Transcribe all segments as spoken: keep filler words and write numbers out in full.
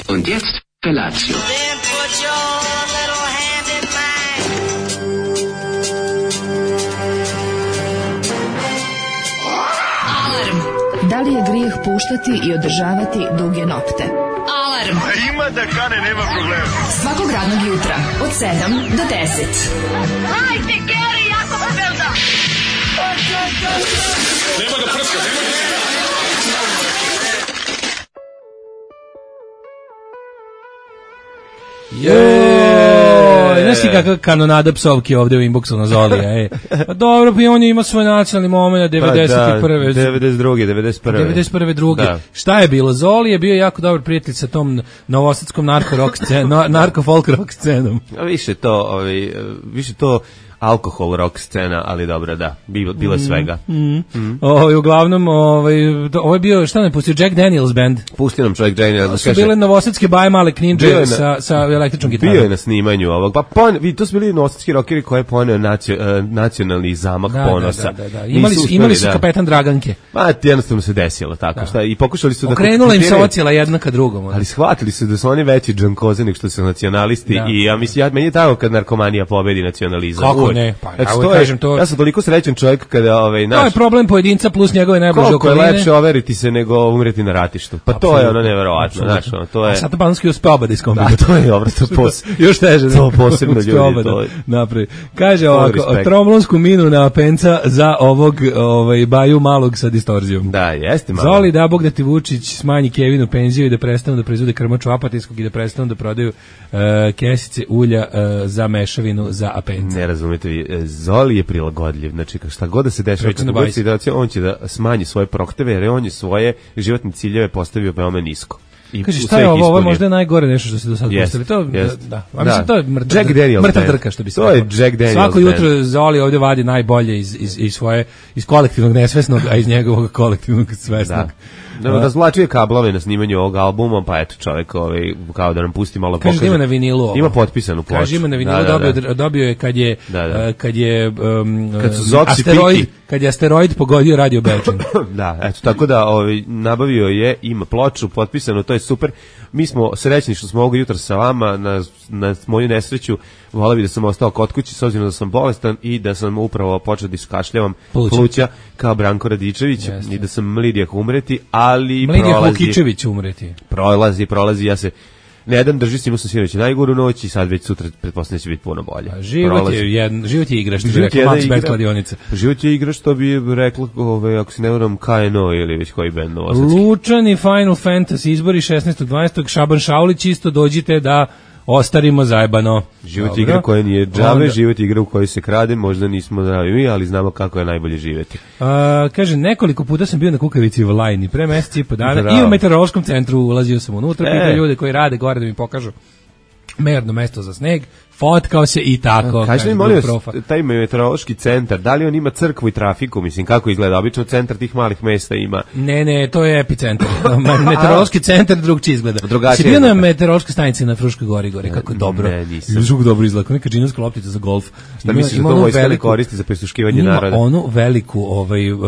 Und jetzt Felatio. Then put your little hand in mine. Alarm. Da li je grijeh puštati i održavati duge nokte? Alarm. A ima da kane, nema problema. Svakog radnog jutra od sedam do deset. Hajde, Geri, jako se velda. Nema da prska, nema da prska. Joj, znaš ti kakva kanonada psovki ovde u inboxu na Zolija, ej. Pa dobro, pa on ima svoj nacionalni moment devedeset prve. devedeset druge, devedeset prve. devedeset prve druge. Da. Šta je bilo? Zoli je bio jako dobar prijatelj sa tom novosadskom narko rock scenom, narko folk rock scenom. A više to, ovaj, više to alkohol rock scena, ali dobro, da, bilo, bilo je svega. Mm, mm. Mm. Ovaj, uglavnom, ovaj, ovo je bio, šta ne pustio, Jack Daniels band. Pustio nam čovjek Jack Daniels. Su bile novosadske baje male kninđe sa, sa električnom gitarom. Bio je na snimanju ovog, pa pon, vi, to su bili novosadski rockeri koje je poneo nacio, uh, nacionalni zamah da, ponosa. Da, da, da. Imali su, imali su da. Kapetan Draganke. Ma, jednostavno se desilo tako, da. Šta, i pokušali su da... Okrenula im se ocijela jedna ka drugom. Ali shvatili su da su oni veći džankoze nek što su nacionalisti da. I ja mislim, ja, meni je tako kad narkomanija pobedi nacionalizam. Kako uvek. Ne, pa znači, to je, to... Ja sam toliko srećan čovjek kada ovaj naš. To je problem pojedinca plus njegove najbliže okoline. Koliko je lepše overiti se nego umreti na ratištu. Pa absolutno, to je ono neverovatno, znači ono, to je. A sad Banski uspe oba da iskombinuje. Da, to je dobro, to pos. Još teže. To posebno ljudi to. Napravi. Kaže ovako, tromblonsku minu na penca za ovog ovaj baju malog sa distorzijom. Da, jeste malo. Zoli da Bog da ti Vučić smanji Kevinu penziju i da prestanu da proizvode krmaču apatijskog i da prestanu da prodaju uh, kesice ulja uh, za mešavinu za apence. Ne razumete vi, Zoli je prilagodljiv, znači šta god da se dešava, on će da smanji svoje prohteve, jer on je svoje životne ciljeve postavio veoma nisko. I kaže, šta je ovo, ovo je možda najgore nešto što se do sada postavili. To, yes. da, da. Mislim, to je mrtav, mrtav drka, što bi se to je Jack Daniels. Svako jutro Zoli ovdje vadi najbolje iz, iz, iz svoje, iz kolektivnog nesvesnog, a iz njegovog kolektivnog svesnog. Da. No, razvlačuje kablove na snimanju ovog albuma, pa eto čovjek ovaj, kao da nam pusti malo pokaže. Kaže ima na vinilu ovo. Ima potpisanu ploču. Kaže ima na vinilu, da, da, dobio, da. dobio je kad je, da, da. Uh, kad je um, kad su asteroid, kad je asteroid pogodio Radio Belčin. Da, eto, tako da ovaj, nabavio je, ima ploču, potpisano, to je super. Mi smo srećni što smo ovog jutra sa vama, na, na moju nesreću, volio bi da sam ostao kod kući s obzirom da sam bolestan i da sam upravo počeo da iskašljavam pluća, pluća kao Branko Radičević. Jeste. I da sam mlidijak umreti, ali Mlidijak prolazi... Lukičević umreti. Prolazi, prolazi, ja se... Ne jedan drži, s njima sam sinoć najgoru noć i sad već sutra pretpostavljam će biti puno bolje. A život prolazi. je jedan, život je igra, što bi rekla Max Bad kladionica. Život je igra, što bi rekla, ove, ako se ne varam, K N O ili već koji band novosadski. Lučani Final Fantasy izbori šesnaestog dvanaestog Šaban Šaulić isto dođite da ostarimo zajebano. Život Dobro. igra koja nije džabe, život igra u kojoj se krade, možda nismo zdravi, ali znamo kako je najbolje živjeti. A, kaže, nekoliko puta sam bio na Kukavici u Lajni, pre meseci i po dana, Bravo. i u meteorološkom centru ulazio sam unutra, e. pitao ljude koji rade gore da mi pokažu merno mesto za sneg, fotkao se i tako. Kaži mi, molim vas, taj meteorološki centar, da li on ima crkvu i trafiku, mislim, kako izgleda? Obično centar tih malih mesta ima. Ne, ne, to je epicentar. Meteorološki centar drugčije izgleda. Drugačije. Si bio na meteorološkoj stanici na Fruškoj gori, gore, kako je dobro. Ne, nisam. Žuk dobro izgleda, kao neka džinarska loptica za golf. Šta misliš da to vojska ne koristi za prisluškivanje naroda? Ima onu veliku ovaj, uh,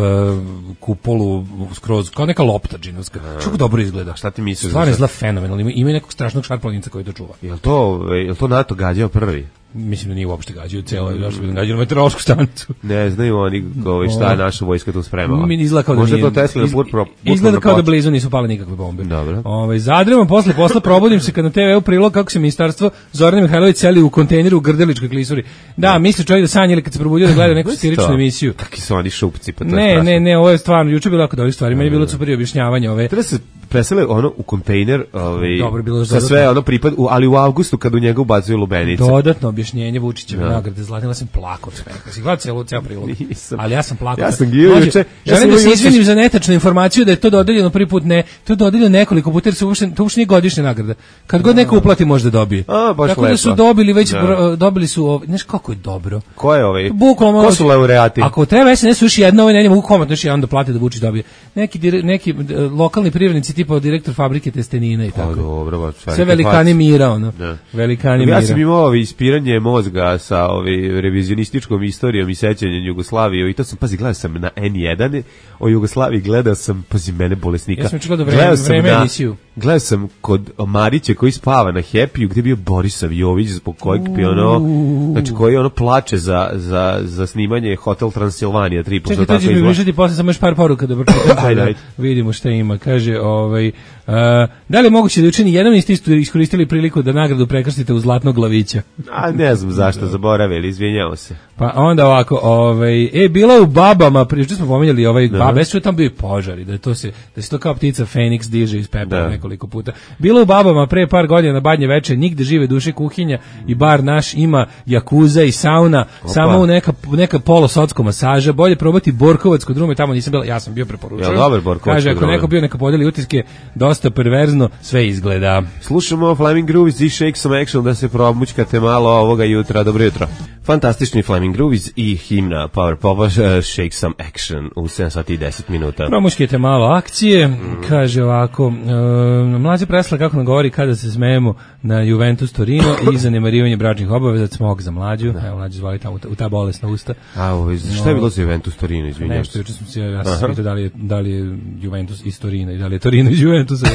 kupolu skroz, kao neka lopta džinarska. Kako dobro izgleda. Šta ti misliš? Stvarno izgleda fenomenalno. Ima nekog strašnog šarplaninca koji to čuva. Jel to, jel to NATO gađao prvi? Mislim da nije uopšte gađao celo, zašto bi gađao meteorološku stanicu. Ne znaju oni ovaj šta je naša vojska tu spremala. Mi izgleda kao da Možda nije, to Tesla iz, put pro, izgleda kao da blizu nisu pale nikakve bombe. Dobro. Ovaj zadremo posle posla probudim se kad na te ve u prilog kako se ministarstvo Zorana Mihajlović seli u kontejneru u Grdeličkoj klisuri. Da, da. misli čovjek da sanja ili kad se probudio da gleda neku satiričnu emisiju. Kakvi su oni šupci, pa to ne, je Ne, ne, ovo je stvarno juče bilo jako dobre stvari. Meni je bilo super objašnjavanje ove. Treba se presele ono u kontejner, ovaj sa sve ono pripad, ali u avgustu kad u njega ubacuju lubenice. Dodatno objašnjenje Vučićeve nagrade Zlatila sam plakao od smeha. Si gledao ceo ceo prilog. Ali ja sam plakao. Ja sam gledao juče. Ja želim da se izvinim za netačnu informaciju da je to dodeljeno prvi put, ne. To je dodeljeno nekoliko puta jer se uopšte to uopšte nije godišnja nagrada. Kad god neko uplati može da dobije. A, baš tako lepo. Da su dobili već da. dobili su, znaš kako je dobro. Ko je ovaj? Bukvalno. Ko su laureati? Ako treba es en es još jedna, ovaj ne mogu komotno još jedan da plati da Vučić dobije. Neki neki lokalni privrednici tipa tipa direktor fabrike testenina i tako. Pa dobro, ba, sve velikani mira, ono. Da. Velikani mira. Ja sam imao ovi ispiranje mozga sa ovi revizionističkom istorijom i sećanjem Jugoslavije i to sam, pazi, gledao sam na en jedan o Jugoslaviji, gledao sam, pazi, mene bolesnika. Ja sam čekao da vreme, vreme na, emisiju. Gledao sam kod Marića koji spava na Happy-u, gde je bio Borisav Jović, zbog kojeg bi ono, znači koji ono plače za, za, za snimanje Hotel Transilvanija tri puta. Čekaj, to će mi višati posle samo još par poruka da pročitam. Vidimo šta ima. Kaže, ovaj, uh, da li je moguće da učini jedan isti iskoristili priliku da nagradu prekrstite u zlatnog glavića? A ne znam zašto, zaboravili, izvinjamo se. Pa onda ovako, ovaj, e, bila u Babama, prije što smo pominjali ovaj Babe, su tam bio požari, da to se, da se to kao ptica Feniks diže iz pepela nekoliko puta. Bila u Babama pre par godina na Badnje veče, nigde žive duše kuhinja i bar naš ima jakuza i sauna, Opa. samo u neka, neka polosotsko masaža, bolje probati Borkovac kod Rume, tamo nisam bila, ja sam bio preporučio. Ja, dobar Borkovac. Kaže, ako neko bio neka podeli utiske, dosta perverzno, sve izgleda. Slušamo Flaming Groovies i Shake Some Action da se promućkate malo ovoga jutra. Dobro jutro. Fantastični Flaming Groovies i himna Power Popa, uh, Shake Some Action u sedam sati i deset minuta. Promućkite malo akcije, mm. kaže ovako, uh, mlađe presla kako nam govori kada se smejemo na Juventus Torino i zanemarivanje bračnih obaveza, smog za mlađu, da. Evo mlađe zvali tamo u ta bolesna usta. A ovo, šta je bilo za Juventus Torino, izvinjam? Nešto, juče sam se, ja sam pitao da li je, da li je Juventus iz Torina i da li je Torino iz Juventusa.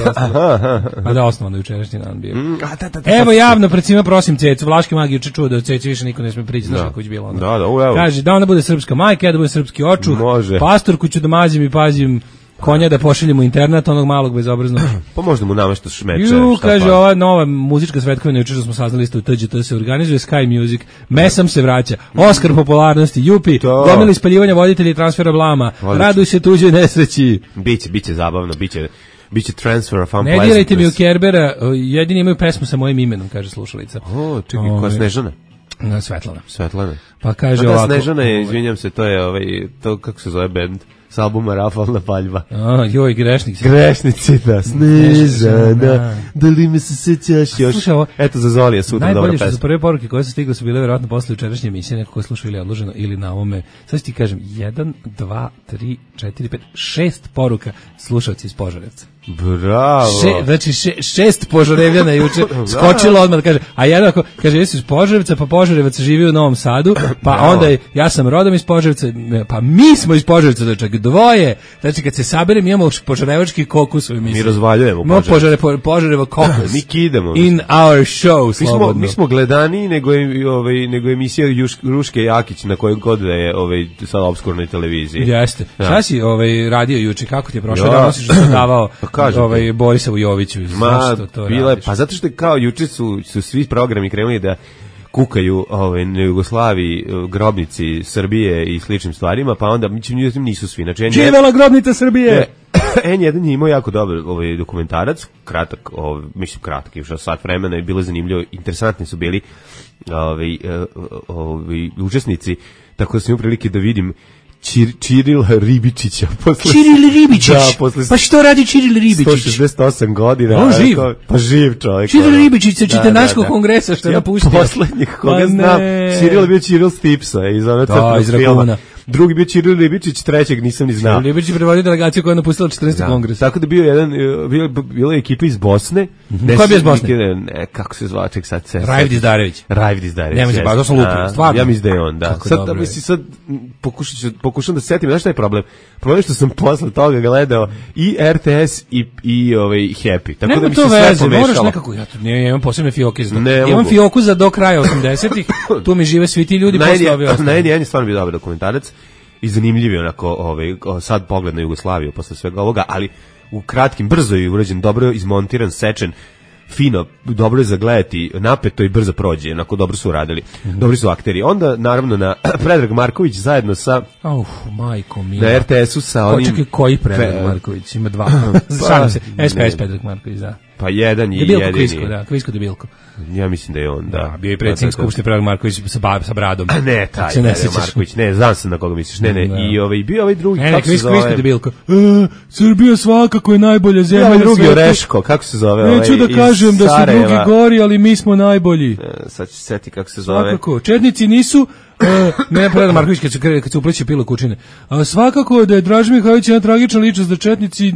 A da, osnovno jučerašnji dan bio. Mm, a, da, da, da, evo javno pred svima prosim Cecu, Vlaški mag juče čuo da od Ceci više niko ne sme prići, znaš kako je bilo onda. Da, da, evo. Kaže da ona bude srpska majka, ja da bude srpski očuh, pastorku ću da mazim i pazim, konja da pošaljemo internat, onog malog bezobraznog. Pa možda mu nameštaš šmeče. Ju, kaže, pa? Ova nova muzička svetkovina, juče što smo saznali isto u T Đ T se organizuje, Sky Music, Mesam se vraća, Oskar popularnosti, Jupi, gomili spaljivanja voditelji i transfera blama, Odlično. Raduj se tuđoj nesreći. Biće, biće zabavno, biće... Biće transfer of unpleasantness. Ne dirajte mi u Kerbera, jedini imaju pesmu sa mojim imenom, kaže slušalica. O, čekaj, koja Snežana? Svetlana. Svetlana. Pa kaže pa ovako. Snežana je, izvinjam se, to je ovaj, to kako se zove bend s albuma Rafalna paljba. A, joj, grešnici. Grešnici, da. Snežana, da li me se sećaš još? Slušaj, ovo, eto za Zolija sutra dobra pesma. Najbolje što su prve poruke koje su stigle su bile vjerojatno posle jučerašnje emisije, neko ko je slušao ili odloženo ili na ovome. Sad ti kažem, jedan, dva, tri, četiri, pet, šest poruka slušalci iz Požarevca. Bravo. Še, znači še, šest Požarevljana juče skočilo odmah da kaže, a jednako kaže jesi iz Požarevca, pa Požarevac živi u Novom Sadu, pa Bravo. Onda je, ja sam rodom iz Požarevca, pa mi smo iz Požarevca, znači dvoje. Znači kad se saberem imamo požarevački kokus u emisiji. Mi razvaljujemo Požarevo. Požare, Požarevo kokus. Mi kidemo. In our show, slobodno. Mi smo, mi smo gledaniji nego je, ovaj, nego emisija Juš, Ruške Jakić na kojoj god da je ovaj, sad obskurnoj televiziji. Jeste. Ja. Šta si ovaj, radio juče, kako ti je prošlo? Ja. Da nosiš da sam davao ovaj Borisavu Joviću. Ma, to, to bila, pa zato što kao juče su, su svi programi krenuli da kukaju ovaj, na Jugoslaviji, grobnici Srbije i sličnim stvarima, pa onda mi nisu svi. Znači, živela grobnica Srbije! en jedan je imao jako dobar ovaj, dokumentarac, kratak, ovaj, mislim kratak, je sat vremena i bilo zanimljivo, interesantni su bili ovaj, ovaj, učesnici, tako da sam imao prilike da vidim Čir, Čirila Ribičića. Posle, Čiril Ribičić? Da, posle, pa što radi Čiril Ribičić? sto šezdeset osam godina. On živ? Ko, pa živ čovjek. Čiril Ribičić sa Čitenaškog da, da, kongresa što je napustio. Poslednjih koga pa znam. Čiril je bio Čiril Stipsa iz onog crtnog filma. Drugi bio Čiril Ribičić, trećeg nisam ni znao. Čiril Ribičić je prevodio delegaciju koja je napustila četrnaesti kongres. Tako da bio jedan, bio, bila je ekipa iz Bosne. Mm-hmm. Ko je bio iz Bosne? Ne, kako se zva, ček sad se... Rajv Dizdarević. Rajv Dizdarević. Nema se, ba, to sam lupio, stvarno. Ja mislim da je on, da. Sad, da, mislim, sad pokušam, pokušam da se setim, znaš šta je problem? Problem je što sam posle toga gledao i R T S i, i ovaj, Happy. Tako nema da mi se sve veze, pomešalo. Moraš nekako, ja, ne, ja imam posebne fioke za to. Imam fioku za do kraja osamdesetih, tu mi žive svi ti ljudi posle ovi ostali. Na jedan je stvarno bio dobar dokumentarac. I zanimljiv je onako ovaj, sad pogled na Jugoslaviju posle svega ovoga, ali u kratkim, brzo je urađen, dobro je izmontiran, sečen, fino, dobro je zagledati, napeto i brzo prođe, onako dobro su uradili, mm-hmm. dobri su akteri. Onda, naravno, na Predrag Marković zajedno sa... Uf, majko mila. Na R T S-u sa onim... Očekaj, koji Predrag Pre... Marković? Ima dva. Šalim se, S P S Predrag Marković, da. Pa jedan je jedini. Kvisko, da, Kvisko Debilko. Ja mislim da je on, da. Da, bio je predsjednik Skupštine Predrag Marković sa, ba, sa bradom. A ne, taj Predrag Marković, ne, znam se na koga misliš, ne, ne, da. I ovaj, bio ovaj drugi, ne, kako ne, se zove? Kvisko Debilko. E, Srbija svakako je najbolja zemlja. Ja, drugi Oreško, kako se zove? Neću ovaj, da kažem da su drugi gori, ali mi smo najbolji. E, sad ću se seti kako se zove. Svakako, četnici nisu... Uh, ne, Predrag Marković kad se, kad se upleće pilo kućine. A svakako da je Draža Mihajlović jedna tragična ličnost da četnici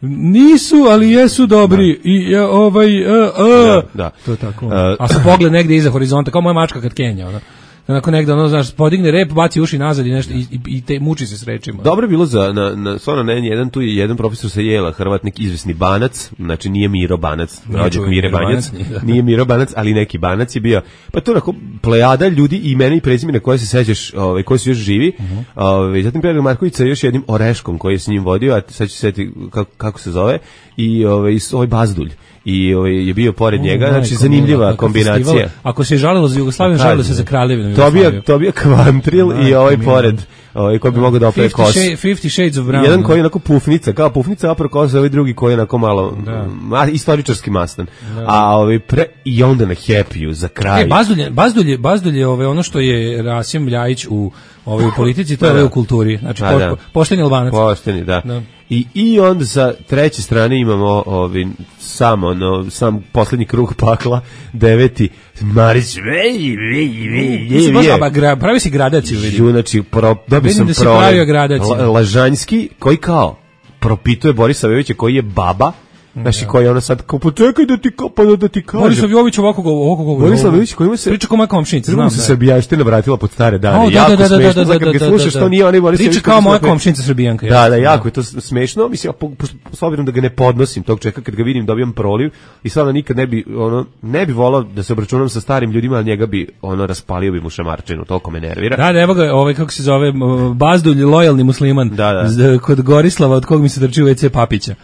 nisu, ali jesu dobri. Da. I ja, ovaj, uh, uh. Da, da. To je tako. Uh, a sa pogled negde iza horizonta, kao moja mačka kad kenja, ona. Onako negde, ono, znaš, podigne rep, baci uši nazad i nešto, i, i te muči se s rečima. Dobro je bilo za, na, na, stvarno, na jedan, tu je jedan profesor sa Jela, Hrvatnik, izvesni Banac, znači nije Miro Banac, rođak Mire Banjac, nije, nije Miro Banac, ali neki Banac je bio, pa to onako, plejada ljudi, imena i prezimena koje se sećaš, ovaj, koji su još živi, uh-huh. ovaj, zatim Predrag Marković sa još jednim Oreškom koji je s njim vodio, a sad ću se setiti kako, kako se zove, i ovaj, ovaj Bazdulj. I ovaj je bio pored njega, uh, znači zanimljiva kombinacija. Festival. Ako se žalilo za Jugoslaviju, žalilo se za Kraljevinu Jugoslaviju. To bio Kvantril i ovaj pored, ovaj koji bi mogao da opere kos. Fifty Shades of Brown. Jedan koji je onako pufnica, kao pufnica, a preko ovaj drugi koji je onako malo ma, istoričarski mastan. Da. A ovaj pre i onda na Happy-u za kraj. E, Bazdulje, Bazdulje, Bazdulje, ovaj ono što je Rasim Ljajić u ovaj u politici, to je da. u kulturi. Znači po, da. pošteni Albanac. Pošteni, da. da. I i onda sa treće strane imamo ovaj samo no sam poslednji krug pakla, deveti Marić vej vej vej. Pravi si gradaciju, vidi. Znači pro dobio sam pro Lažanjski koji kao propituje Borisa Jovića koji je baba. Znači koji je ona sad kao počekaj da ti kao pa da ti kaže. Borislav Jović ovako ovako govori. Borislav Jović koji ima se priča kao moja komšinica, znam se srbijanština vratila pod stare dane. Oh, jako da, da, smešno, da, da, da, da, slušaš što nije oni Borislav priča kao moja komšinica srbijanka. Da, da, jako je to smešno, mislim s obzirom da ga ne podnosim tog čeka kad ga vidim dobijam proliv i stvarno nikad ne bi ono ne bi volao da se obračunam sa starim ljudima, al njega bi ono raspalio bi mu šamarčinu, toliko me nervira. Da, da, evo ga, ovaj kako se zove Bazdulj, lojalni musliman. Da, da. Kod Gorislava od kog mi se trči u ve ce Papića.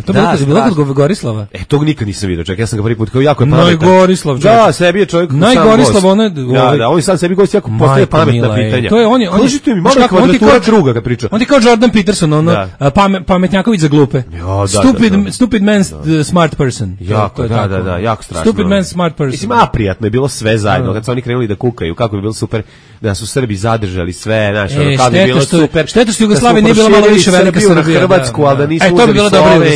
To da, je bilo kod Gorislava. E, tog nikad nisam vidio, čak ja sam ga prvi put kao jako je pametan. Najgorislav, čovjek. Da, sebi je čovjek sam Najgorislav, on je... Da, da, on je sam sebi gost jako postaje pametna pitanja. To je, on je... Kažite mi, malo je kvadratura druga kad priča. On ti kao Jordan Peterson, ono, da. Pame, pametnjaković za glupe. Ja, da, stupid, da, da. stupid man, da. smart person. Jako, da, da, da, jako strašno. Stupid man, smart person. Mislim, a prijatno je bilo sve zajedno, kad su oni krenuli da kukaju, kako bi bilo super da su Srbi zadržali sve, znaš, ono, kako bi bilo super. Šteta što Jugoslavija nije bila malo više velika Srbija. Hrvatsku, al da nisu uzeli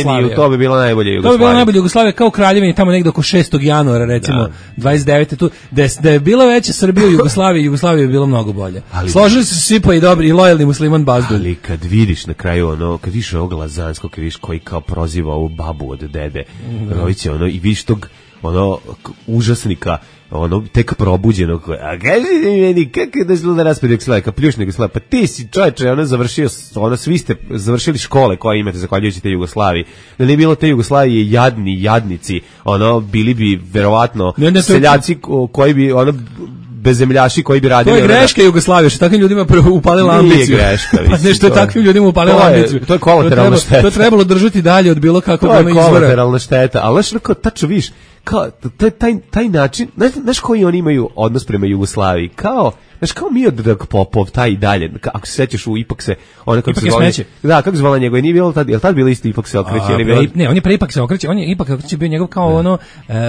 Sloveniju, to bi bilo najbolje Jugoslavija. To bi bila najbolja Jugoslavija kao Kraljevini tamo negde oko šestog januara recimo da. dvadeset devete tu da je, da je bila veća Srbija u Jugoslaviji, Jugoslavija bi bilo mnogo bolje. Ali, složili su se svi pa i dobri i lojalni musliman Bazdulj. Ali kad vidiš na kraju ono, kad vidiš ovog Lazanskog, kad vidiš koji kao proziva ovu babu od dede, mm. ono, i vidiš tog ono užasnika, ono tek probuđenog, a kaži mi meni kako je došlo da raspred Jugoslavije, pljušnog Jugoslavije, pa ti si čovječe, ono završio, ono svi ste završili škole koje imate zahvaljujući te Jugoslaviji, da nije bilo te Jugoslavije jadni, jadnici, ono bili bi verovatno ne, ne, seljaci koji bi ono bezemljaši koji bi radili. To je greška Jugoslavije, što takvim ljudima upalila ambiciju. Nije greška, pa nešto je takvim ljudima upalila ambiciju. To je kolateralna šteta. To je trebalo držati dalje od bilo kakvog ono izvora. To je kolateralna šteta, ali znaš, kao tačno viš, kao, taj, taj, taj način, znaš, znaš koji oni imaju odnos prema Jugoslaviji, kao, znaš, kao Miodrag Popov, taj i dalje, ako se sećaš u Ipak se, ona kako se zvala, da, kako se zvala njegove, nije bilo tad, je li tad bilo isto Ipak se okreće? A, bilo... Ne, on je pre Ipak se okreće, on je Ipak se okreće bio njegov kao da. ono, uh,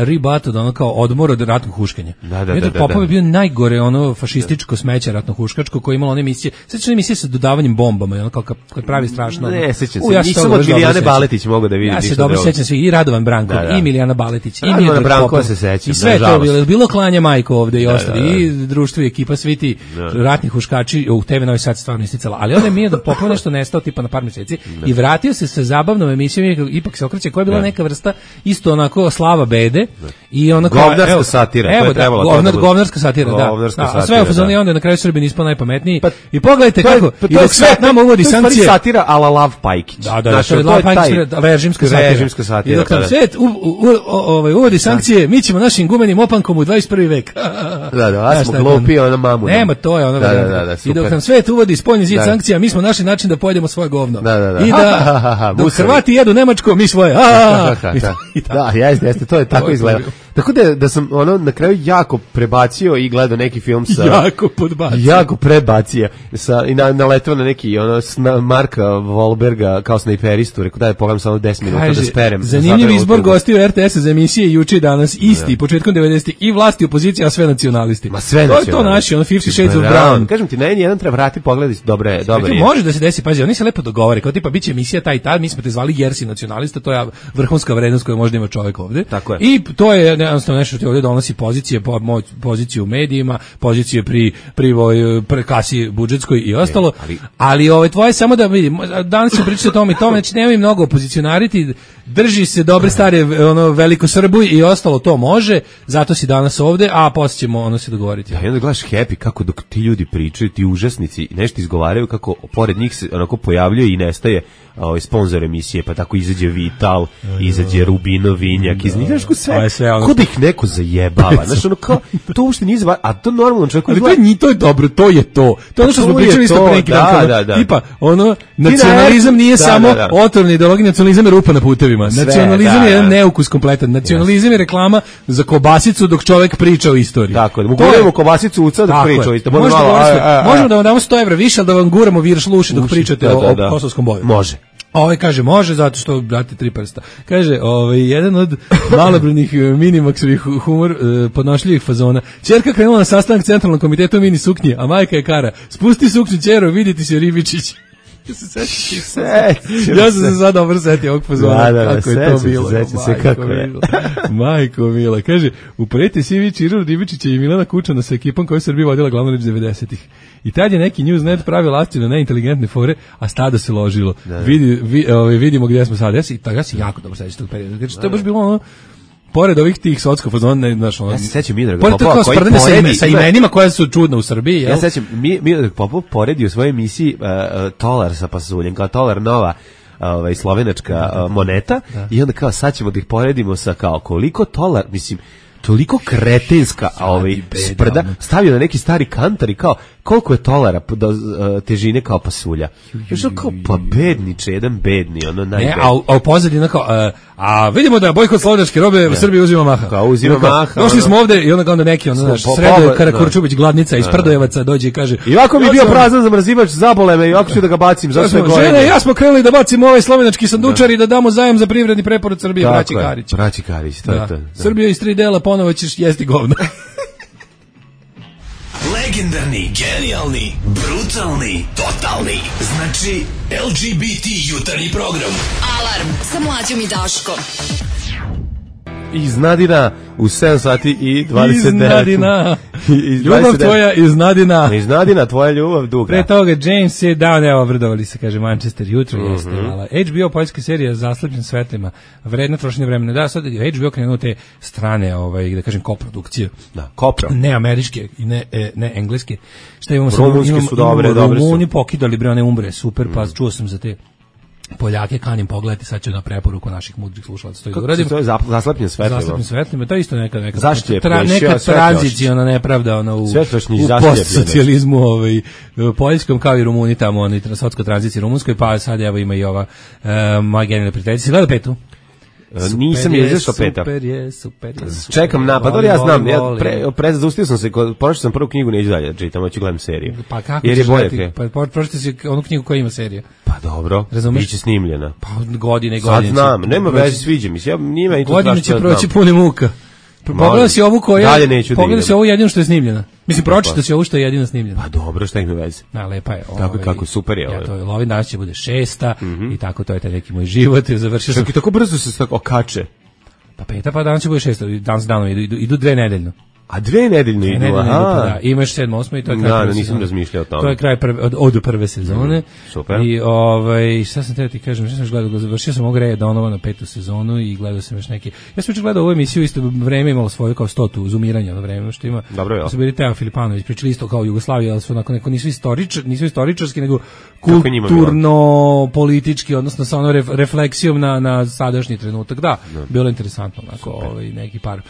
ribat od ono kao odmor od ratnog huškanja. Da, da, Miodrag da, Popov da. je bio najgore ono fašističko smeće ratno huškačko koje je imalo one emisije, sećaš emisije sa dodavanjem bombama, ono kao kad pravi strašno. Ne, sećam se, nisam od Milijane Baletić mogao da vidim. Ja se dobro sećam se i Radovan Brankov, i Milijana Baletić, i Miodrag Popov. I sve to bilo, bilo klanje majko ovde i ostali, i društvo i ekipa, svi ti ratni huškači u te ve Novi Sad stvarno isticala. Ali onda je Miodrag Popov nešto nestao tipa na par mjeseci i vratio se sa zabavnom emisijom Ipak se okreće, koja je bila neka vrsta isto onako slava bede i ona kao govnarska satira, evo, da, govnar, govnarska satira, da. Govnarska da. satira, a sve u fazonu i onda na kraju Srbi nismo najpametniji. Pa, I pogledajte to je, kako pa i dok svet nama uvodi sankcije. To je satira ala Lav Pajkić. Da, da, znači, to je Lav Pajkić, režimska satira. Režimska satira. I dok nam svet ovaj uvodi sankcije, mi ćemo našim gumenim opankom u dvadeset prvi vek. Da, da, a smo glupi, ona mamu. Nema, to je ono. Da, da, da, i dok nam svet uvodi spoljni zid sankcija, mi smo našli način da pojedemo svoje govno. Da, da, da. I da dok Hrvati jedu Nemačko, mi svoje. Da, jeste, jeste, to je tako izgleda. Tako da da sam ono na kraju jako prebacio i gledao neki film sa jako podbacio. Jako prebacio sa i na naletao na neki ono sna, Marka Wahlberga kao snajperistu, rekao da je pogledam samo deset minuta da sperem. Zanimljiv izbor gostiju er te es za emisije juče i danas isti, ja. Početkom devedesetih i vlasti opozicija, a sve nacionalisti. Ma sve to je to naši, ono Fifty Shades of Brown. Kažem ti, na jedan treba vrati pogledati, dobre, dobre. Može da se desi, pazi, oni se lepo dogovore, kao tipa biće emisija taj taj, mi smo te zvali Jersi nacionalista, to je vrhunska vrednost koju može ima čovjek ovde. Tako je. I to je jednostavno nešto ti ovdje donosi pozicije, po, poziciju u medijima, pozicije pri, pri, pri kasi budžetskoj i ostalo, e, ali, ali ove, tvoje samo da vidim, danas ću pričati o tome i tome, znači nemoj mnogo opozicionariti, drži se dobre stare ono, veliko Srbuj i ostalo to može, zato si danas ovde, a poslije ćemo ono se dogovoriti. Ja, i onda gledaš Happy kako dok ti ljudi pričaju, ti užasnici nešto izgovaraju, kako pored njih se onako pojavljuje i nestaje ovaj sponzor emisije, pa tako izađe Vital, izađe Rubino Vinjak, iz njih nešto sve, sve ono... kod ih neko zajebava, znaš ono kao, to uopšte nije zva, a to normalno čovjek... Ali to je, to je dobro, to je to. To je ono što smo pričali isto pre neki dan, kada, da, da. tipa, ono, nacionalizam nije da, samo da, da. otrovna ideologija, nacionalizam je rupa na putevima. Sve, nacionalizam da, je jedan da. neukus kompletan. Nacionalizam je reklama za kobasicu dok čovjek priča o istoriji. Tako, da mu guramo kobasicu uca dok priča o istoriji. Možemo da vam damo sto evra više, ali da vam guramo virš luši dok pričate o kosovskom boju. Može. Ovaj kaže može zato što brate tri prsta. Kaže, ovaj jedan od malobrojnih minimaksovih humor eh, podnošljivih fazona. Ćerka krenula na sastanak centralnog komiteta u mini suknji, a majka je kara: "Spusti suknju, ćero, vidite se Ribičić." Ja se sećam. Ja sam se sad dobro setio ovog fazona. Da, da, kako je to bilo. Sećam se kako je. Majko mila. Kaže, upreti Sivi Čiro Ribičića i Milana Kučana sa ekipom koju Srbija vodila glavnu reč devedesetih. I tad je neki Newsnet pravio lasti na neinteligentne fore, a stado se ložilo. Da, da. Vidi, vi, ovaj, vidimo gdje smo sad. Ja se, ja se jako dobro sećam tog perioda. Znači, to je baš bilo ono, pored ovih tih sotskog fazona, ne znaš, ono. Ja se sećam Miodraga Popova koji poredi sa imenima koja su čudna u Srbiji, jel? Ja se sećam Miodrag Popov poredi u svojoj emisiji uh, uh, Tolar sa pasuljem, kao Tolar nova ovaj slovenačka uh, moneta, da. I onda kao sad ćemo da ih poredimo sa kao koliko Tolar, mislim, toliko kretenska ovaj sprda stavio na neki stari kantar i kao koliko je Tolara do uh, težine kao pasulja. Još kao pa bedniče, jedan bedni, ono najbedniji. Ne, a, a u pozadini kao, uh, a vidimo da bojkot slovenačke robe u Srbiji uzima maha. Kao uzima maha. Došli smo ovde i onda onda neki ono naš Sredo Karakurčubić gladnica iz Prdojevaca dođe i kaže: "I ovako mi bio prazan zamrzivač, zabole me i ovako ću da ga bacim, zašto je gore." Žene, ja smo krenuli da bacimo ovaj slovenački sandučar i da damo zajam za privredni preporod Srbije, braći Karić. Braći Karić, to je to. Srbija iz tri dela, ponovo ćeš jesti govno. Legendarni, genijalni, brutalni, totalni. Znači, L G B T jutarnji program. Alarm sa Mlađom i Daškom. Iz Nadina u sedam sati i dvadeset devet. Iz Nadina. Ljubav tvoja iz Nadina. Iz Nadina, tvoja ljubav duga. Pre toga James je down, evo, obradovali se, kaže Manchester, jutro mm-hmm. jeste. Mala. H B O poljska serija Zaslepljen svetlima, vredno trošenje vremena. Da, sad H B O krenuo te strane, ovaj, da kažem, koprodukcije. Da, kopro. Ne američke i ne, e, ne engleske. Šta imamo? Rumunski imamo, su dobre, imamo, dobre su. Rumuni pokidali, bre, one umbre, super, mm. pa čuo sam za te Poljake, kanim pogledati, sad ću na preporuku naših mudrih slušalaca to i uradim. To je zaslepljen svetlima. Zaslepljen svetlima, to je isto neka neka tra, neka tranziciona nepravda ona u, u postsocijalizmu ovaj poljskom kao i Rumuni tamo oni transotsko tranziciji rumunskoj, pa sad evo ima i ova uh, moja genijalna prijateljica. Gleda petu. Super nisam je izašao peta. Super je, super je. Super Čekam napad, ali ja znam, ja pre, pre zaustio sam se, pročitao sam prvu knjigu, neću dalje čitam, hoću gledam seriju. Pa kako jer je bolje? Pa pročitao si onu knjigu koja ima serija. Pa dobro, biće snimljena. Pa godine i godine. Sad znam, nema veze, sviđa mi se, ja njima i to godine će proći pune muka. Pogledaj si ovu koja, pogledaj si ovu jedinu što je snimljena. Mislim, pročitao si ovu što je jedina snimljena. Pa dobro, šta ih ne veze. Na, lepa je. Tako ovaj, kako, super je. Ja, to je, Lovin danas će bude šesta mm-hmm. i tako to je taj neki moj život. Završio sam. Čak i tako brzo se tako okače. Pa peta, pa danas će bude šesta, danas danom idu, idu, idu dve nedeljno. A dve nedeljno idu, nedeljno aha. Idu, pa da. Imaš sedmo, osmo i to je kraj da, prve nisam sezone. razmišljao o tome. To je kraj prve, od, od prve sezone. Mm, super. I ovaj, šta sam teo ti kažem, šta sam još gledao, završio sam ovog Reja Donovana petu sezonu i gledao sam još neki. Ja sam već gledao ovu emisiju, isto vreme imalo svoju kao stotu zoomiranja na vreme, što ima. Dobro je. Su bili Teo Filipanović, pričali isto kao Jugoslavija, ali su onako neko nisu istoričar, nisu istoričarski, nego kulturno politički, odnosno sa onom ref, refleksijom na na sadašnji trenutak. Da, no. Bilo interesantno, onako, ovaj neki par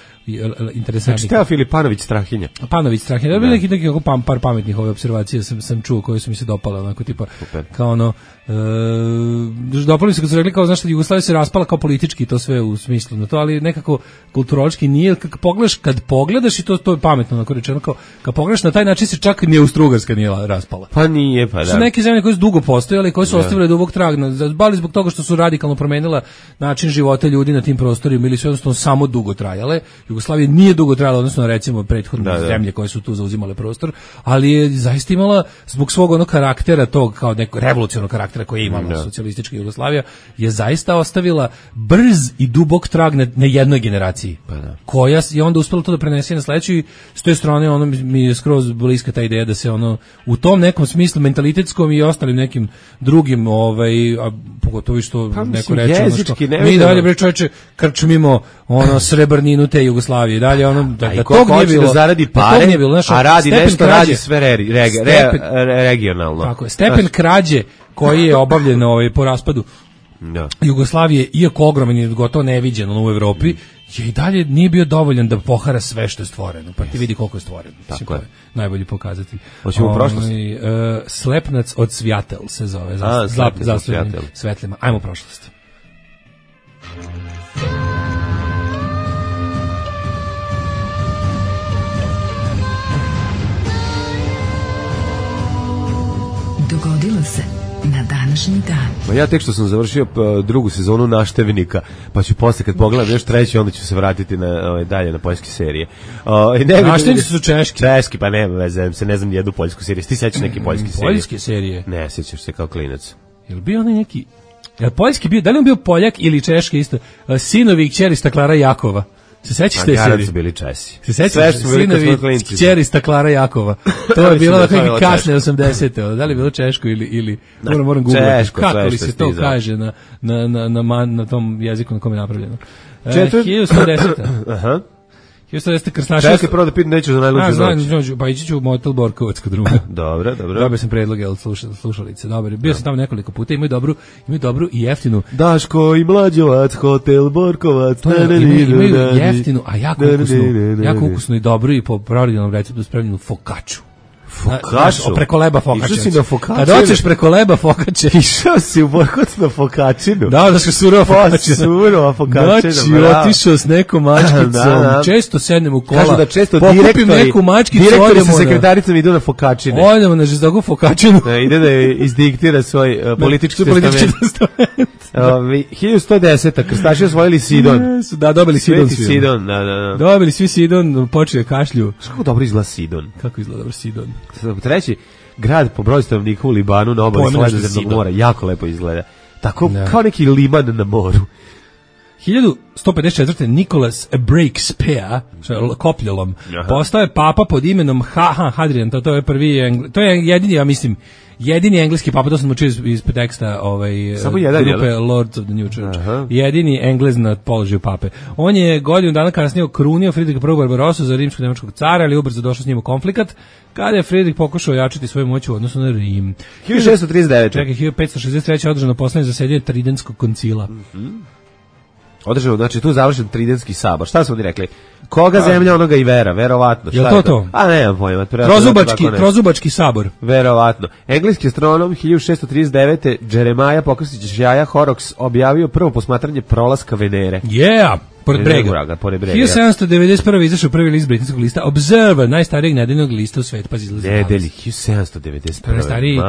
interesantnih. Znači Teo Filipanović Strahinja. Panović Strahinja. Da bi neki neki pam, par pametnih ove opservacije sam sam čuo koje su mi se dopale, onako tipa super. Kao ono e, dopali se kad su rekli kao znaš da Jugoslavija se raspala kao politički to sve u smislu na to, ali nekako kulturološki nije, kad pogledaš kad pogledaš i to to je pametno onako rečeno kao kad pogledaš na taj način se čak ni Austrougarska nije raspala. Pa nije, pa da. Su neke zemlje koje su dugo postojale, koje su ostavile dubok trag, bali zbog toga što su radikalno promenila način života ljudi na tim prostorima ili su jednostavno samo dugo trajale. Jugoslavija nije dugo trajala, odnosno recimo prethodne da, da. zemlje koje su tu zauzimale prostor, ali je zaista imala zbog svog onog karaktera tog kao nekog revolucionarnog karaktera karaktera koje je imala da. socijalistička Jugoslavija, je zaista ostavila brz i dubok trag na, na jednoj generaciji, pa da. koja je onda uspela to da prenese na sledeću i s te strane ono mi je skroz bliska ta ideja da se ono u tom nekom smislu mentalitetskom i ostalim nekim drugim, ovaj, a pogotovo što pa, neko reče ono što mi dalje bre čoveče krčmimo ono srebrninu te Jugoslavije dalje ono da, da tog nije bilo, da zaradi pare, da bilo, znaš, a radi nešto krađe, radi sve re, re, stepen, re, regionalno. Tako je, stepen znaš, krađe koji je obavljen ovaj, po raspadu da. Jugoslavije, iako ogroman i gotovo neviđen u Evropi, je i dalje nije bio dovoljan da pohara sve što je stvoreno. Pa ti vidi koliko je stvoreno. Tako je. Najbolji pokazatelj. Hoćemo u prošlost? Uh, Slepnac od Svjatel se zove. A, Slepnac od Svjatel. Svetlima. Ajmo u prošlost. Dogodilo se na današnji dan. Ma ja tek što sam završio pa, drugu sezonu Naštevnika, pa ću posle kad pogledam još treći, onda ću se vratiti na ovaj dalje na poljske serije. Uh, Naštevnici su češki. Češki, pa nema veze, se ne znam jednu poljsku seriju. Ti sećaš neke poljske serije? Poljske serije? Ne, sećaš se kao klinac. Jel bio onaj neki... Jel poljski bio, da li on bio Poljak ili Češki isto? Uh, sinovi i kćeri Staklara Jakova. Se sećaš te serije? Su bili Česi. Se sećaš sinovi kćeri Staklara Jakova? To je bilo dakle kasne osamdesete. Da li je bilo češko ili ili moram moram googlati kako li se to kaže na na na na na tom jeziku na kom je napravljeno. hiljadu sto deseta. Aha. hiljadu sto deseta krstaša. Čekaj, prvo da pitam neću za najluđu noć. A, znam, pa ići ću u motel Borkovac kod druga. Dobro, dobro. Dobio sam predlog, jel, slušalice. Dobro, bio sam tamo nekoliko puta, imaju dobru, imaju dobru i jeftinu. Daško i Mlađovac, hotel Borkovac. To je, imaju, imaju jeftinu, a jako ukusnu, jako ukusnu i dobru i po pravilnom receptu spremljenu fokaču. Fokaču? Preko leba fokače. Išao si na fokačinu? Kad hoćeš preko leba fokače. Išao si u Borkovac na fokačinu? Da, da što surova fokačina. Surova fokačina, znači, otišao s nekom mačkicom. Da, da. Često sednem u kola. Kažu da često direktori, neku mačkicu, direktori sa sekretaricom idu na fokačine. Odemo na žestogu fokačinu. Da, ide da izdiktira svoj uh, politički testament. hiljadu sto deseta. Krstaši osvojili Sidon. Da, dobili Sidon svi. Sidon, da, da, da. Dobili svi Sidon, počeli kašlju. Kako dobro izgleda Sidon? Kako izgleda dobro Sidon? Treći grad po broju stanovnika u Libanu na obali Sredozemnog mora, jako lepo izgleda. Tako ne. Kao neki liman na moru. hiljadu sto pedeset četvrte. Nicholas Breakspear, kopljolom, postao je papa pod imenom Haha Hadrian, to, to je prvi, engl... to je jedini, ja mislim, jedini engleski papa, to sam učio iz, iz teksta ovaj, jedan, grupe jel? Lords of the New Church. Aha. Jedini Englez na položaju pape. On je godinu dana kasnije okrunio Fridrika prvog Barbarosu za rimsko-nemačkog cara, ali ubrzo došao s njim u konflikat, kada je Fridrik pokušao ojačati svoju moć u odnosu na Rim. hiljadu šeststo trideset devete. Čekaj, hiljadu petsto šezdeset treće. održano poslednje zasedanje Tridentskog koncila. Mhm. Održano, znači tu završen Tridentski sabor. Šta su oni rekli? Koga zemlja, onoga i vera, verovatno. Šta je to to? A nemam pojma. Trozubački, trozubački sabor. Verovatno. Engleski astronom hiljadu šeststo trideset devete. Jeremiah Pokrstić Jaja Horrocks objavio prvo posmatranje prolaska Venere. Yeah! Pored brega. Pored brega. hiljadu sedamsto devedeset prve. izašao prvi list britanskog lista Observer, najstarijeg nedeljnog lista u svetu. Pa izlazi nedelji, hiljadu sedamsto devedeset prve. Najstariji,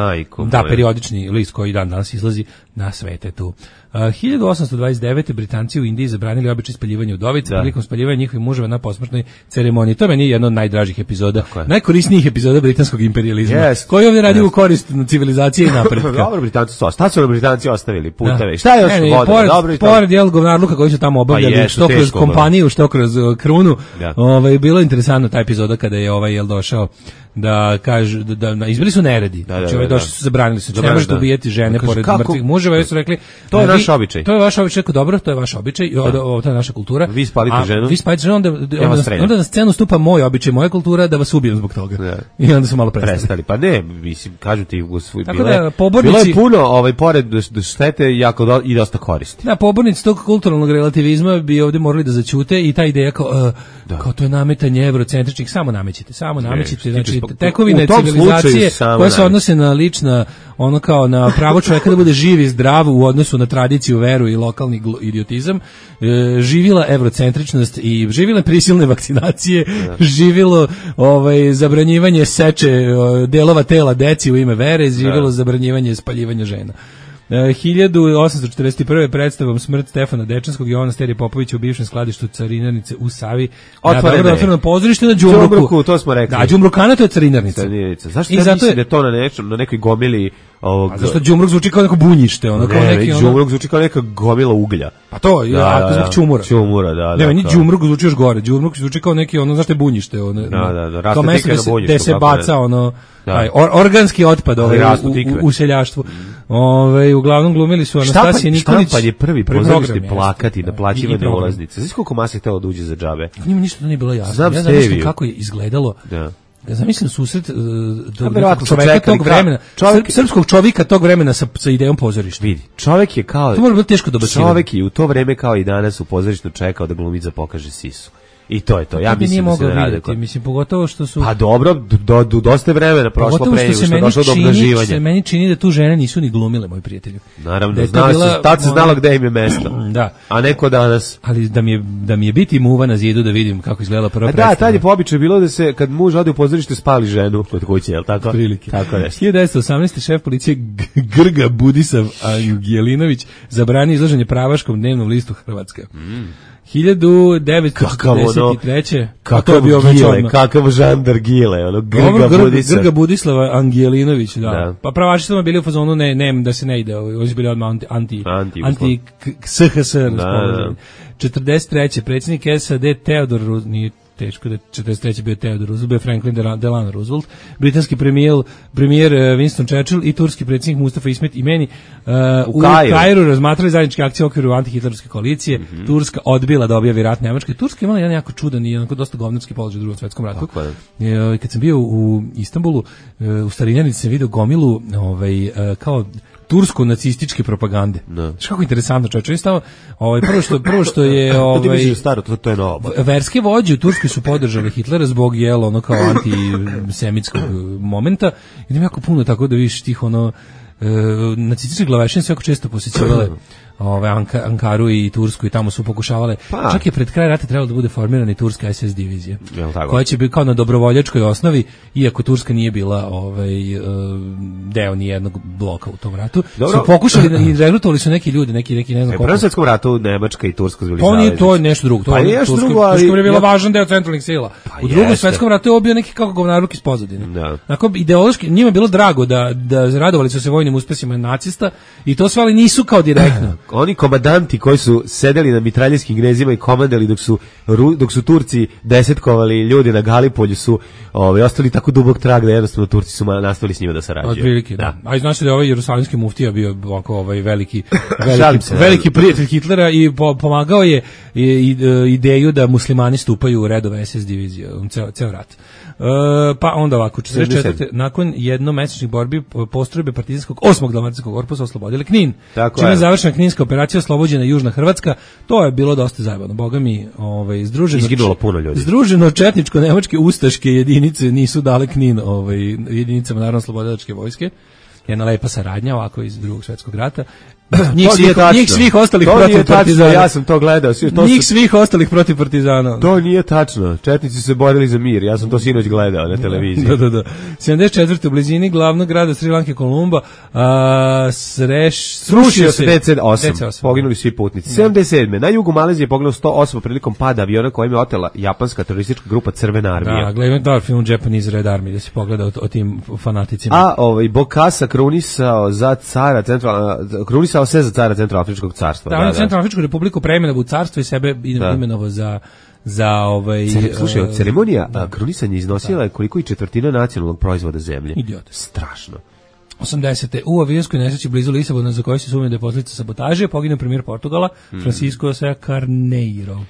da, periodični list koji dan danas izlazi na svetetu. Uh, hiljadu osamsto dvadeset devete. Britanci u Indiji zabranili običaj spaljivanja udovica prilikom spaljivanja njihovih muževa na posmrtnoj ceremoniji. To meni je jedna od najdražih epizoda, najkorisnijih epizoda britanskog imperijalizma, yes. koji ovdje radi yes. u korist civilizacije i napretka. Dobro, Britanci su ostavili. Šta su Britanci ostavili? Puteve. Da. Šta je još ne, ne, pored, dobro, pored jel govnarluka koji su tamo obavljali, pa što kroz kompaniju, što kroz uh, krunu. Da. Ovaj, bilo je interesantno ta epizoda kada je ovaj jel došao da kaže da, da, da izbili su neredi. Da, da, znači ovaj došli su zabranili su. Ne možete ubijati žene kaže, pored kako? mrtvih muževa, su rekli to je naš običaj. To je vaš običaj, dobro, to je vaš običaj, ovo to je naša kultura. Vi spalite ženu. Vi spalite ženu, onda, onda, onda na scenu stupa moj običaj, moja kultura da vas ubijem zbog toga. Da. I onda su malo prestali. prestali. Pa ne, mislim, kažu ti u svoj bilo. Da, pobornici, bilo je puno, ovaj pored štete jako do, i dosta koristi. Da, pobornici tog kulturalnog relativizma bi ovdje morali da zaćute i ta ideja kao, uh, da. kao to je nametanje evrocentričnih, samo namećite, samo namećite, znači tekovine civilizacije koje se odnose na lična, ono kao na pravo čovjeka da bude živ i zdrav u odnosu na tradiciju, veru i lokalni idiotizam, e, živila evrocentričnost i živile prisilne vakcinacije, ja. živilo ovaj, zabranjivanje seče delova tela deci u ime vere, živilo ja. zabranjivanje spaljivanja žena. Uh, hiljadu osamsto četrdeset prve. predstavom Smrt Stefana Dečanskog i Jovana Sterije Popovića u bivšem skladištu carinarnice u Savi. Otvoreno otvoreno pozorište na Đumbruku. Đumbruku, to smo rekli. Da, Đumbrukana to je carinarnica. Zašto I ja mislim je... da je to na, nečem, na nekoj gomili ovog... A zašto đumruk zvuči kao neko bunjište, ono kao ne, neki ono... đumruk zvuči kao neka gomila uglja. Pa to, da, ja, da, zbog čumura. Čumura, da, da. Ne, meni đumruk zvuči još gore. Đumruk zvuči kao neki ono, znaš te bunjište, ono. Da, da, da. Kao mesto gde se, gde se baca ne. ono taj or, organski otpad ovaj u, u, u seljaštvu. Ovaj uglavnom glumili su Anastasija Nikolić. Štampan je prvi pozorišni plakat i naplaćivane ulaznice. Znaš koliko mase htelo da uđe za džabe? Njima ništa to nije bilo jasno. Znam ja znam kako je izgledalo. Da. Ja zamislim susret uh, do, čoveka tog vremena, čovjek, srpskog čovjeka tog vremena sa, sa idejom pozorišta. Vidi, čovjek je kao... To mora biti teško dobacivati. Čovjek je u to vreme kao i danas u pozorištu čekao da glumica pokaže sisu. I to je to. Ja mislim da se ne rade. Kod... Mislim, pogotovo što su... Pa dobro, do, do, dosta vremena prošlo pre nego što je došlo do obnaživanja. Se meni čini da tu žene nisu ni glumile, moji prijatelji. Naravno, da znala bila, se, tad se znalo gde im je mesto. Da. A neko danas... Ali da mi je, da mi je biti muva na zidu da vidim kako izgledala prva predstava. Da, tad je po običaju bilo da se, kad muž ode u pozorište, spali ženu kod kuće, je li tako? Prilike. Tako nešto. hiljadu devetsto osamnaeste. šef policije Grga Budisav Angelinović zabranio izlaženje pravaškom dnevnom listu Hrvatska. Mm. hiljadu devetsto četrdeset treće. Kakav Gile, kakav žandar Gile, ono Grga Grga, Budisav. Grga Budislava Angelinović, da. da. Pa pravaši su bili u fazonu ne, ne, da se ne ide, ovo su bili odmah anti, anti, anti, anti S H S. Da, da. četrdeset treće. predsjednik S A D Theodor nije teško da je četrdeset treće bio Theodor Roosevelt, bio Franklin Delano Roosevelt, britanski premijer, premijer Winston Churchill i turski predsjednik Mustafa Ismet Imeni uh, u, u Kairu razmatrali zajedničke akcije u okviru antihitlerovske koalicije. Mm -hmm. Turska odbila da objavi rat Nemačkoj. Turska imala jedan jako čudan i jednako dosta govnarski položaj u Drugom svetskom ratu. E, kad sam bio u Istanbulu, u Starinjanici sam vidio gomilu ovaj, kao tursko nacističke propagande. No. Što kako interesantno, čovječe, isto ovaj prvo što prvo što je ovaj staro, to, to je novo. Verske vođe u Turskoj su podržali Hitlera zbog jel ono kao antisemitskog momenta. Idem jako puno tako da vidiš tih ono e, nacističke glavešine su jako često posećivale ove Anka, Ankaru i Tursku i tamo su pokušavale. Pa. Čak je pred kraj rata trebalo da bude formirana i turska S S divizija. Koja će biti kao na dobrovoljačkoj osnovi, iako Turska nije bila ovaj deo ni jednog bloka u tom ratu. Dobro. Su pokušali i regrutovali su neki ljudi, neki neki ne znam koliko. U Prvom svetskom ratu Nemačka i Turska bili zajedno. To nije to je nešto drugo. To pa je nešto Turska, drugo, ali Turska je bila važan deo centralnih sila. Pa u Drugom jeste. svetskom ratu je obio neki kako govnaruk iz pozadine. Da. Onako ideološki njima je bilo drago da da radovali su se vojnim uspesima nacista i to sve ali nisu kao direktno. Oni komandanti koji su sedeli na mitraljskim gnezima i komandali dok su dok su Turci desetkovali ljudi na Galipolju su ovaj ostali tako dubok trag da jednostavno Turci su nastavili s njima da sarađuju. Otprilike, da. da. A i znaš da je ovaj jerusalimski muftija bio ovako ovaj veliki veliki, se, veliki prijatelj Hitlera i po, pomagao je i, i, ideju da muslimani stupaju u redove S S divizije, ceo ceo rat. Uh, pa onda ovako, četrdeset četvrte nakon jednomesečnih borbi postrojbe partizanskog osmog dalmatinskog korpusa oslobodili Knin. Čime je završena Kninska operacija, oslobođena Južna Hrvatska. To je bilo dosta zajebano. Boga mi, ovaj združeno izginulo puno ljudi. Združeno četničko-nemačke ustaške jedinice nisu dale Knin ovaj jedinicama narodno-oslobodilačke vojske. Jedna lepa saradnja ovako iz Drugog svjetskog rata. Njih svih, njih svih ostalih to protiv partizana. Ja sam to gledao. To njih su... svih ostalih protiv partizana. To nije tačno. Četnici su se borili za mir. Ja sam to sinoć gledao na televiziji. Da, da, da. sedamdeset četvrte u blizini glavnog grada Sri Lanke Kolumba a, sreš, srušio se D C osam. Poginuli svi putnici. sedamdeset sedme na jugu Malezije je poginulo sto osoba prilikom pada aviona kojim je otela japanska teroristička grupa Crvena armija. Da, gledam dobar film Japanese Red Army da se pogleda o, o tim fanaticima. A ovaj Bokassa krunisao za cara centralna krunisao se za cara Centralnoafričkog carstva. Da, da, da. Centralnoafričku republiku preimenovao u carstvo i sebe imenovao za za ovaj Cere, slušaj, uh, ceremonija da. krunisanja iznosila je koliko i četvrtina nacionalnog proizvoda zemlje. Idiot. Strašno. osamdesete u avionskoj nesreći blizu Lisabona za koju se sumnja da je posljedica sabotaže poginuo premijer Portugala mm. Francisco Sa Carneiro.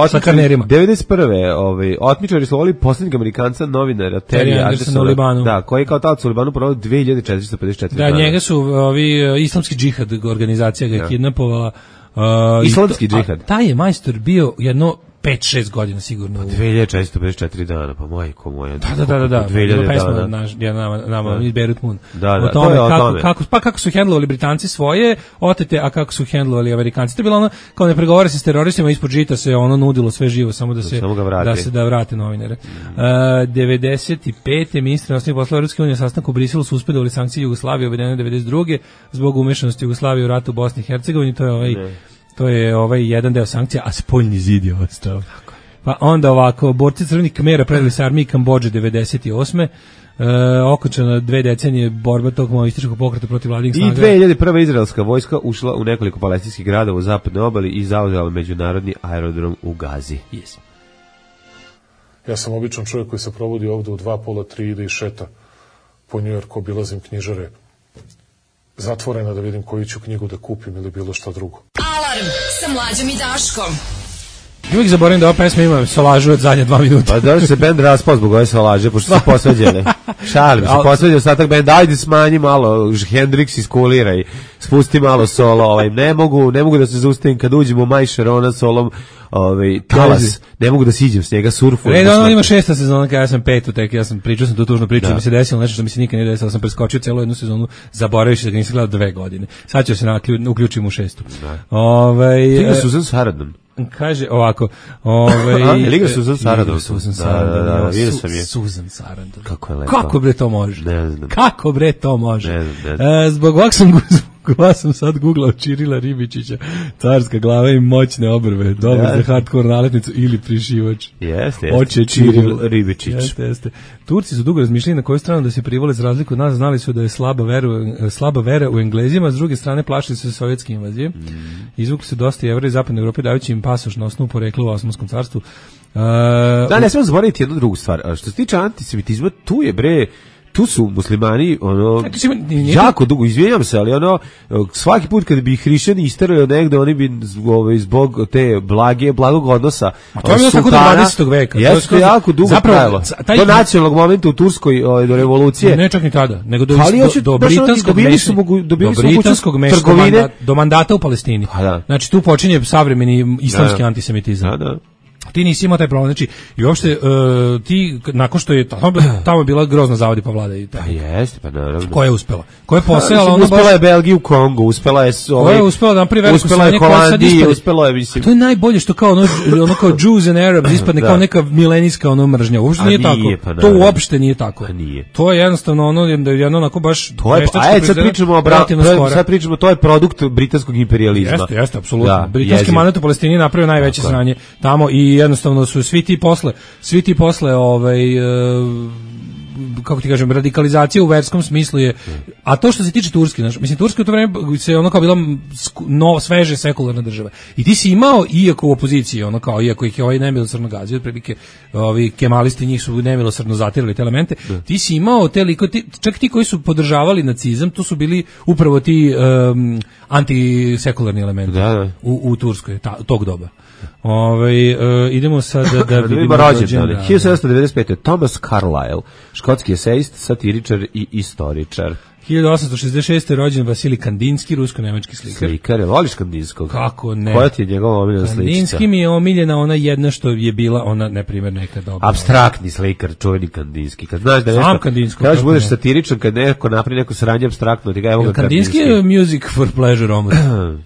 Sa karnerima. devedeset prve ovaj otmičari su volili poslednjeg Amerikanca novinara Terry Andersona u Libanu. Da, koji je kao talac u Libanu proveo dve hiljade četiristo pedeset četiri da, dana. njega su ovi islamski džihad organizacija ga je ja. kidnapovala. Uh, Islamski džihad. Taj je majstor bio jedno pet šest godina sigurno. Pa dve hiljade četiristo pedeset četiri dana, pa majko moja. Da, da, da, da, da. dve hiljade dana. Naš, ja nama, nama iz Beirut Moon. Da, da, o tome, to je o kako, tome. Kako, pa kako su hendlovali Britanci svoje otete, a kako su hendlovali Amerikanci. To je bilo ono, kao ne pregovara se s teroristima, ispod žita se ono nudilo sve živo, samo da se, da se da vrate novinare. Mm. Uh, devedeset pete ministri inostranih poslova Evropske unije sastanku u Briselu su uspedovali sankcije Jugoslavije uvedene devedeset druge zbog umešanosti Jugoslavije u ratu u Bosni i Hercegovini. To je ovaj, ne. to je ovaj jedan deo sankcija, a spoljni zid je ostao. Pa onda ovako, borci crvenih Kmera predali se armiji Kambodže devedeset osme E, okončana dve decenije borba tog maoističkog pokreta protiv vladnih snaga. I dve hiljade prva izraelska vojska ušla u nekoliko palestinskih gradova u zapadnoj obali i zauzela međunarodni aerodrom u Gazi. Yes. Ja sam običan čovjek koji se provodi ovde u dva, pola, tri, ide i šeta po Njujorku, obilazim knjižare zatvorena da vidim koju ću knjigu da kupim ili bilo šta drugo. Alarm sa Mlađom i Daškom. Uvijek zaboravim da ova pesma ima solažu od zadnje dva minuta. Pa da se bend raspao zbog ove solaže, pošto su posveđene. Šalim se, posveđen ostatak benda, ajde smanji malo, Hendrix iskulira i spusti malo solo, ovaj, ne mogu, ne mogu da se zaustavim kad uđem u Maj Šerona solom, ovaj, talas, ne mogu da siđem s njega, surfu. Red, ono ima šesta sezona, kada ja sam petu, tek ja sam pričao sam tu tužnu priču, da mi se desilo nešto što mi se nikad nije desilo, sam preskočio celu jednu sezonu, zaboravio da ga nisam gledao dve godine. Sad ću se uključim u šestu. Ovaj, Liga Susan Sarandon. Kaže ovako, ovaj Liga Susan Sarandon. Susan Sarandon, da, vidio sam je. Susan Sarandon. Kako je lepo. Kako bre to može? Ne znam. Kako bre to može? Ne znam, ne znam. E, zbog ovog sam Ja sam sad googlao Čirila Ribičića, carska glava i moćne obrve, dobro za hardcore naletnicu ili prišivač. Jeste, jeste. Čiril Ribičić. Jeste, jeste. Turci su dugo razmišljali na koju stranu da se privole za razliku od nas, znali su da je slaba vera, slaba vera u Englezima, s druge strane plašili su se sovjetske invazije. Mm. Izvukli su dosta Jevreja iz zapadne Evrope dajući im pasoš na osnovu porekla u Osmanskom carstvu. Uh, da, ne smemo zaboraviti jednu drugu stvar. Što se tiče antisemitizma, tu je bre tu su muslimani ono jako dugo, izvinjam se, ali ono svaki put kad bi hrišćani isterali negde, oni bi ovaj, zbog te blage, blagog odnosa a to je bilo tako do dvadesetog veka. Jeste jako dugo trajalo. Taj... Do nacionalnog momenta u Turskoj ovaj, do revolucije. Ne čak ni tada, nego do, ali do, do britanskog mešanja, do britanskog mešanja, do mandata u Palestini. Da. Znači tu počinje savremeni islamski da. antisemitizam. Da, da. Ti nisi imao taj problem, znači i uopšte uh, ti nakon što je tamo, tamo je bila grozna zavadi pa vlada i tako. Pa jeste, pa naravno. Ko je uspela? Ko je posejala ono uspela baš... je Belgiju, Kongo, uspela je ovaj. Ko je uspela da napravi veliku uspela je Holandija, uspela je mislim. To je najbolje što kao ono, ono kao Jews and Arabs ispadne da. Kao neka milenijska ono mržnja. Uopšte nije, nije tako. Pa, to uopšte nije tako. Nije. To je jednostavno ono jedno onako baš to je, a sad pričamo o bra- sad pričamo to je produkt britanskog imperijalizma. Jeste, jeste, apsolutno. Britanski mandat u Palestini napravio najveće sranje tamo i jednostavno su svi ti posle, svi ti posle ovaj uh, kako ti kažem, radikalizacija u verskom smislu je, a to što se tiče Turske, znači, mislim, Turska u to vreme se ono kao bila no, sveže sekularna država. I ti si imao, iako u opoziciji, ono kao, iako ih je ovaj nemilosrdno gazio, otprilike ovi kemalisti njih su nemilosrdno zatirali te elemente, da. Ti si imao te liko, ti, čak ti koji su podržavali nacizam, to su bili upravo ti um, antisekularni elementi da, da. U, u Turskoj, ta, tog doba. Ove, uh, idemo sad da, da vidimo rođendan. hiljadu sedamsto devedeset pete. Thomas Carlyle, škotski esejist, satiričar i istoričar. hiljadu osamsto šezdeset šeste. rođen Vasilij Kandinski, rusko-nemački slikar. Slikar, voliš Kandinskog? Kako ne? Koja ti je njegova omiljena sličica? Kandinski mi je omiljena ona jedna što je bila ona, na primjer, neka dobra. Apstraktni slikar, čuveni Kandinski. Kad znaš da nešto, sam Kandinsko, kažeš budeš ne. satiričan, kad neko napravi neko sranje apstraktno, ti ga evo ga Kandinski. Kandinski je music for pleasure omor.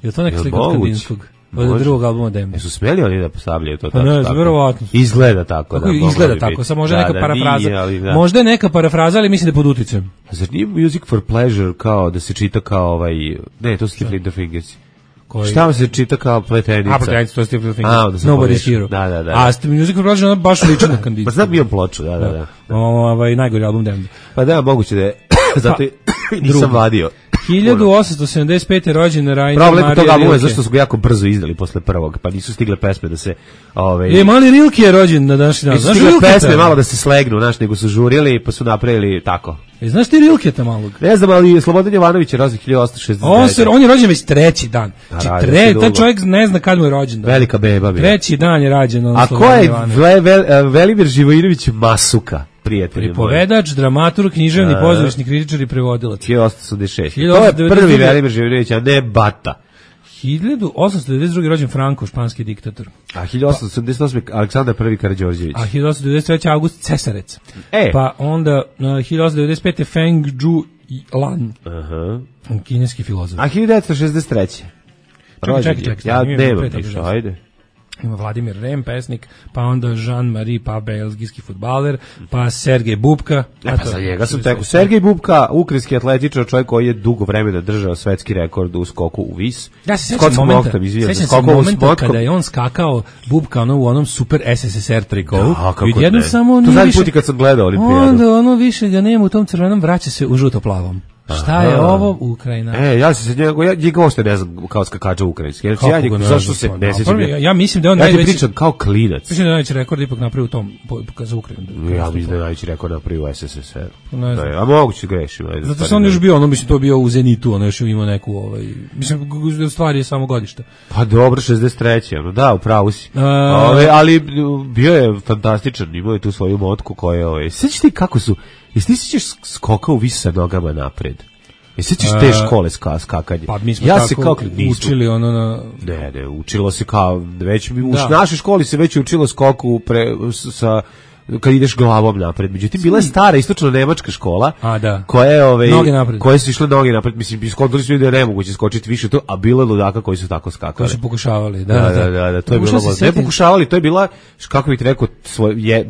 Je to neka slika od Kandinskog? Od drugog albuma Dembe. Jesu smeli oni da postavljaju to tako? Ne, verovatno. Izgleda tako. Da, izgleda tako, samo možda da, neka da, parafraza. Nije, ali, da. Možda je neka parafraza, ali mislim da je pod uticajem. A zar nije music for pleasure kao da se čita kao ovaj... Ne, to su ti Flitter Fingers. Koji... Šta se čita kao pletenica? A, pletenica, to je Flitter Fingers. Nobody's Hero. Da, da, da. A music for pleasure je baš lično na Kandinski. Pa znam imam ploču, da, da, da. Ovaj najgori album Dembe. Pa da, moguće da je. Zato nisam vadio. hiljadu osamsto sedamdeset pete. rođen Rainer Marija Rilke. Problem toga albuma je zašto su ga jako brzo izdali posle prvog, pa nisu stigle pesme da se... Ove, e, mali Rilke je rođen na današnji dan. Nisu stigle pesme malo da se slegnu, znaš, nego su žurili, pa su napravili tako. E, znaš ti Rilketa malog? Ne znam, ali Slobodan Jovanović je rođen hiljadu osamsto šezdeset devete. On, se, on je rođen već treći dan. Znači, tre, taj čovjek ne zna kad mu je rođen. Dan. Velika beba bi. Treći dan je rađen. On a ko je Ve, Ve, Velimir Živojinović Masuka? Pripovedač, dramaturg, književni, pozorišni kritičar i prevodilac. hiljadu osamsto devedeset šeste. To je prvi Velimir Živojinović, a ne Bata. hiljadu osamsto devedeset druge. rođen Franko, španski diktator. A hiljadu osamsto sedamdeset osme. Aleksandar prvi Karađorđević. A hiljadu osamsto devedeset treće. August Cesarec. E. Pa onda uh, hiljadu osamsto devedeset pete. Feng Zhu Lan. Aha. Kineski filozof. A hiljadu devetsto šezdeset treće. Čekaj, čekaj, čekaj. Ja nemam ništa, ajde. ima Vladimir Rem, pesnik, pa onda Jean-Marie, pa belgijski fudbaler, pa Sergej Bubka. E, pa za njega sam teko. Sergej Bubka, ukrajinski atletičar, čovjek koji je dugo vremena držao svetski rekord u skoku u vis. Ja se sjećam momenta, sjećam se momenta kada je on skakao Bubka ono, u onom super S S S R trikovu. Da, kako jednom ne. samo to zadnji više, put kad sam gledao olimpijadu. Onda ono više ga nema u tom crvenom, vraća se u žuto-plavom. Šta je ovo Ukrajina? E, ja se njega, ja njega uopšte ne znam kao skakača ukrajinski. Ja, ja njega, zašto se ne sjećam? Ja, ja mislim da je on ja najveći... Ja ti pričam kao klinac. Mislim da je najveći rekord ipak napravio u tom, za Ukrajinu. Ja mislim da je najveći rekord napravio u S S S R. A moguće grešim. Zato se on još bio, ono mislim to bio u Zenitu, ono još imao neku, ovaj, mislim, stvari je samo godište. Pa dobro, šezdeset treće ono, da, upravo si. Ove, ali bio je fantastičan, imao je tu svoju motku koja je, ovaj, sjećaš ti kako su, jesi ti sjećaš skokao vis sa nogama napred? I sjećaš te škole ska, skakanje? Pa mi smo ja tako se kao, učili ono na... Ne, ne, učilo se kao, već, u našoj školi se već učilo skoku pre, sa... kad ideš glavom napred. Međutim, bila je stara istočno-nemačka škola, a, da. koja je, ove, koje su išle noge napred. Mislim, iskontali su ljudi da je nemoguće skočiti više to, a bilo je ludaka koji su tako skakali. Koji su pokušavali, da. Da, da, da, da to je bilo. Ne pokušavali, to je bila, kako bih ti rekao, svoj, je,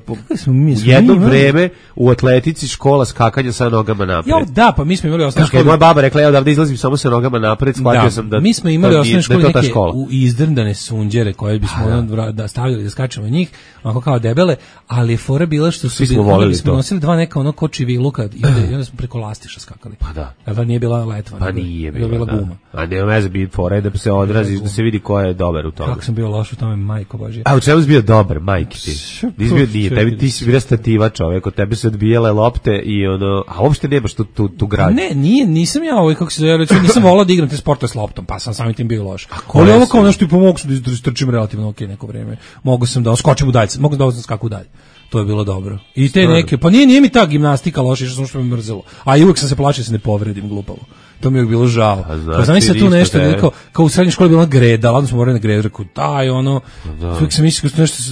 jedno vreme u atletici škola skakanja sa nogama napred. Jo, da, pa mi smo imali osnovnu školu. Moja baba rekla, ja odavde izlazim samo sa nogama napred, shvatio sam da mi smo imali osnovnu školu neke izdrndane sunđere koje bismo da stavljali da skačemo njih, onako kao debele, ali fora bila što su smo voleli smo nosili dva neka ono kočiviluka i onda, i onda smo preko lastiša skakali. Pa da. Da nije bila letva, pa nije bila, bila da. guma. A ne veze bi fora da se odrazi, da se vidi ko je dobar u tome. Kako sam bio loš u tome, majko božje. A u čemu si bio dobar, majke ti? Nisi bio nije, tebi ti si bila stativa čovjek, od tebe su odbijale lopte i ono, a uopšte nemaš tu tu tu grad. Ne, nije, nisam ja ovaj kako se zove, nisam voleo da igram te sportove s loptom, pa sam samim tim bio loš. Ali ovo kao nešto i pomogao da istrčim relativno okej neko vrijeme. Mogu sam da skočim u dalje, mogu da skakam dalje. To je bilo dobro. I te neke, pa nije, nije mi ta gimnastika loša, što što me mrzelo. A i uvijek sam se plašio da se ne povredim glupavo. To mi je bilo žao. Pa znam se tu nešto, te... kao, kao u srednjoj školi bila greda, ladno smo morali na gredu, rekao, daj, ono, uvijek sam mislio da nešto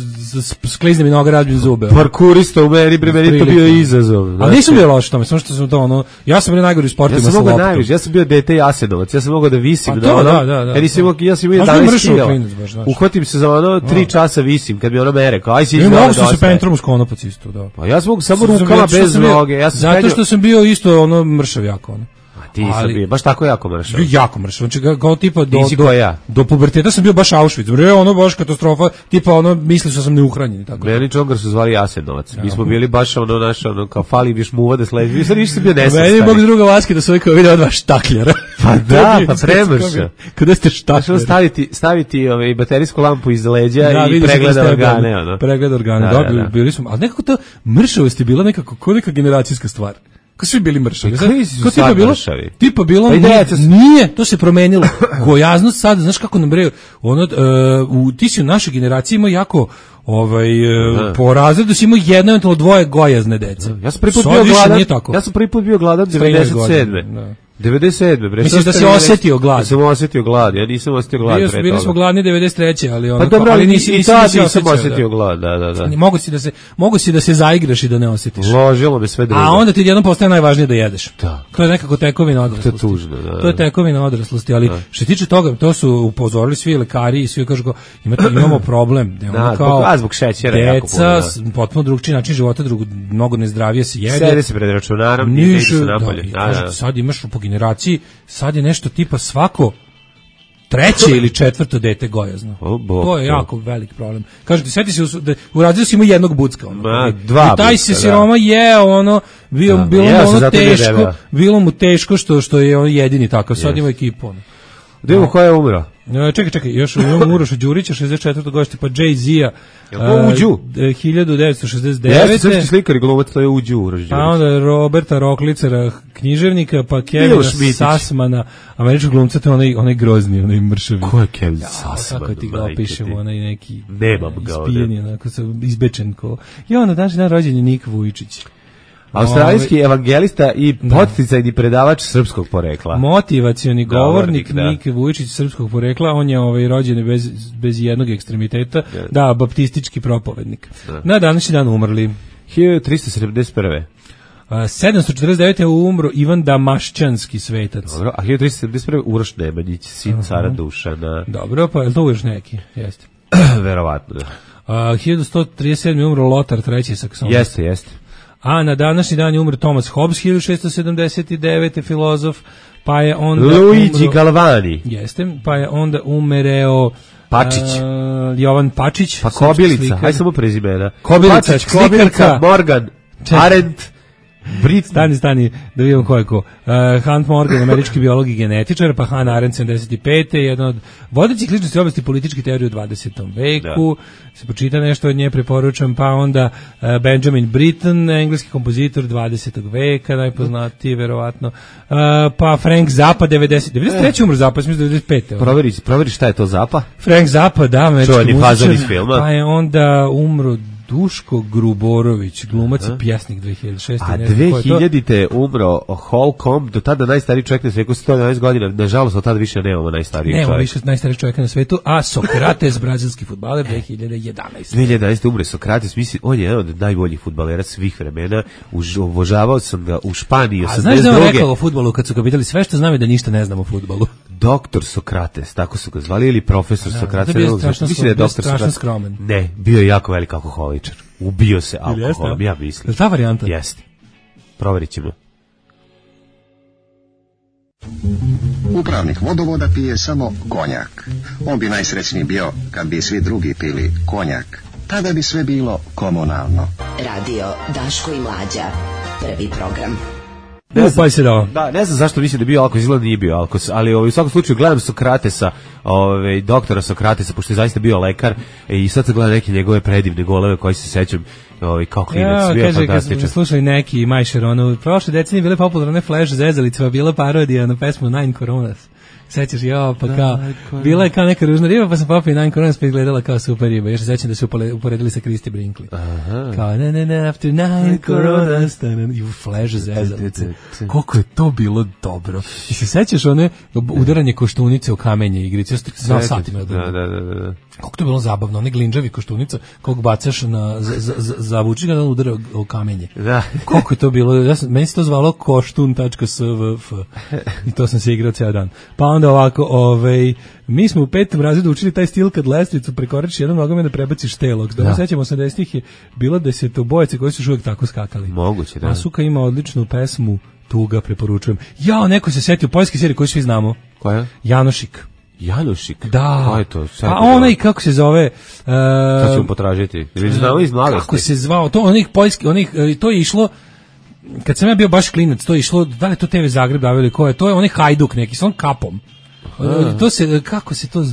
sklizne mi noga, razbijem zube. Parkurista u meni, bre, meni to bio izazov. Ali nisam bio loš tome, samo što sam to, ono, ja sam bio najgori u sportima sa loptom. Najviše, ja sam bio dete Jasenovac, ja sam mogao da visim. Pa to, da, da, da. Ja nisam imao, ja sam imao jedanaest kila. Uhvatim se za ono, tri časa visim, kad mi ono mere, kao, aj si izgleda dosta. Mogu se pentrom skonopac isto, da. Pa ja sam mogu samo rukama bez noge. Zato što sam bio isto, ono, mršav jako, ono. Ti sam bio baš tako jako mršav. Jako mršav. Znači kao tipa do do, ja. do puberteta sam bio baš Auschwitz. Bre, ono baš katastrofa, tipa ono mislio sam ne uhranjen tako. Meni čongar su zvali Jasenovac. Mi smo bili baš ono naš ono kao fali biš muva da sledi. Vi sad nisi bio nesrećan. Meni bog druga vaske da sve kao vidi od vas štakljera. Pa da, pa premrša. Kada ste štakljeri. staviti staviti ovaj baterijsku lampu iz leđa i pregleda organe ono. Pregled organe. Dobro, bili smo, al nekako to mršavost je bila nekako kao neka generacijska stvar. Kao svi bili mršavi. Kao tipa bilo, tipa bilo, nije, nije, to se promenilo. Gojaznost sad, znaš kako nam breju, ono, uh, u, ti si u našoj generaciji imao jako, ovaj, uh, po razredu si imao jedno, eventualno dvoje gojazne dece. Ja sam prvi put bio gladan, ja sam prvi put bio gladan devedeset sedme devedeset sedme bre. Misliš da si osjetio glad? Ja sam osjetio glad, ja nisam osjetio glad pre toga. Bili smo gladni devedeset treće ali ono, pa dobro, ali nisi, nisi, nisi, nisam osjetio glad, da, da, da. Mogu si da se, mogu si da se zaigraš i da ne osjetiš. Ložilo me sve drugo. A onda ti jednom postaje najvažnije da jedeš. Da. To je nekako tekovina odraslosti. To je tužno, da. To je tekovina odraslosti, ali da. Što se tiče toga, to su upozorili svi lekari i svi kažu kao, imate, imamo problem. Da, da kao, zbog, zbog šećera jako puno. Deca, potpuno drugčiji način života, drugo, mnogo nezdravije se jede. Sede se pred računarom, ne ide se napolje. Sad imaš po generaciji, sad je nešto tipa svako treće ili četvrto dete gojazno. Oh, to je jako velik problem. Kažete, sjeti se da u razredu si ima jednog bucka. Ono. Ma, dva I taj bucka, se siroma da. je, ono, bio, da, bilo mu ja ono teško, bilo mu teško što, što je on jedini takav. Sad yes. Ima ekipu. Ono. Da imamo ko je umro? Čekaj, čekaj, još imamo Uroša Đurića, šezdeset četvrtog godište, pa Jay-Z-a, uh, Uđu? hiljadu devetsto šezdeset devete. Jeste srpski slikar i glumac, to je Uđu Uroš Đurić. A onda Roberta Roklicera, književnika, pa Kevina Sassmana, američkog glumca, to je onaj, onaj grozni, onaj mršavi. Ko je Kevin Sassman? Kako ti ga opišemo, onaj neki Nemam ga ispijeni, onako se izbečen ko. I onda današnji dan rođen je Nik Vujčić. Australijski evangelista i podsticajni predavač srpskog porekla. Motivacioni govornik, govornik Nik Vujčić srpskog porekla, on je ovaj rođen bez, bez jednog ekstremiteta, yeah. Da, baptistički propovednik. Yeah. Na današnji dan umrli. hiljadu tristo sedamdeset prve. Uh, sedamsto četrdeset devete. umro Ivan Damašćanski svetac. Dobro, a hiljadu tristo sedamdeset prve. Uroš Nemanjić, sin uh-huh. cara Dušana. Dobro, pa je to Uroš neki? Jeste. Verovatno, da. Uh, hiljadu sto trideset sedme umro Lotar treći Sakson. Jeste, jeste. A na današnji dan je umro Thomas Hobbes, hiljadu šessto sedamdeset devete filozof, pa je onda Luigi umro, Galvani. Jeste, pa je onda umereo Pačić. Uh, Jovan Pačić. Pa Kobilica, aj samo prezimena. Kobilica, Pačić, Kobilica, Morgan, Arendt, Brit. Stani, stani, da vidimo ko je ko. Uh, Hunt Morgan, američki biolog i genetičar, pa Hannah Arendt, sedamdeset pete, jedna od vodećih ličnosti u oblasti političke teorije u dvadesetom veku. Da. Se počita nešto od nje, preporučam, pa onda uh, Benjamin Britten, engleski kompozitor dvadesetog veka, najpoznatiji, verovatno. Uh, pa Frank Zappa, devedeset, devedeset treće umro Zappa, mislim devedeset pete Proveri, proveri šta je to Zappa? Frank Zappa, da, američki muzičar, pa je onda umro Duško Gruborović, glumac i pjesnik dve hiljade šeste. A dve hiljadite umro Holcomb, do tada najstariji čovjek na svijetu, sto jedanaest godina, nažalost od tada više nemamo najstarijeg čovjeka. Nemamo više najstarijeg čovjeka na svetu, a Sokrates, brazilski fudbaler, dve hiljade jedanaeste. dve hiljade jedanaeste umre Sokrates, mislim, on je jedan od najboljih fudbalera svih vremena, Už, obožavao sam ga u Španiji. A znaš da on rekao o fudbalu kad su ga pitali sve što znam je da ništa ne znam o fudbalu? Doktor Sokrates, tako su ga zvali, ili profesor da, Sokrates. Da, bio strašno, mislim da je doktor Sokrates skromen. Ne, bio je jako velik alkoholičar. Ubio se alkoholom, ja mislim. Je ta varijanta? Jeste. Proverit ćemo. Upravnik vodovoda pije samo konjak. On bi najsrećniji bio kad bi svi drugi pili konjak. Tada bi sve bilo komunalno. Radio Daško i Mlađa. Prvi program. Ne znam, se da, da, ne znam zašto mislim da je bio alkos, izgleda nije bio alkos, ali ovaj, u svakom slučaju gledam Sokratesa, ovaj, doktora Sokratesa, pošto je zaista bio lekar i sad se gleda neke njegove predivne goleve koji se sećam ovaj, kao klinac, ja, bio je fantastičan. Kaže, kad slušali neki Majšer, ono, prošle decenije bile popularne Flash zezalice, bila parodija na pesmu Nine Coronas. Sećaš, jo, pa kao, bila je kao neka ružna riba, pa sam popio Nine Coronas, pa je gledala kao super riba. Još se sećam da su uporedili sa Christy Brinkley. Aha. Kao, ne, ne, ne, after Nine Coronas, i u Flash zezalice. Koliko je to bilo dobro. I se sećaš one udaranje koštunice u kamenje igrice, ja sam znao satima. Da, da, da, da. Kako to je bilo zabavno, one glinđavi koštunica, kog bacaš na, zavuči ga da udara u kamenje. Da. Koliko je to bilo, ja sam, meni se to zvalo koštun tačka s v f i to sam se igrao ceo dan. Pa onda ovako, ovaj, mi smo u petom razredu učili taj stil kad lestvicu prekoračiš jednom nogom i da prebaciš telog. Da, sećamo osamdesetih je bilo desetobojce koji su još uvijek tako skakali. Moguće, da. A Suka ima odličnu pesmu, Tuga, preporučujem. Jao, neko se setio poljske serije koju svi znamo. Koja? Janošik. Janošik? Da. Ko je to? A onaj, kako se zove... Uh, Sad ćemo potražiti. Ili znao iz mladosti? Kako se zvao? To onih poljski, onih, to je išlo... Kad sam ja bio baš klinac, to je išlo, da li to te ve Zagreb davili, ko je? To je onaj Hajduk neki, s on kapom. A. To se, kako se to...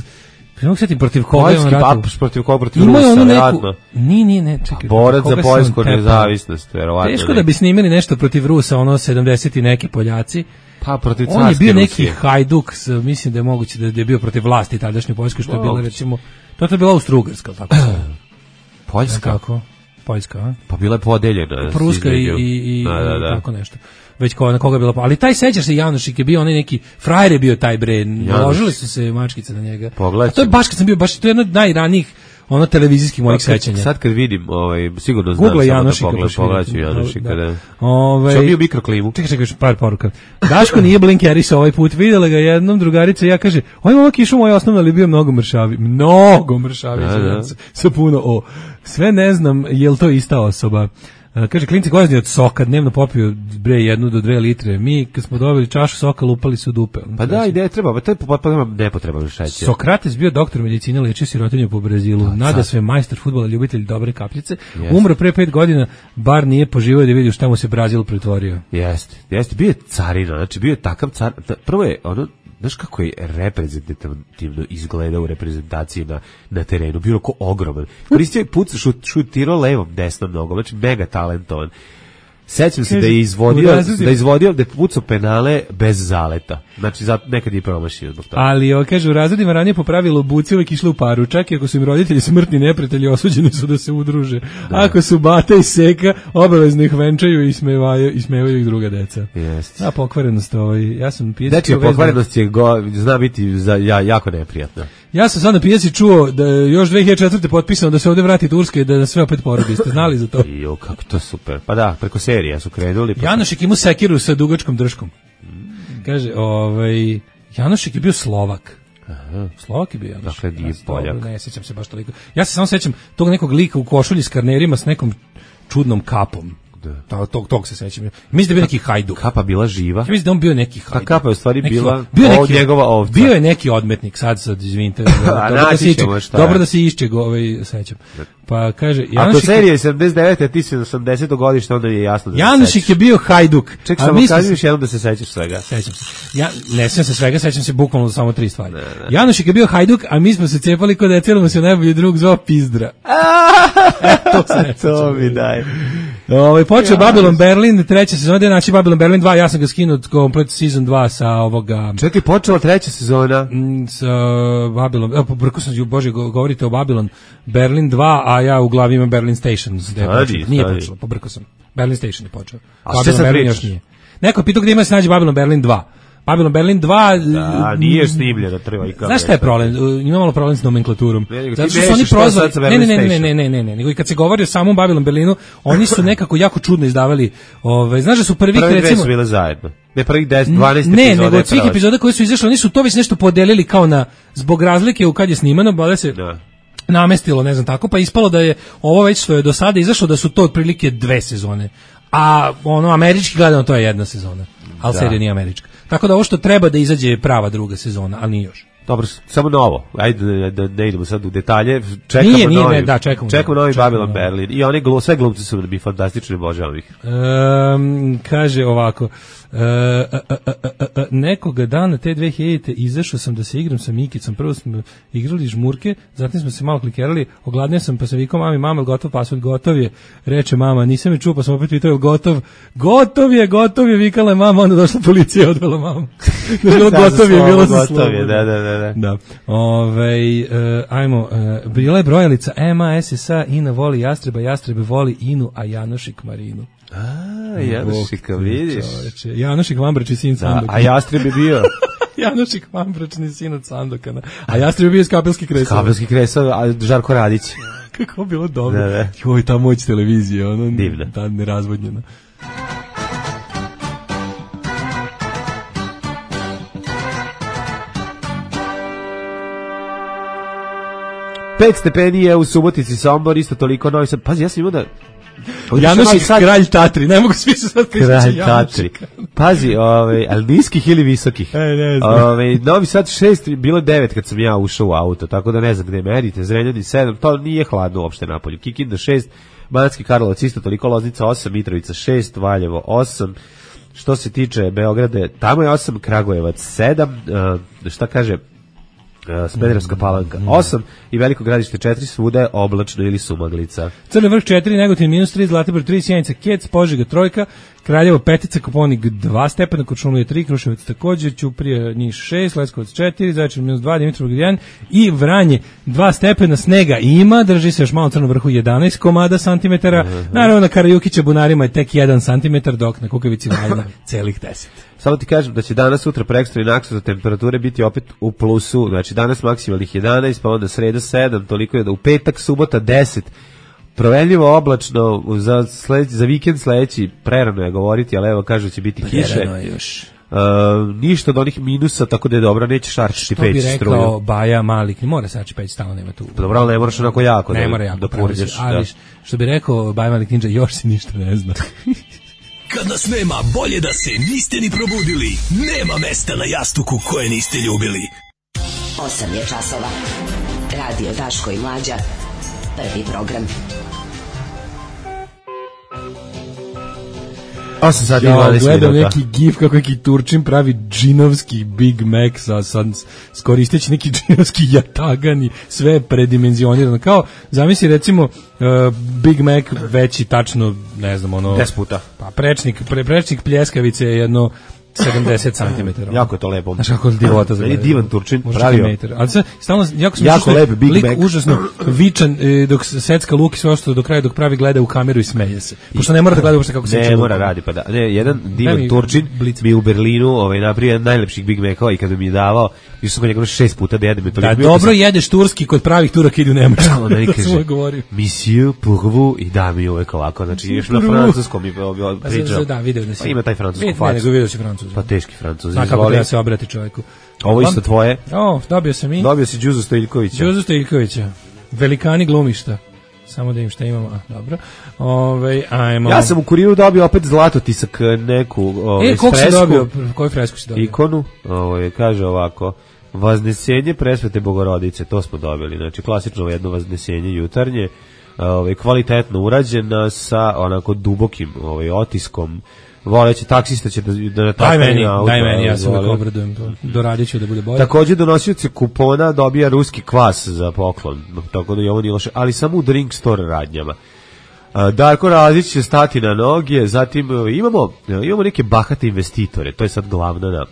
Primo setim protiv koga je on ratao? Poljski papuš protiv koga, protiv Rusa, vjerojatno. Nije, nije, ne, čekaj. Borac za poljsku nezavisnost, vjerovatno. Teško da bi snimili nešto protiv Rusa, ono sedamdeset i neki Poljaci. Pa protiv on je bio neki Hajduk, mislim da je moguće da je bio protiv vlasti tadašnje Poljske, što je bilo recimo, to je bila Austro-Ugarska, tako se. Poljska? Kako? Poljska, a? Pa bila je podeljena. Pruska i, i, i, da, da, da. tako nešto. Već ko, na koga je bila, ali taj sećaš se Janošik je bio onaj neki frajer je bio taj bre, naložili su se mačkice na njega. Pogledaj. A to je baš kad sam bio, baš to je jedno od najranijih ono televizijskih mojih kad, sećanja. Sad kad vidim, ovaj sigurno znam Google Janošika, da pogledam Janošika, da. Ovaj Što bio mikroklimu. Čekaj, čekaj, par poruka. Daško nije blinkeris ovaj put, videla ga jednom drugarica i ja kaže: "Oj, momak išao moj osnovno, ali bio mnogo mršavi." Mnogo mršavi, sa, sa puno o. Sve ne znam, jel to ista osoba. Uh, kaže, klinci gozni od soka, dnevno popiju bre jednu do dve litre. Mi, kad smo dobili čašu soka, lupali su dupe. Pa da, ide, treba, to je potpuno nepotreban šećer. Sokrates bio doktor medicine, lečio sirotinju po Brazilu. Da, nada sve majstor fudbala, ljubitelj dobre kapljice. Jest. Umro pre pet godina, bar nije poživio da vidi šta mu se Brazil pretvorio. Jeste, jeste, bio je carina, znači bio je takav car. Prvo je ono, znaš kako je reprezentativno izgleda u reprezentaciji na, na terenu, bio ko ogroman. Koristio je puca, šut, šutirao levom, desnom nogom, znači mega talentovan. Sećam se da je izvodio, da je izvodio, da je pucao penale bez zaleta. Znači, za, nekad je promašio zbog toga. Ali, o, kaže, u razredima ranije po pravilu buci uvijek išli u paru, čak i ako su im roditelji smrtni neprijatelji, osuđeni su da se udruže. Da. Ako su bata i seka, obavezno ih venčaju i smevaju, i smevaju ih druga deca. Jeste. A pokvarenost, ovaj, ja sam pijac... Dečija pokvarenost je go, zna biti za, ja, jako neprijatna. Ja sam sad na pijaci čuo da još dve hiljade četvrte potpisano da se ovdje vrati Turske i da nas sve opet porodi. Ste znali za to? Jo, kako to super. Pa da, preko serija su krenuli. Pa Janošik imao sekiru sa dugačkom drškom. Kaže, ovaj, Janošik je bio Slovak. Aha. Slovak je bio Janušik. Dakle, nije Poljak. Ne sjećam se baš toliko. Ja se samo sjećam tog nekog lika u košulji s karnerima s nekom čudnom kapom. Da. Tog, tog se sećam. Mislim da je bio neki hajduk. Kapa bila živa. Ja mislim da on bio neki hajduk. Ta kapa je u stvari neki, bila bio neki, njegova ovca. Bio je neki odmetnik, sad sad izvinite. A dobro, da se iče, dobro da se išče ovaj sećam. Pa kaže Janušik. Ako serija je sedamdeset devete, a ti si osamdesetog godišta, onda je jasno da se Janušik je bio hajduk. Čekaj, samo kaži još jednom da se sećaš svega. Sećam se. Ja ne sećam se svega, sećam se bukvalno samo tri stvari. Ne, ne. Janušik je bio hajduk, a mi smo se cepali kod detelom se najbolji drug zvao Pizdra. e, to se ne to mi daj. Ovaj počeo Babylon Berlin, treća sezona, da naći Babylon Berlin dva, ja sam ga skinuo komplet sezon dva sa ovoga. Čekaj, počela treća sezona sa Babylon. Evo, brko sam ju, bože, govorite o Babylon Berlin dva, a ja u glavi imam Berlin Station. Stadi, nije stadi. počelo, pobrko sam. Berlin Station je počeo. A Babylon Berlin još nije. Neko pitao gdje ima se nađe Babylon Berlin dva. Babylon Berlin dva. Da, nije snimljeno, treba i kao. Znaš šta je problem? Ima malo problem s nomenklaturom. Ne, zato što su oni prozvali. Ne, ne, ne, ne, ne, ne, ne, ne, nego i kad se govori o samom Babylon Berlinu, oni su nekako jako čudno izdavali. Ovaj, znaš da su prvi recimo. Prvi su bile zajedno. Ne prvih deset, dvanaest ne, epizoda. Ne, nego od svih epizoda koji su izašli, oni su to već nešto podelili kao na zbog razlike u kad je snimano, bale se. Da. Namestilo, ne znam tako, pa ispalo da je ovo već što je do sada izašlo da su to otprilike dve sezone. A ono američki gledano to je jedna sezona. Al serija nije američka. Tako da ovo što treba da izađe je prava druga sezona, ali nije još. Dobro, samo novo. Ajde da ne idemo sad u detalje. Čekamo nije, nije, novi. Ne, da, čekamo. Čekamo novi Babylon Berlin. I oni glu, sve glumci su da bi fantastični, obožavam ih. Um, kaže ovako. Uh, uh, uh, uh, uh, nekoga dana te dve hiljadite izašao sam da se igram sa Mikicom. Prvo smo igrali žmurke, zatim smo se malo klikerali, ogladnio sam pa sam vikao mami, mama, gotov pasvord, gotov je. Reče mama, nisam je čuo, pa sam opet pitao, je gotov? Gotov je, gotov je, vikala je mama, onda došla policija i odvela mamu. Bilo gotov je, bilo za slovo. Da, da, da, da. Da. Ove, uh, ajmo, uh, bila je brojalica M A S S A, Ina voli Jastreba, Jastrebe voli Inu, a Janošik Marinu. A, Janošika, vidiš. Čoveče. Janošik Vambračni sin Sandoka. A Jastreb je bio... Janošik Vambračni sin od Sandokana. A Jastreb je bio iz Kapelski Kresova. Kapelski Kresova, a Žarko Radić. Kako bilo dobro. Da, da. Joj, ta moć televizije, ono... Divna. Ta nerazvodnjena. Pet stepeni je u Subotici, Sombor, isto toliko Novi Sad. Pazi, ja sam imao da... Janošik sad... kralj Tatri, ne mogu svi se sad kralj Tatri. Pazi, ovaj, ali niskih ili visokih? E, ne znam. Ovaj, Novi Sad šest, bilo devet kad sam ja ušao u auto, tako da ne znam gde merite, Zrenjanin sedam, to nije hladno uopšte napolju. Kikinda šest, Banatski Karlovac isto toliko, Loznica osam, Mitrovica šest, Valjevo osam. Što se tiče Beograda, tamo je osam, Kragujevac sedam, uh, šta kaže... Smederevska Palanka osam i Veliko Gradište četiri, svuda je oblačno ili sumaglica. Crni Vrh četiri, Negotin minus tri, Zlatibor tri, Sjenica Kec, Požega trojka, Kraljevo petica, Koponik dva stepena, Kočumlija tri, Kruševac također, Ćuprija Niš šest, Leskovac četiri, Zaječar minus dva, Dimitrovgrad jedan i Vranje dva stepena, snega ima, drži se još malo Crnom Vrhu jedanaest komada santimetara, uh -huh. Naravno na Karajukića Bunarima je tek jedan santimetar, dok na Kukavici Valjna celih deset. Samo ti kažem da će danas, sutra, prekstra i naksutra temperature biti opet u plusu, znači danas maksimalnih jedanaest, pa onda sreda sedam, toliko je da u petak, subota deset, provenljivo oblačno, za, sled, za vikend sledeći, prerano je govoriti, ali evo kažu će biti kiše. Prerano je još. Uh, ništa od onih minusa, tako da je dobro, neće šarčiti peć struju. Što bi rekao struju. Baja Malik, ne mora sači peć, stalno nema tu. Dobro, ali ne moraš onako jako ne da, mora jako, da purđeš. Ali da. Što bi rekao Baja Malik Ninja, još si ništa ne zna. Kad nas nema, bolje da se niste ni probudili. Nema mesta na jastuku koje niste ljubili. osam je časova. Radio Daško i Mlađa. Prvi program. osam sati i ja, dvadeset gledam minuta. Neki gif kako neki Turčin pravi džinovski Big Mac sa, sa skoristeći neki džinovski jatagani, sve predimenzionirano. Kao, zamisli recimo uh, Big Mac veći tačno, ne znam, ono... deset puta. Pa prečnik, pre, prečnik pljeskavice je jedno sedamdeset centimetara. Jako je to lepo. Znaš kako je divota. Meni je divan Turčin pravio. Ali sad, stalno, jako sam jako lep Big lik Mac. Užasno vičan, e, dok secka luk i sve ostalo do kraja, dok pravi gleda u kameru i smeje se. Pošto ne mora da gleda uopšte kako se ne, ne mora radi, pa da. Ne, jedan divan mi Turčin blic. Mi u Berlinu ovaj, napravio jedan najlepših Big Macova i kada mi je davao, išao sam kod njega šest puta da jedem. Da, dobro sam... jedeš turski kod pravih Turaka idu u Nemačku. Onda mi kaže, monsieur pour vous, i da mi uvek ovako, znači još na francuskom mi pričao. Da, video da si. Pa ima taj francusko facu. Ne, nego video si francusku. Francuzi. Pa teški Francuzi. Zna kako treba se obrati čovjeku. Ovo isto tvoje? O, dobio sam i... Dobio si Đuzu Stojiljkovića. Đuzu Stojiljkovića. Velikani glumišta. Samo da im šta imamo. A, dobro. Ove, ajmo. Ja sam u Kuriru dobio opet zlatotisak neku ove, e, koliko si dobio? Koju fresku si dobio? Ikonu. Ovo, kaže ovako. Vaznesenje Presvete Bogorodice. To smo dobili. Znači, klasično jedno vaznesenje jutarnje. Ove, kvalitetno urađena sa onako dubokim ovaj, otiskom. Voleći taksista će da da daj meni, auto, daj meni, ja se uvek obradujem to. Doradit ću da bude bolje. Takođe donosioci kupona dobija ruski kvas za poklon, tako da je ovo nije loše, ali samo u drink store radnjama. Darko Razić će stati na noge, zatim imamo imamo neke bahate investitore, to je sad glavna na,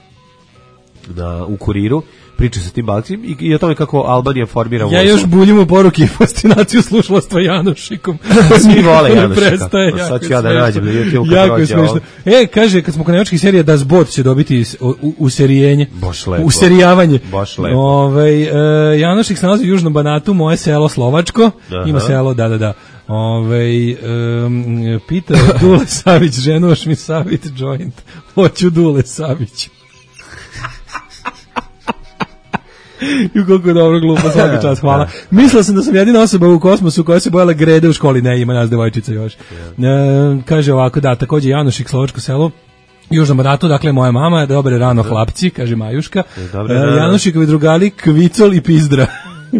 na u Kuriru. Priča sa tim Balcim i, i o tome kako Albanija formira vojsku. Ja još buljim u poruki fascinaciju slušalastva Janošikom. Svi vole Janošika. Prestaje, sad ću ja da nađem. Da jako je smiješno. E, kaže, kad smo kod nemačkih serija, Das Boot će dobiti userijenje. Baš lepo. Userijavanje. Baš lepo. Ove, e, Janošik se nalazi u Južnom Banatu, moje selo Slovačko. Aha. Ima selo, da, da, da. Ove, um, pita Dule Savić, ženoš mi savit joint. Hoću Dule Savić. I koliko je dobro glupo, svaki čas, hvala. Mislila sam da sam jedina osoba u kosmosu koja se bojala grede u školi, ne, ima nas devojčica još. E, kaže ovako, da, takođe Janošik, Slovačko selo, Južnom Banatu, dakle moja mama, dobre rano hlapci, kaže Majuška. E, Janošikovi drugali Kvicol i Pizdra,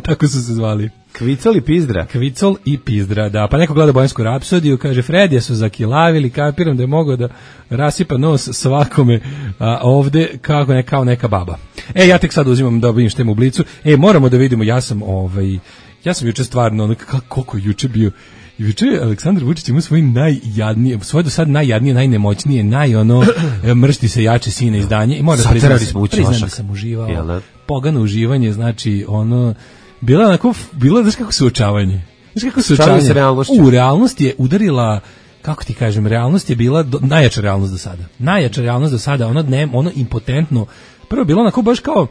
tako su se zvali. Kvicol i Pizdra. Kvicol i Pizdra, da. Pa neko gleda Bojansku rapsodiju, kaže Fredija su zakilavili, kapiram da je mogao da rasipa nos svakome a, ovde kako ne, kao neka baba. E, ja tek sad uzimam da vidim štem u Blicu. E, moramo da vidimo, ja sam ovaj, ja sam juče stvarno, ono, koliko juče bio, juče Aleksandar Vučić ima svoj najjadnije, svoje do sad najjadnije, najnemoćnije, naj ono, mršti se jače sine izdanje. I moram da priznam, priznam da sam uživao. Jel, pogano uživanje, znači, ono, bila onako, bilo je, znaš kako suočavanje? Znaš kako suočavanje? U, realnost je udarila, kako ti kažem, realnost je bila do, najjača realnost do sada. Najjača realnost do sada, ono, ne, ono impotentno. Prvo bilo onako baš kao,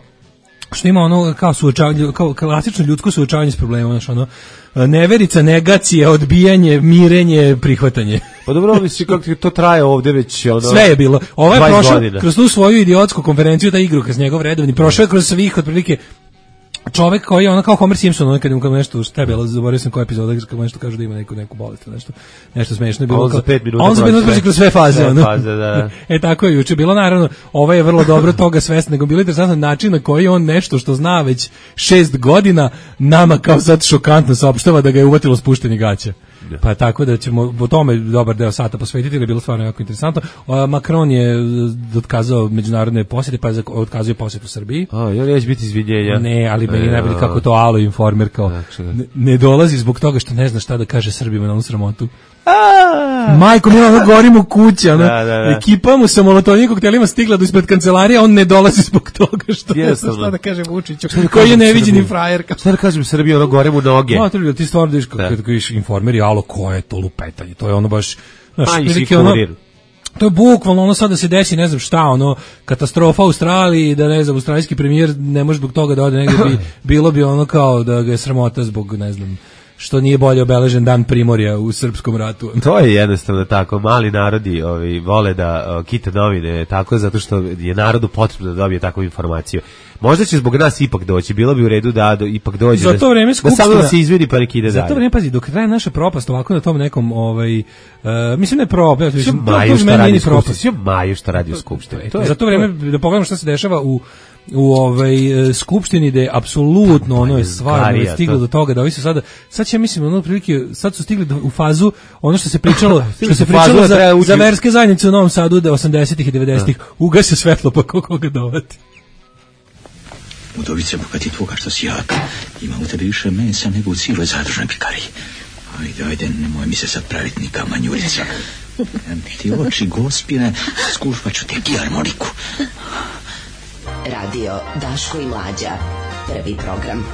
što ima ono kao suočavanje, kao klasično ljudsko suočavanje s problemom, znaš, ono, neverica, negacija, odbijanje, mirenje, prihvatanje. Pa dobro, misli kako to traje ovde već, ono, sve je bilo. Ovo je prošao kroz tu svoju idiotsku konferenciju, ta igru kroz njegov redovni, prošao je kroz svih otprilike čovek koji je ono kao Homer Simpson, ono kad mu nešto štebelo, zaboravio sam koja epizoda, kad nešto kaže da ima neku neku bolest, nešto nešto smešno je bilo. On za pet minuta. On za pet minuta kroz sve faze, sve ono. faze, da. E tako je juče bilo, naravno, ovaj je vrlo dobro toga svestan, nego bilo interesantan način na koji on nešto što zna već šest godina nama kao sad šokantno saopštava da ga je uvatilo spuštanje gaća. Pa tako da ćemo o tome dobar deo sata posvetiti, jer je bilo stvarno jako interesantno. Macron je otkazao međunarodne posjete, pa je otkazao posjetu Srbiji. A, ja neće biti izvinjenja. Ne, ali meni najbolje kako to Alo Informer kao ne, ne dolazi zbog toga što ne zna šta da kaže Srbima na onu sramotu. A! Majko, mi ono gorim u kući, ono, da, da, da. Ekipa mu sa molotovnim koktelima stigla do ispred kancelarije, on ne dolazi zbog toga što ne zna šta da kaže Vučiću, da koji je neviđeni frajer. Šta da kažem Srbiji, ono gore mu noge. Ma, to ti stvarno diš kad kažeš Informer i Alo, ko je to lupetanje, to je ono baš, znaš, prilike ono, to je bukvalno ono sad da se desi, ne znam šta, ono, katastrofa u Australiji, da ne znam, australijski premijer ne može zbog toga da ode negdje, bi, bilo bi ono kao da ga je sramota zbog, ne znam, što nije bolje obeležen dan Primorja u srpskom ratu. To je jednostavno tako, mali narodi ovi, vole da o, kite novine tako zato što je narodu potrebno da dobije takvu informaciju. Možda će zbog nas ipak doći, bilo bi u redu da do, ipak dođe. Za to vreme skupština, da samo da se izvini pa neki ide dalje. Za to vreme, pazi, dok traje naša propast ovako na tom nekom, ovaj, uh, mislim ne propast, mislim, maju šta radi u skupštini. Sve maju šta radi u skupštini. To je, za to vreme, da pogledamo šta se dešava u u ovaj skupštini da je apsolutno ono je stvarno stiglo do toga da ovi su sada sad će mislim ono prilike sad su stigli u fazu ono što se pričalo što se pričalo za, za verske zajednice u Novom Sadu da osamdesetih i devedesetih ugase svetlo pa koga dovati. Udovice, bogati tvoga što si jak, ima u tebi više mesa nego u cijeloj zadržnoj pikariji. Ajde, ajde, nemoj mi se sad praviti ni kamanjurica. Ti oči gospine, skušvat ću te harmoniku. Radio Daško i Mlađa, prvi program.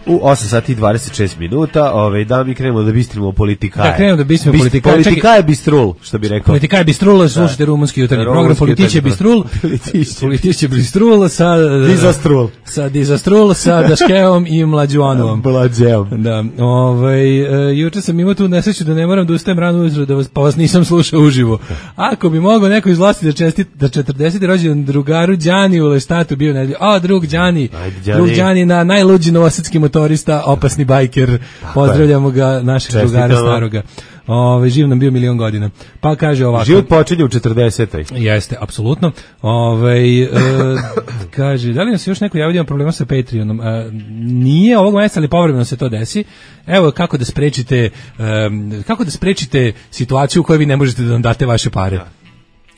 U osam sati i dvadeset šest minuta, ovaj, da mi krenemo da bistrimo politikaje. Da krenemo da bistrimo Bist, politikaje. Politika je bistrul, što bi rekao. Politika je bistrul, slušajte rumunski jutarnji program, Politiće bistrul. Politiće bistrul sa... Dizastrul. Sa Dizastrul, sa Daškeom i Mlađuanovom. Mlađeom. Da, ovaj, uh, juče sam imao tu nesreću da ne moram da ustajem rano ujutro, da vas, pa vas nisam slušao uživo. Ako bi mogao neko iz vlasti da čestit, da četrdeseti rođendan drugaru Đani u Leštatu bio nedelju. A, drug Đani, drug Đani na najluđi novosadski motorista, opasni bajker. Pozdravljamo ga, našeg drugara staroga. Ove, živ nam bio milion godina. Pa kaže ovako. Život počinje u četrdesetoj. Jeste, apsolutno. Ove, e, kaže, da li nam se još neko javio problema sa Patreonom? E, nije ovog mjeseca, ali povremeno se to desi. Evo kako da sprečite e, kako da sprečite situaciju u kojoj vi ne možete da nam date vaše pare.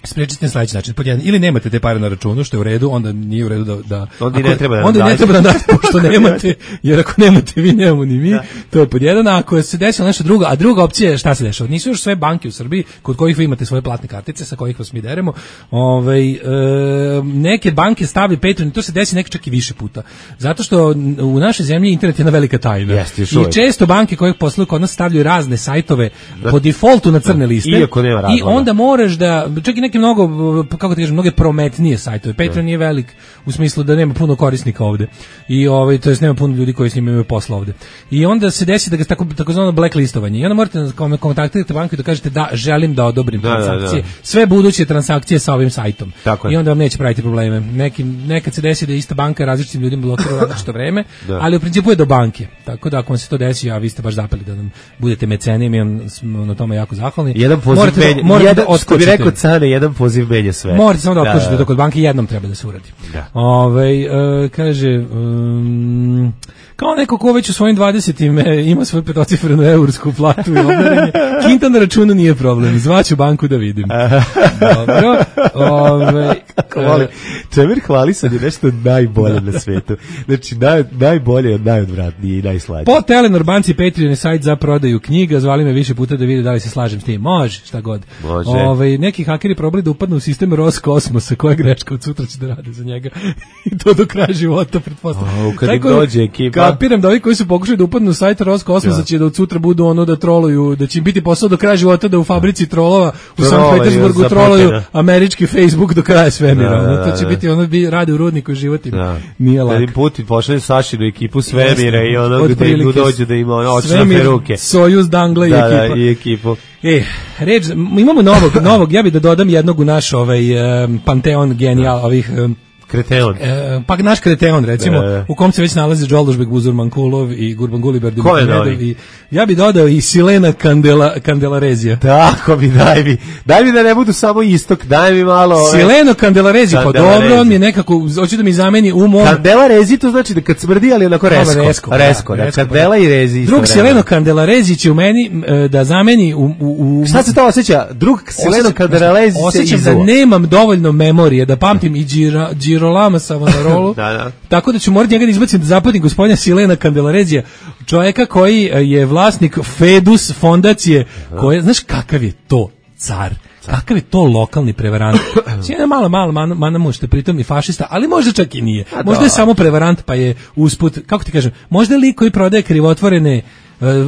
Sprečite na sledeći način. Podjedan, ili nemate te pare na računu, što je u redu, onda nije u redu da... da onda ako, ne treba da onda date. ne treba da date, pošto nemate, jer ako nemate, vi nemamo ni mi. Da. To je podjedan, a ako se desilo nešto drugo, a druga opcija je šta se dešava. Nisu još sve banke u Srbiji, kod kojih vi imate svoje platne kartice, sa kojih vas mi deremo. Ove, e, neke banke stavljaju Patreon i to se desi nekad čak i više puta. Zato što u našoj zemlji internet je jedna velika tajna. Jeste, I često banke koje posluju kod nas stavljaju razne sajtove da. po defaultu na crne liste. Iako nema razloga. I onda moraš da, čak i neke mnogo, kako ti kažem, mnoge prometnije sajtove. Patreon nije velik u smislu da nema puno korisnika ovde. I ovaj, to jest nema puno ljudi koji s njim imaju posla ovde. I onda se desi da ga tako takozvano blacklistovanje. I onda morate da kontaktirate banku i da kažete da želim da odobrim da, transakcije. Da, da. Sve buduće transakcije sa ovim sajtom. I onda vam neće praviti probleme. Neki, nekad se desi da ista banka različitim ljudima blokira u različito vreme, da. ali u principu je do banke. Tako da ako vam se to desi, a vi ste baš zapeli da nam budete meceni, mi vam smo na tome jako zahvalni. Jedan poziv morate menja, da, morate jedan, da što bi rekao Cane, jedan poziv menja sve. Morate samo da otkočite da kod banke jednom treba da se uradi. Da. Ove, uh, kaže, um, kao neko ko već u svojim dvadesetim ima svoju petocifrenu eursku platu i obdarenje, kinta na računu nije problem, zvaću banku da vidim. Dobro. Ove, Kako volim. Čemer hvalisan je nešto najbolje na svetu. Znači, naj, najbolje od najodvratnije i najslađe. Po Telenor banci Patreon je sajt za prodaju knjiga, zvali me više puta da vide da li se slažem s tim. Može, šta god. Može. Ove, neki hakeri probali da upadnu u sistem Roskosmosa, koja greška od sutra će da rade za njega. I to do kraja života, pretpostavljam. Kad im dođe ekipa. Kapiram da ovi koji su pokušali da upadnu u sajt Roskosmosa će da od sutra budu ono da troluju, da će im biti posao do kraja života da u fabrici trolova u Sankt Petersburgu troluju američki Facebook do kraja svemira. Da, da, da, to će biti ono bi radi u rudniku životim. Da. Nije lako. Kad Putin pošalje Sašinu ekipu svemira i ono gde im dođe da ima ono očne peruke. Sojuz, Dangle i da, ekipa. Da, i ekipu. E, reč, imamo novog, novog, ja bih da dodam jednog u naš ovaj, um, panteon genijal, ovih... Um, Kreteon. E, pa naš Kreteon, recimo, e. u kom se već nalazi Džoldušbek, Buzurmankulov i Gurbanguly Berdimuhamedov. I ja bi dodao i Silena Kandela, Kandelarezija. Tako bi, daj mi. Daj mi da ne budu samo istok, daj mi malo... Ove... Sileno Kandelarezija, pa dobro, on mi je nekako, hoće da mi zameni u mom... Kandelarezija, to znači da kad smrdi, ali onako resko. Resko, resko, da, resko, Kandela i rezi. Drug Sileno Kandelarezija će u meni da zameni u... u, u Šta se to osjeća? Drug Sileno Kandelarezija se osjećam da nemam dovoljno memorije, da pamtim i Đira, Girolama Savonarolu, da, da. Tako da ću morati njega da izbacim da zapatim gospodina Silena Kandelarezija, čovjeka koji je vlasnik Fedus fondacije, koja, znaš kakav je to car, kakav je to lokalni prevarant. Cijena malo, malo, mana, mana možete pritom i fašista, ali možda čak i nije. A možda je samo prevarant pa je usput, kako ti kažem, možda je lik koji prodaje krivotvorene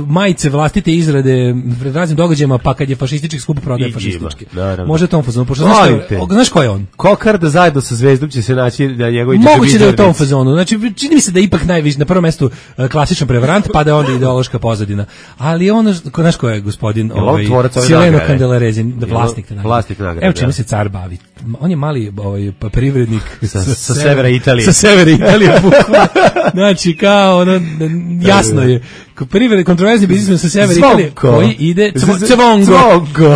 majice vlastite izrade pred raznim događajima, pa kad je fašistički skup prodaje fašistički. Može tom fazonu, pošto znaš, ko, znaš ko je on? Kokarda zajedno sa Zvezdom će se naći na njegovoj džabi. Moguće da je u tom fazonu. Znači, čini mi se da je ipak najviše, na prvom mestu klasičan prevarant, pa da je onda ideološka pozadina. Ali ono, znaš ko je gospodin ovaj, Sileno Kandelarezin, vlasnik te nagrade. Vlasnik nagrade. Evo čime se car bavi. On je mali ovaj, privrednik sa, sa, sa severa Italije. Sa severa Italije. Znači, kao, ono, jasno je. Privrednik, kontroverzni biznismen sa severa Italije, koji ide Cvongo.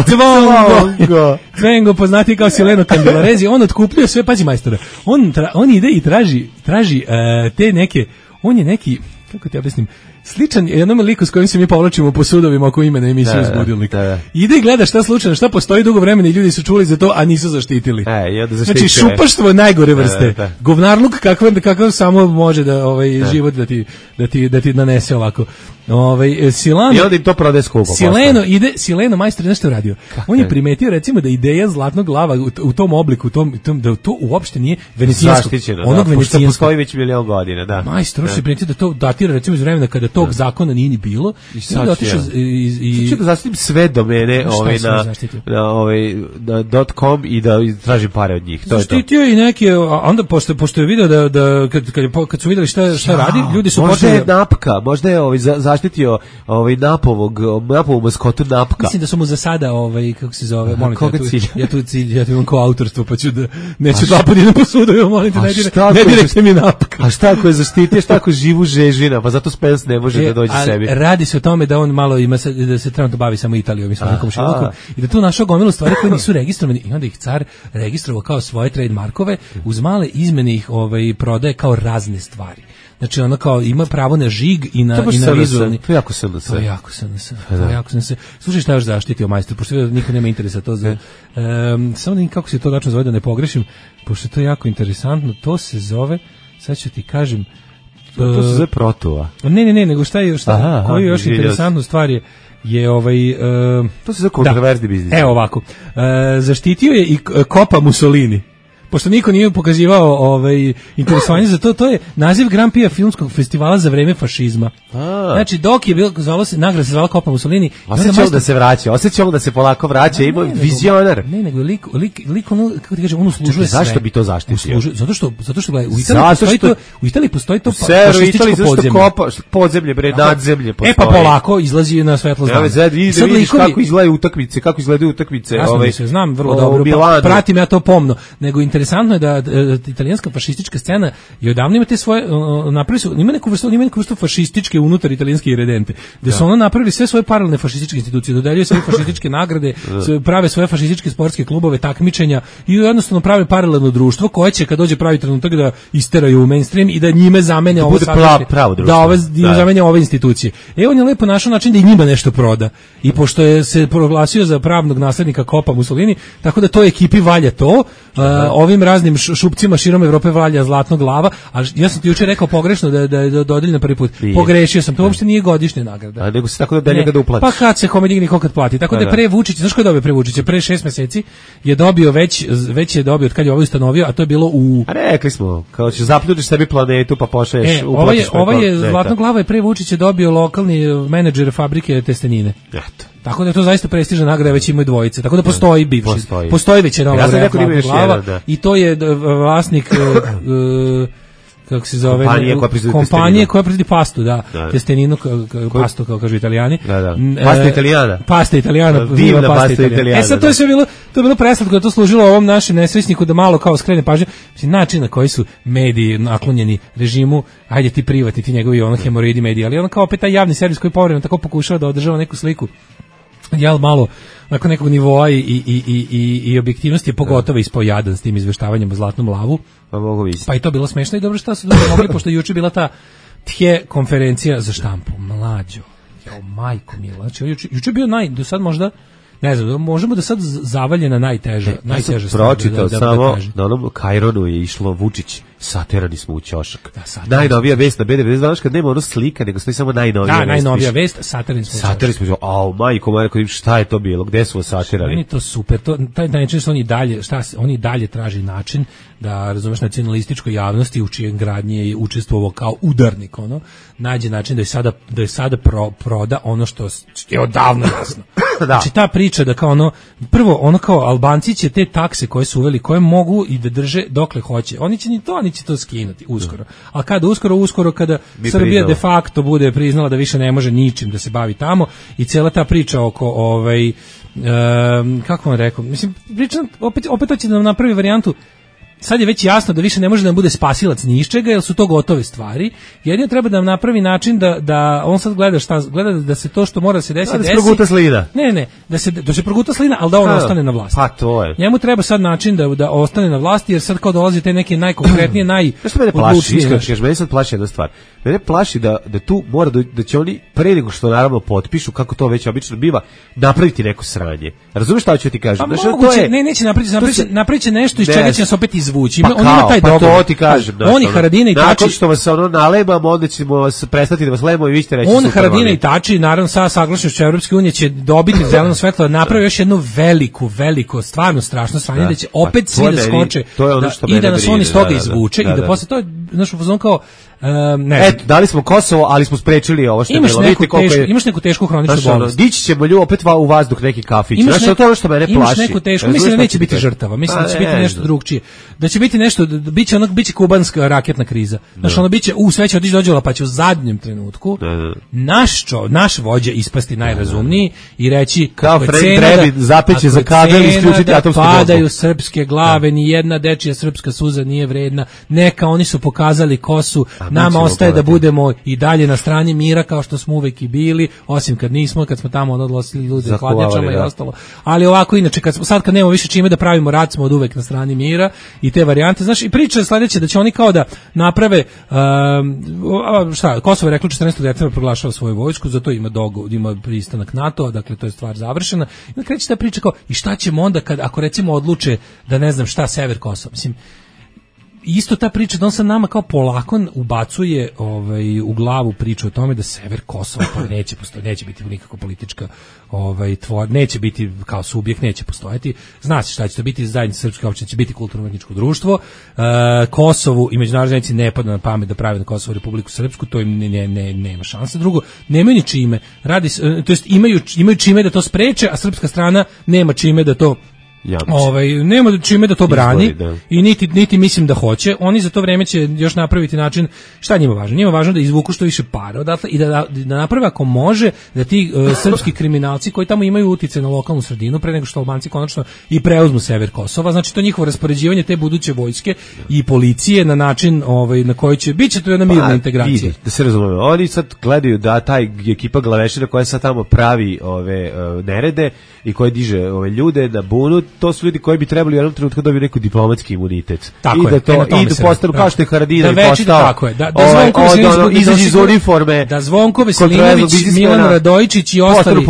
Cvongo. Cvongo, poznati kao Sileno Kandelarezija. On otkupljuje sve, pazi majstore, on, tra, on ide i traži, traži uh, te neke, on je neki, kako ti objasnim, sličan jednom liku s kojim se mi povlačimo po sudovima oko imena emisije iz Budilnika. Da, da. Ide i gleda šta slučajno, šta postoji dugo vremena i ljudi su čuli za to, a nisu zaštitili. E, i onda znači, šupaštvo najgore vrste. Da, da, da. Govnarluk kakav, kakav samo može da ovaj da. život da ti, da, ti, da ti nanese ovako. Ovaj Silano i onda im to prodaje skupo. Sileno ide, Sileno majstor nešto radio. Kako on je primetio recimo da ideja zlatnog glava u, u tom obliku, u tom, tom da to uopšte nije venecijansko. Onog da, venecijanskog postoji već milion godina, da. Majstor se primetio da to datira recimo iz vremena kada tog da. zakona nije ni bilo. I sad otišao i i sad ću da zaštitim sve domene ovaj na na ovaj na .com i da tražim pare od njih. To je to. Zaštitio i neke, a onda pošto pošto je video da da kad kad, kad su videli šta šta radi, ljudi su počeli. Možda je napka, možda je ovaj zaštitio ovaj napovog napovu maskotu napka. Mislim da su mu za sada ovaj kako se zove, molim te, ja tu cilj, ja tu imam kao autorstvo, pa ću da neću dva puta po sudu, molim te, ne direktno mi napka. A šta ako je zaštitio, šta ako živu žežina, pa zato Spence ne može e, da dođe a, sebi. Radi se o tome da on malo ima se, da se trenutno bavi samo Italijom i svojim komšilukom i da tu našao gomilu stvari koje nisu registrovane i onda ih car registrovao kao svoje trademarkove, uz male izmene ih ovaj prodaje kao razne stvari. Znači ona kao ima pravo na žig i na i na vizualni. To je jako se To je jako se To je jako se Slušaj, šta još zaštitio majstor, pošto niko nema interesa to za. Um, samo da kako se to tačno zove da ne pogrešim, pošto to je jako interesantno, to se zove, sad ću ti kažem, to se zove Protua. Ne, ne, ne, nego šta je, šta, koji još interesantnu stvar je je ovaj uh, to se zove kontroverzni biznis. Evo ovako. Uh, zaštitio je i Copa Mussolini. Pošto niko nije pokazivao ovaj interesovanje za to, to je naziv Grand Prix filmskog festivala za vreme fašizma. A. Znači dok je bilo zvalo se nagrada se zvala Copa Mussolini, osjećao da se vraća, osjećao da se polako vraća, ima vizionar. Ne, nego lik lik lik ono kako ti kažem, on uslužuje sve. Zašto bi to zaštitio? Zato što zato što gledaj, u Italiji postoji to, u Italiji postoji to fašističko podzemlje. Kopa, podzemlje bre, nadzemlje postoji. E pa polako izlazi na svetlo znanje. Sad vidiš kako izgledaju utakmice, kako izgledaju utakmice, ovaj. Znam vrlo dobro, pratim ja to pomno, nego interesantno je da italijanska fašistička scena je odavno ima te svoje napravili su ima neku vrstu ima neku vrstu fašističke unutar italijanske iredente gde su ono napravili sve svoje paralelne fašističke institucije, dodeljuju svoje fašističke nagrade, prave svoje fašističke sportske klubove, takmičenja i jednostavno prave paralelno društvo koje će kad dođe pravi trenutak da isteraju u mainstream i da njime zamene ovo da ove zamene ove institucije. E on je lepo našao način da i njima nešto proda i pošto je se proglasio za pravnog naslednika Copa Mussolini, tako da to ekipi valja to, uh, ovim raznim šupcima širom Evrope valja zlatnog glava, a ja sam ti juče rekao pogrešno da da je dodeljena prvi put. Nije. Pogrešio sam, to uopšte nije godišnja nagrada. A nego se tako da ga da uplatiš. Pa kad se kome digne kad plati. Tako da, da je pre Vučić, znaš ko je dobio pre Vučića, pre šest meseci je dobio već već je dobio od kad je ovo ustanovio, a to je bilo u A rekli smo, kao će zapljutiš sebi planetu pa pošalješ e, uplatiš. Ovaj ovaj je zlatnog glava je pre Vučića dobio lokalni menadžer fabrike testenine. Eto. Tako da je to zaista prestižna nagrada, već imaju dvojice. Tako da postoji bivši. Postoji, postoji već jedna ja glava da. I to je vlasnik uh, kako se zove kompanije koja proizvodi kompanije koja proizvodi pastu, da, da. Testeninu, pastu kao kažu Italijani. Da, da. Pasta Italijana. Pasta Italijana, divna pasta, pasta Italijana. E sad to je sve bilo, to je bilo preslatko, da to služilo ovom našem nesvesniku da malo kao skrene pažnju. Mislim, način na koji su mediji naklonjeni režimu, ajde ti privatni, ti njegovi ono hemoroidi mediji, ali on kao opet taj javni servis koji povremeno tako pokušava da održava neku sliku. Jel malo nakon nekog nivoa i, i, i, i, i objektivnosti je pogotovo ispojadan s tim izveštavanjem o zlatnom lavu. Pa mogu vidjeti. Pa i to bilo smešno i dobro šta su dobro mogli, pošto juče bila ta tje konferencija za štampu. Mlađo, jao majko mila. Znači, juče, juče bio naj, do sad možda, ne znam, možemo da sad zavaljena najteža, e, najteža stvar. Pročitao da, da, samo, da na onom Kajronu je išlo Vučić, saterani smo u ćošak. Da, najnovija vest na B D V, znaš kad nema ono slika, nego stoji samo najnovija da, vest. Da, najnovija vest, saterani smo u ćošak. Saterani smo u ćošak, au, majko, majko, šta je to bilo, gde su saterani? Meni to super, to, taj način što oni dalje, šta, oni dalje traži način da, razumeš, nacionalističkoj javnosti u čijem gradnji je učestvovao kao udarnik, ono, nađe način da je sada, da je sada pro, proda ono što je odavno jasno. Da. Znači ta priča da kao ono, prvo ono kao Albanci će te takse koje su uveli, koje mogu i da drže dokle hoće, oni će ni to, oni će to skinuti uskoro. A kada uskoro, uskoro kada Mi Srbija priznala. de facto bude priznala da više ne može ničim da se bavi tamo i cijela ta priča oko ovaj um, kako vam rekao, mislim priča opet opet hoće da nam napravi varijantu. sad je već jasno da više ne može da nam bude spasilac ni iz čega, jer su to gotove stvari. Jedino treba da nam napravi način da, da on sad gleda šta, gleda da se to što mora se desiti, da desi. Da se proguta slina. Ne, ne, da se, da se proguta slina, ali da on A, ostane na vlasti. Pa to je. Njemu treba sad način da, da ostane na vlasti, jer sad kao dolazi te neke najkonkretnije, naj... Što mene plaši, iskreno kažeš, mene sad plaši jedna stvar. Mene plaši da, da tu mora, da, da će oni pre nego što naravno potpišu, kako to već obično biva, napraviti neko sranje. Razumeš šta ću ti kažem? Pa znači, moguće, to je, ne, neće napraviti, napraviti, se, napraviti nešto iz ne, čega će nas opet izvući. Pa Ima, on ima taj pa dogovor. to ti kažem. Pa, oni Haradina i Tači... Nakon što vas ono nalemamo, onda ćemo vas prestati da vas lemamo i vi ćete reći on, super. Haradina i Tači, naravno sa saglašnošću Evropske unije će dobiti zeleno svetlo da napravi još jednu veliku, veliko, stvarno strašno sranje, da, da će opet pa, svi da skoče da, i da nas on iz toga izvuče i da posle to je, znaš, u fazonu kao Um, ne. Eto, dali smo Kosovo, ali smo sprečili ovo što je imaš bilo. Neku Vidite tešku, je... Imaš neku tešku hroničnu znaš, bolest. Dići ćemo lju opet u vazduh neki kafić. Imaš znaš, neku, to je ono što mene plaši. Imaš neku tešku, mislim da neće biti žrtava, mislim da će biti nešto drugčije. Da će biti nešto, da biće ono, biće kubanska raketna kriza. Znaš, ono biće, u sve će otići dođela, pa će u zadnjem trenutku naš čo, naš vođa ispasti najrazumniji i reći kao Fred Brebi zapeće za kabel i isključiti atomsku bombu. Padaju srpske glave, ni jedna dečija srpska suza nije vredna. Neka oni su pokazali kosu, nama ostaje da budemo i dalje na strani mira kao što smo uvek i bili, osim kad nismo, kad smo tamo odlosili ljude hladnjačama i ostalo. Ali ovako inače, kad smo, sad kad nemamo više čime da pravimo rat, smo od uvek na strani mira i te varijante. Znaš, i priča je sledeće da će oni kao da naprave um, šta, Kosovo je reklo četrnaestog decembra proglašava svoju vojsku, zato ima dogovor, ima pristanak NATO, dakle to je stvar završena. I onda kreće ta priča kao i šta ćemo onda kad ako recimo odluče da ne znam šta sever Kosova. Mislim, isto ta priča da on sad nama kao polako ubacuje ovaj, u glavu priču o tome da sever Kosova pa neće postojati, neće biti nikako politička ovaj, tvor, neće biti kao subjekt, neće postojati. Zna se šta će to biti, zajednica srpske opštine će biti kulturno-umetničko društvo. E, Kosovu i međunarodni zajednici ne pada na pamet da pravi na Kosovu Republiku Srpsku, to im ne, ne, ne, nema šanse. Drugo, nemaju ni čime, radi, to jest imaju, imaju čime da to spreče, a srpska strana nema čime da to Jamči. Ovaj nema čime da to brani. Izbori, da. I niti niti mislim da hoće. Oni za to vreme će još napraviti način šta njima važno. Njima važno da izvuku što više para odatle i da da, da naprave ako može da ti uh, srpski kriminalci koji tamo imaju uticaj na lokalnu sredinu pre nego što Albanci konačno i preuzmu sever Kosova. Znači to njihovo raspoređivanje te buduće vojske i policije na način ovaj na koji će biće to jedna mirna pa, integracija. Vidi, da se razumemo. Oni sad gledaju da taj ekipa glavešina koja sad tamo pravi ove uh, nerede i koja diže ove ljude da bunu, to su ljudi koji bi trebali u jednom trenutku dobiti neku diplomatski imunitet. Tako I da to je, i da postanu kao što je Haradina da i postao. Tako je, da, da Zvonko Veselinović izađe iz uniforme. Da Zvonko Veselinović, Milan Radojičić i ostali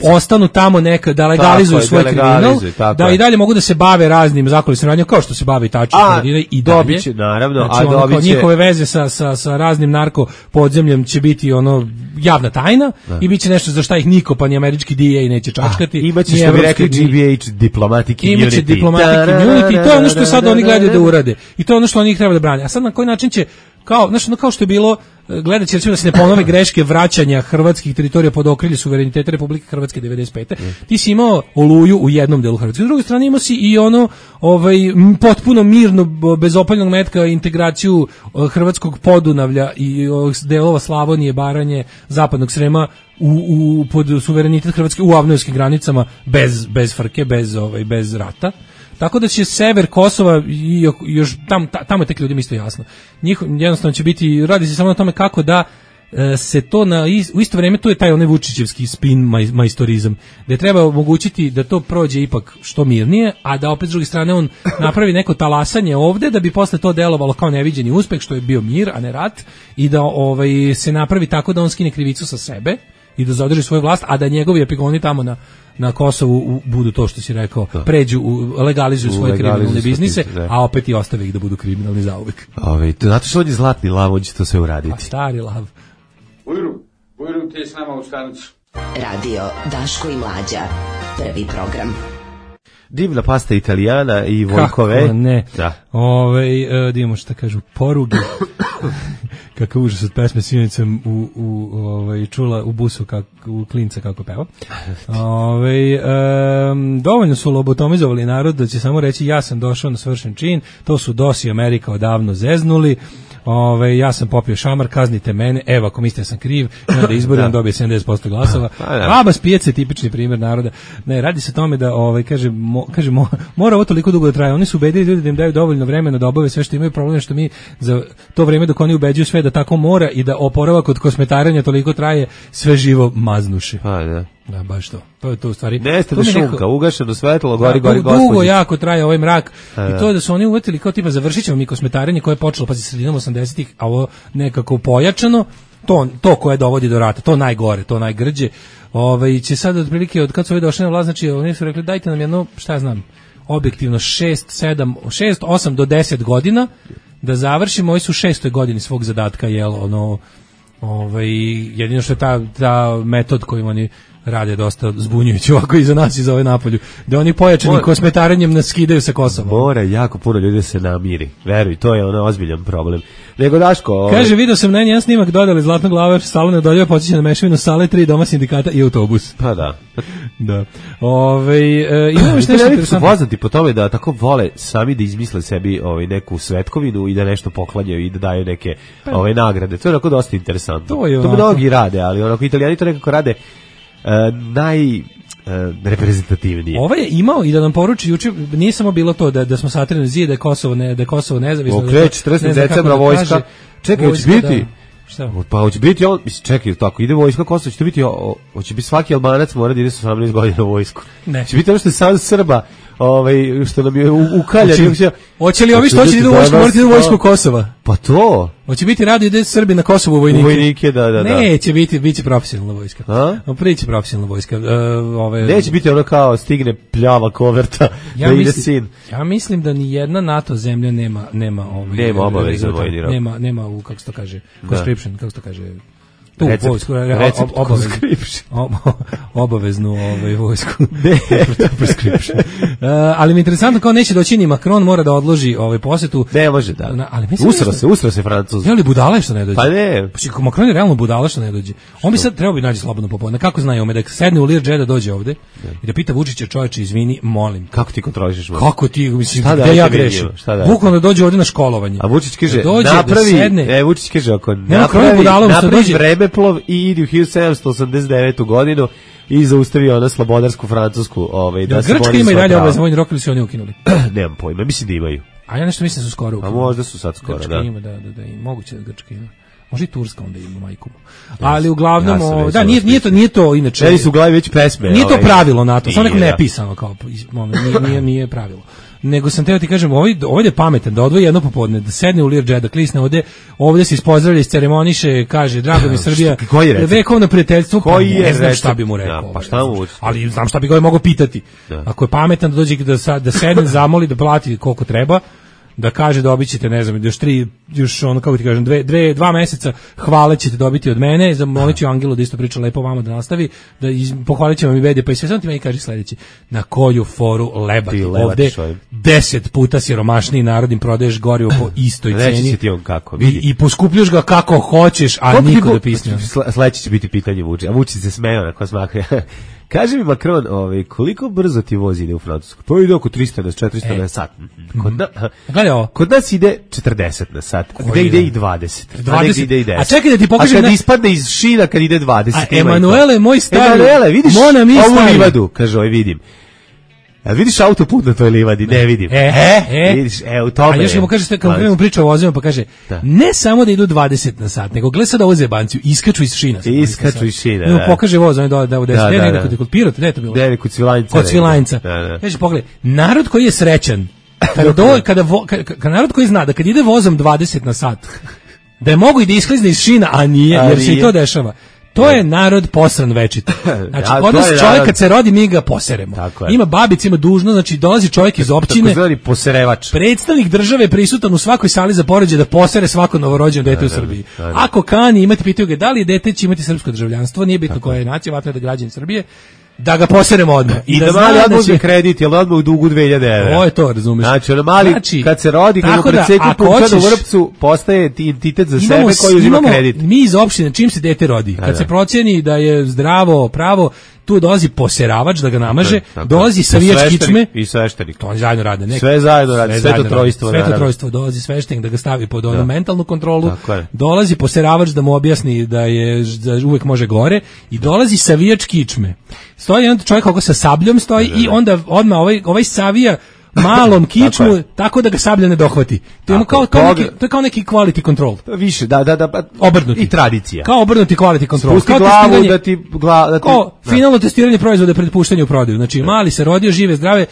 ostanu tamo neka da legalizuju tako svoj kriminal, da je. I dalje mogu da se bave raznim zakulisnim radnjama kao što se bave i Tači i Haradina i dalje. Dobiće naravno, znači, a dobiće njihove veze sa sa sa raznim narko podzemljem će biti ono javna tajna da. I biće nešto za šta ih niko pa ni američki D E A neće čačkati. Imaće što bi rekli G B H diplomatic image diplomatic immunity, i to je ono što sad oni gledaju da urade. I to je ono što oni treba da brane. A sad na koji način će, kao, znači, ono kao što je bilo, gledaće recimo da se ne ponove greške vraćanja hrvatskih teritorija pod okrilje suvereniteta Republike Hrvatske devedeset pete. Mm. Ti si imao Oluju u jednom delu Hrvatske. S druge strane imao si i ono ovaj, potpuno mirno, bez opaljnog metka integraciju hrvatskog Podunavlja i delova Slavonije, Baranje, Zapadnog Srema u, u, pod suverenitet Hrvatske u avnojskim granicama bez, bez frke, bez, ovaj, bez rata. Tako da će sever Kosova i još tam, tamo je tek ljudima isto jasno. Njih jednostavno će biti, radi se samo na tome kako da e, se to na u isto vrijeme, to je taj onaj Vučićevski spin maj, majstorizam, da treba omogućiti da to prođe ipak što mirnije, a da opet s druge strane on napravi neko talasanje ovde da bi posle to delovalo kao neviđeni uspeh što je bio mir, a ne rat, i da ovaj, se napravi tako da on skine krivicu sa sebe i da zadrži svoju vlast, a da njegovi epigoni tamo na na Kosovu u, budu to što si rekao, da. Pređu, u, legalizuju svoje kriminalne biznise, da. A opet i ostave ih da budu kriminalni zauvek. Ove, zato što on je zlatni lav, on će to sve uraditi. A stari lav. Ujru, ujru ti je s nama u stanicu. Radio Daško i Mlađa, prvi program. Divna pasta Italijana i Vojkove. Kako ne. Da. Ove, da imamo šta kažu, poruge. Kakav užas od pesme Sinoćem u, u, ovaj, čula u busu kak, u klinca kako peva. Ove, um, dovoljno su lobotomizovali narod da će samo reći ja sam došao na svršen čin, to su D O S i Amerika odavno zeznuli. Ove, ja sam popio šamar, kaznite mene, evo ako mislite da sam kriv, onda da izborim, on dobije sedamdeset posto glasova. Baba s pijace, tipični primjer naroda. Ne, radi se o tome da, ovaj, kaže, mo, kaže mo, mora ovo toliko dugo da traje. Oni su ubedili ljudi da im daju dovoljno vremena da obave sve što imaju, problem što mi za to vreme dok oni ubeđuju sve da tako mora i da oporavak od kosmetarenja toliko traje, sve živo maznuše. Pa da. Da, baš to. To je to u stvari. Nestane šunka, neko... ugašeno svetlo, gori, da, gori gospođica. Dugo jako traje ovaj mrak. A, i to je da su oni uvetili kao tipa završit ćemo mi kosmetarenje koje je počelo pa sredinom osamdesetih, a ovo nekako pojačano, to, to koje dovodi do rata, to najgore, to najgrđe. Ovaj će sad otprilike od kad su ovi došli na vlast, znači oni su rekli dajte nam jedno, šta ja znam, objektivno šest, sedam, šest, osam do deset godina da završimo, ovi su u šestoj godini svog zadatka, jel, ono, ovaj, jedino što je ta, ta metod kojim oni rade dosta zbunjujući ovako i za nas i za ove napolju, da oni pojačanim Mora, kosmetarenjem nas skidaju sa Kosova. Mora jako puno ljudi da se namiri, veruj, to je ono ozbiljan problem. Nego Daško... Ovaj... Kaže, vidio sam na jedan snimak dodali Zlatnog glava, stalo neodoljivo podsjeća na mešavinu sale, tri doma sindikata i autobus. Pa da. Da. Ove, e, imamo još nešto interesantno. Poznati po tome da tako vole sami da izmisle sebi ovaj, neku svetkovinu i da nešto poklanjaju i da daju neke pa, ovaj, nagrade. To je onako dosta interesantno. To, je to mnogi rade, ali onako Italijani to nekako rade Uh, naj uh, reprezentativnije. Ovo je imao i da nam poruči juče, nije samo bilo to da da smo satrili zid, da je Kosovo ne da je Kosovo nezavisno. Okreće četrdeset decembra vojska. Čekaj, hoće biti. Da, šta? Pa hoće biti on, čekaj, tako ide vojska Kosovo, će biti hoće biti svaki Albanac mora da ide sa osamnaest godina u vojsku. Ne. Će biti ono što je sad Srba, ovaj što nam je ukaljan. Hoće li ovi što će idu u vojsku, morati idu u vojsku Kosova? Pa to. Hoće biti rado ide Srbi na Kosovu vojnike. Vojnike, da, da, da. Neće biti, biće profesionalna vojska. A? No, priće profesionalna vojska. Uh, ove... Neće biti ono kao stigne pljava koverta ja da mislim, ide sin. Ja mislim da ni jedna NATO zemlja nema nema ovaj nema obavezno vojni rok. Nema nema u kako se to kaže, conscription, kako se to kaže. Tu recept, vojsku, recept obaveznu, ob, obaveznu ovaj vojsku. Prescription. Uh, ali mi je interesantno kao neće doći ni Macron, mora da odloži ovaj posetu. Ne može da. Na, ali usro se, usro se Francuz. Je li budala što ne dođe? Pa ne. Pa Macron je realno budala što ne dođe. On bi sad trebao bi naći slobodno popodne. Kako znaju ome da sedne u Learjet da dođe ovde ne. I da pita Vučića, čoveče, izvini, molim. Kako ti kontrolišeš? Možda? Kako ti, mislim, da, da ja grešim. Bukvalno da dođe ovde na školovanje. A Vučić kaže, da dođe, napravi, da sedne. E, Vučić kaže, ako ne, napravi, napravi vremeplov i idi u hiljadu sedamsto osamdeset devete. godinu i zaustavio ona slobodarsku francusku, ovaj da, da se Grčka ima i dalje obavezan vojni rok ili su oni ukinuli? Nemam pojma, mislim da imaju. A ja nešto mislim da su skoro ukinuli. A možda su sad skoro, Grčka da. Ima, da, da, da, i moguće da Grčka ima. Može i Turska onda ima majku. Ali uglavnom, ja o, da, nije, nije, to, nije to inače. Meni su u glavi već pesme. Nije to pravilo NATO, samo neko nepisano kao, nije, nije, nije pravilo. Nego sam teo ti kažem, ovaj, ovaj je pametan, da odvoji jedno popodne, da sedne u Learjet, da klisne ovde, ovde se ispozdravlja, isceremoniše, kaže, drago mi Srbija, vekovno prijateljstvo, pa ne znam šta bi mu rekao. Ja, pa šta mu ali znam šta bi ga mogao pitati. Da. Ako je pametan, da dođe da, da sedne, zamoli, da plati koliko treba, da kaže dobićete, ne znam, još tri, još ono, kako ti kažem, dve, dve, dva meseca hvale ćete dobiti od mene, zamolit ću Angelu da isto priča lepo vama da nastavi, da iz, pohvalit će vam i B D P i sve, samo ti meni kaže sledeći, na koju foru lebati ovde, deset puta siromašniji narod im prodaješ gorivo po istoj ceni. Reći će ti on kako, vidi. I, i poskupljuš ga kako hoćeš, a Koliko niko da pisne. Sledeće će biti pitanje Vučić, a Vučić se smeje onako smakuje. Kaže mi Macron, ovaj, koliko brzo ti vozi ide u Francusku? Pa ide oko trista na četiristo e. na sat. Kod, na, kod nas ide četrdeset na sat. Gde ide i dvadeset. dvadeset. A ide i deset. A čekaj da ti pokažem. A kad ne... ispadne iz šina kad ide dvadeset. A Emanuele, moj stari. Emanuele, vidiš Mona mi ovu stari. livadu, kaže ovaj, vidim. A vidiš autoput na toj livadi? Ne vidim. E, e, e. Vidiš, e, u tome. A još mu kaže, kad krenemo priča o vozima, pa kaže, da. Ne samo da idu dvadeset na sat, nego gleda sad ovo zebanciju, iskaču iz šina. Iskaču iz šina, da. Pokaže voz, on je da, da u deset. Da, da, da. Kod, kod Pirota, gde je to bilo? Gde je kod Svilajnca. Kod Svilajnca. Da, da. Kaže, pogledaj, narod koji je srećan, kada, do, kada, vo, kada, kada narod koji zna da kad ide vozom dvadeset na sat, da je mogu i da isklizne iz šina, a nije, a jer nije. Se i to dešava. To je narod posran večito. Znači, ja, kod nas čovjek narod... kad se rodi, mi ga poseremo. Ima babica, ima dužno, znači dolazi čovjek iz općine. Tako zvani poserevač. Predstavnik države prisutan u svakoj sali za porođaj da posere svako novorođeno dete u Srbiji. Ako kani imati, pitaju ga da li dete će imati srpsko državljanstvo, nije bitno koja je nacija, vatno je da građani Srbije, da ga poseremo odmah. I, I da, da mali odmah će... kredit, jel odmah u dugu dve hiljade evra. Ovo je to, razumiješ. Znači, ono mali, znači, kad se rodi, kad mu predseku pupčan u vrpcu, postaje entitet za imamo, sebe koji uzima kredit. Mi iz opštine, čim se dete rodi, kad da, se procjeni da je zdravo, pravo, tu dolazi poseravač da ga namaže, Tako, tako. dolazi savijač kičme i sveštenik. To oni zajedno rade. Nek, sve zajedno rade, sve sveto trojstvo. Sveto trojstvo, dolazi sveštenik da ga stavi pod onu da. mentalnu kontrolu, dolazi poseravač da mu objasni da je da uvek može gore i dolazi savijač kičme. Stoji onda čovjek kako sa sabljom stoji da, da, da. i onda odmah ovaj, ovaj savija malom kičmu tako, tako da ga sablja ne dohvati. To je kao, kao neki, to je kao neki quality control. Više, da, da, da. Obrnuti. I tradicija. Kao obrnuti quality control. Spusti glavu da ti... Gla, da ti kao da. Finalno testiranje proizvoda pred puštenjem u prodaju. Znači, da. Mali se rodio, žive, zdrave,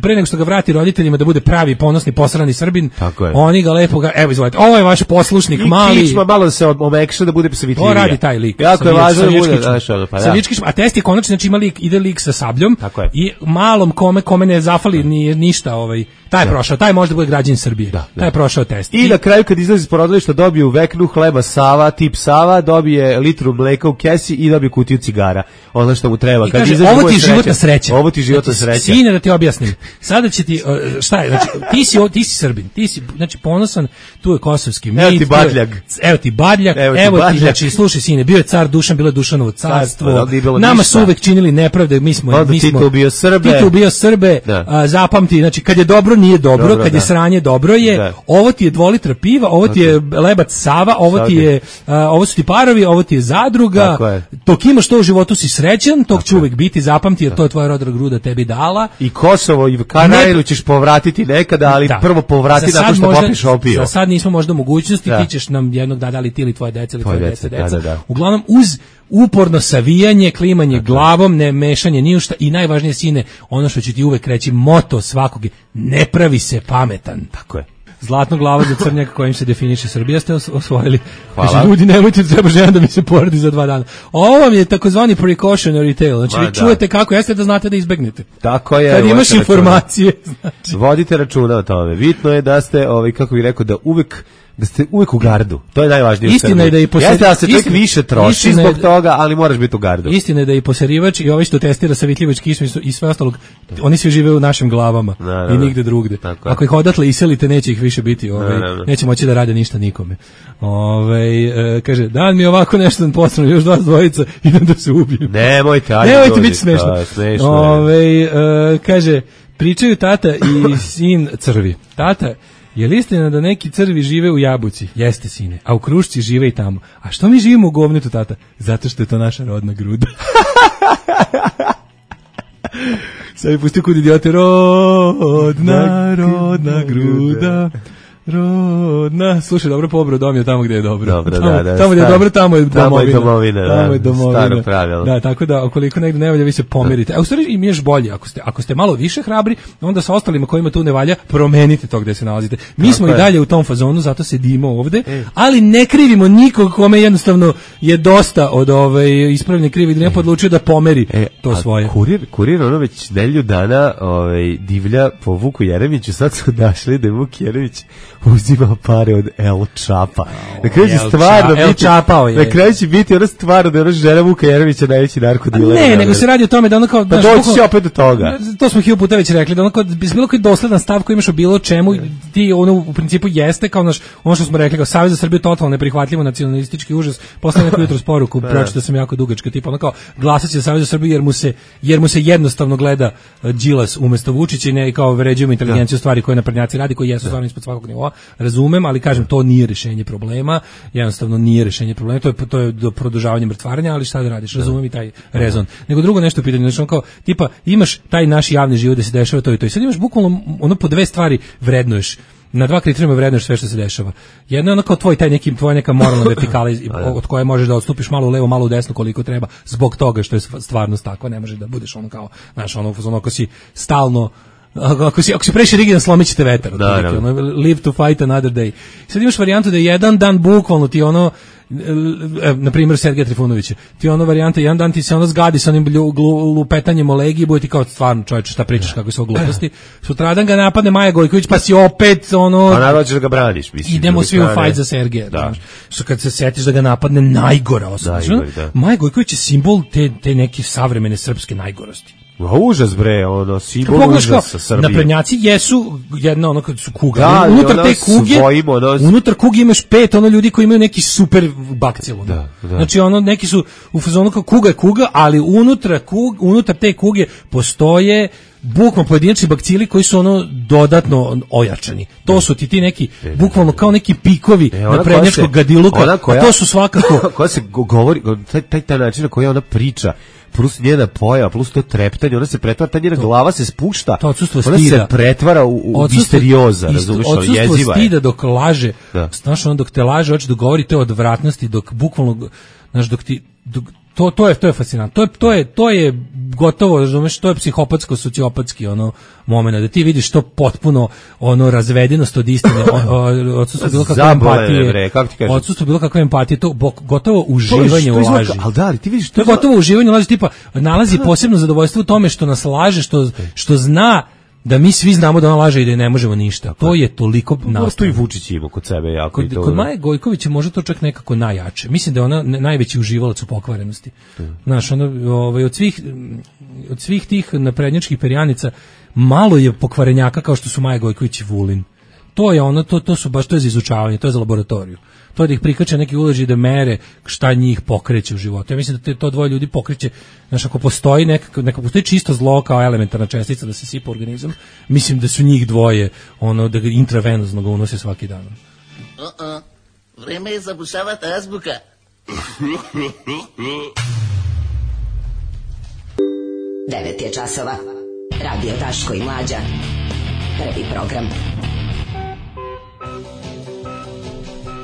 pre nego što ga vrati roditeljima da bude pravi, ponosni, posrani Srbin, oni ga lepo, ga, evo izvolite, ovo je vaš poslušnik, I mali... I kičma malo se omekša da bude savitljivija. To radi taj lik. Jako je važno da bude, znaš, ono, pa da. Savijač kičma, a test je konačno, znači ima lik, ide lik sa sabljom i malom kome, kome ne zafali ni ništa, ovaj, taj je prošao, taj može da bude građanin Srbije. Da, da. Taj je prošao test. I, I na kraju kad izlazi iz porodilišta dobije u veknu hleba Sava, tip Sava, dobije litru mleka u kesi i dobije kutiju cigara. Ono što mu treba. I kad kaže, ovo ti je životna sreća. Ovo ti je životna sreća. Sine, da ti objasnim. Sada će ti, šta je, znači, ti si, ti si Srbin, ti si, znači, ponosan, tu je kosovski mit. Evo ti badljak. Evo ti badljak, evo ti, evo ti znači, slušaj, sine, bio je car Dušan, bilo je Dušanovo carstvo. Nama su uvek činili nepravde, mi smo, Onda mi smo. Tito ubio Srbe. Tito ubio Srbe, a, zapamti, znači, kad je dobro, nije dobro, dobro kad je sranje dobro je, da. Ovo ti je dva litra piva, ovo ti je lebac Sava, ovo ti je, uh, ovo su ti parovi, ovo ti je zadruga, je. Dok imaš to u životu si srećan, tog će uvek biti, zapamti, jer to je tvoja rodna gruda tebi dala. I Kosovo i Karajlu ćeš povratiti nekada, ali da. Prvo povrati nakon što možda, popiš opio. Za sad nismo možda mogućnosti, da. Ti ćeš nam jednog da dali ti ili tvoje dece ili tvoje dece, deca. Da, da, da. Uglavnom, uz uporno savijanje, klimanje dakle. Glavom, ne mešanje ni u šta i najvažnije, sine, ono što će ti uvek reći moto svakog je, ne pravi se pametan. Tako je. Zlatno glava za crnjaka kojim se definiše Srbija ste osvojili. Hvala. Znači, ljudi, nemojte, treba žena da mi se porodi za dva dana. Ovo vam je takozvani precautionary tale. Znači, Ma, vi čujete da. Kako jeste da znate da izbegnete. Tako je. Kad imaš informacije. Znači. Vodite računa o tome. Bitno je da ste, ovaj, kako bih rekao, da uvek da ste uvek u gardu. To je najvažnije. Istina je da i poseri... Jeste da se čovjek više troši zbog da... toga, ali moraš biti u gardu. Istina je da i poserivač i ovaj što testira savitljivač kišmi i sve ostalog, oni svi žive u našim glavama no, no, no. i nigde drugde. Tako. Ako ih odatle iselite, neće ih više biti, ovaj, no, no, no. neće moći da rade ništa nikome. Ovaj e, kaže, dan mi ovako nešto posrano, još dva dvojica, idem da se ubijem. Nemojte, ajde. Nemojte biti smešno. Ovaj e, kaže, pričaju tata i sin crvi. Tata, je li istina da neki crvi žive u Jabuci? Jeste, sine. A u Krušci žive i tamo. A što mi živimo u govnetu, tata? Zato što je to naša rodna gruda. Sad mi pustio kod idiote. Rodna, rodna gruda. Rodna. Slušaj, dobro pobro, dom je tamo gde je dobro. Dobro, tamo, da, da. Tamo gde je dobro, tamo je domovina. Tamo je domovina, da. Tamo je domovina. Staro pravilo. Da, tako da, ukoliko negde ne valja, vi se pomerite. A u stvari im je još bolje. Ako ste, ako ste malo više hrabri, onda sa ostalima kojima tu ne valja, promenite to gde se nalazite. Mi tako smo je. I dalje u tom fazonu, zato sedimo ovde, e. ali ne krivimo nikog kome jednostavno je dosta od ove ispravne krivi, da ne podlučio da pomeri e, to svoje. Kurir, kurir ono već nedelju dana ovaj, divlja po Vuku Jeremiću, sad su našli da je Vuk Jeremić uzima pare od El Čapa. Na kraju će stvarno El biti, Čapao je. Na kraju će biti ono stvarno da je ono žena Vuka Jeremića najveći narkodiler. Ne, nego se radi o tome da ono kao... Pa doći će opet do toga. To smo hiljadu puta već rekli, da ono kao, bez bilo koji dosledan stav koji imaš o bilo čemu, ti ono u principu jeste kao naš, ono što smo rekli, kao Savez za Srbiju totalno neprihvatljivo nacionalistički užas, posle neku jutro sporuku, pročito sam jako dugačka, tipa ono kao, glasat će za Savez za Srbiju jer mu se, jer mu se jednostavno gleda Đilas umesto Vučića i ne kao vređujemo inteligenciju stvari koje naprednjaci radi, koji jesu stvarno ispod svakog nivoa. Razumem, ali kažem, to nije rješenje problema, jednostavno nije rješenje problema, to je, to je do produžavanja mrtvarenja, ali šta da radiš, razumem i taj rezon. Nego drugo nešto pitanje, znači kao, tipa, imaš taj naš javni život da se dešava to i to i sad imaš bukvalno ono po dve stvari vrednuješ, na dva kriterijuma vrednuješ sve što se dešava. Jedno je ono kao tvoj taj neki, tvoja neka moralna vertikala od koje možeš da odstupiš malo u levo, malo u desno koliko treba, zbog toga što je stvarnost takva, ne možeš da budeš ono kao, znaš, ono, ono ako si stalno ako si, ako si previše rigidan, slomit ćete vetar. Da, da. Ono, live to fight another day. Sad imaš varijantu da je jedan dan bukvalno ti ono, e, na primjer Sergeja Trifunovića, ti ono varijanta, jedan dan ti se ono zgadi sa onim lupetanjem o legiji, bude ti kao stvarno čovječe šta pričaš, kako su gluposti. Sutradan ga napadne Maja Gojković, pa si opet ono... Pa naravno ćeš da ga braniš, mislim. Idemo svi u fight za Sergeja. Da. Što kad se setiš da ga napadne najgora osoba. Da, Maja Gojković je simbol te, te neke savremene srpske najgorosti. A užas bre, ono, simbol Pogledaš kao, užasa Srbije. naprednjaci jesu jedna ono kad su kuga. Da, unutar ono te kuge, svojimo, ono... unutar kuge imaš pet ono ljudi koji imaju neki super bakcil. Ono. Da, da. Znači ono neki su u fazonu kao kuga je kuga, ali unutra kug, unutar te kuge postoje bukvalno pojedinačni bakcili koji su ono dodatno ojačani. To su ti ti neki bukvalno kao neki pikovi e, na prednjačkog gadiluka, koja, a to su svakako koja se govori, taj, taj, taj način na koji ona priča, plus njena pojava, plus to treptanje, ona se pretvara, ta njena to, glava se spušta, to odsustvo ona stida. se pretvara u, u misterioza, razumiješ, jeziva je. Odsustvo stida dok laže, da. Znaš, ono dok te laže, hoće da govori te odvratnosti, dok bukvalno, znaš, dok ti, dok, to, to je, to je fascinantno, to je, to je, to je gotovo, razumeš, to je psihopatsko, sociopatski, ono, momena, da ti vidiš to potpuno, ono, razvedenost od istine, odsustvo bilo kakve empatije, odsustvo bilo kakve empatije, to gotovo uživanje u laži. Ali da, ti vidiš, to je gotovo uživanje u laži, tipa, nalazi posebno zadovoljstvo u tome što nas laže, što, što zna da mi svi znamo da ona laže i da ne možemo ništa. To je toliko nastavno. To i Vučić ima kod sebe jako. Kod, kod Maje Gojković je možda to čak nekako najjače. Mislim da je ona najveći uživalac u pokvarenosti. Znaš, ono, ovaj, od svih od svih tih naprednjačkih perjanica malo je pokvarenjaka kao što su Maja Gojković i Vulin. To je ono, to, to su baš, to je za izučavanje, to je za laboratoriju. To je da ih prikače neki uloži da mere šta njih pokreće u životu. Ja mislim da te, to dvoje ljudi pokreće, znaš, ako postoji neka, neka postoji čisto zlo kao elementarna čestica da se sipa organizam, mislim da su njih dvoje, ono, da ga intravenozno ga unose svaki dan. Uh-uh. Vreme je zabušavati azbuka. Devet je časova. Radio Daško i Mlađa. Prvi program.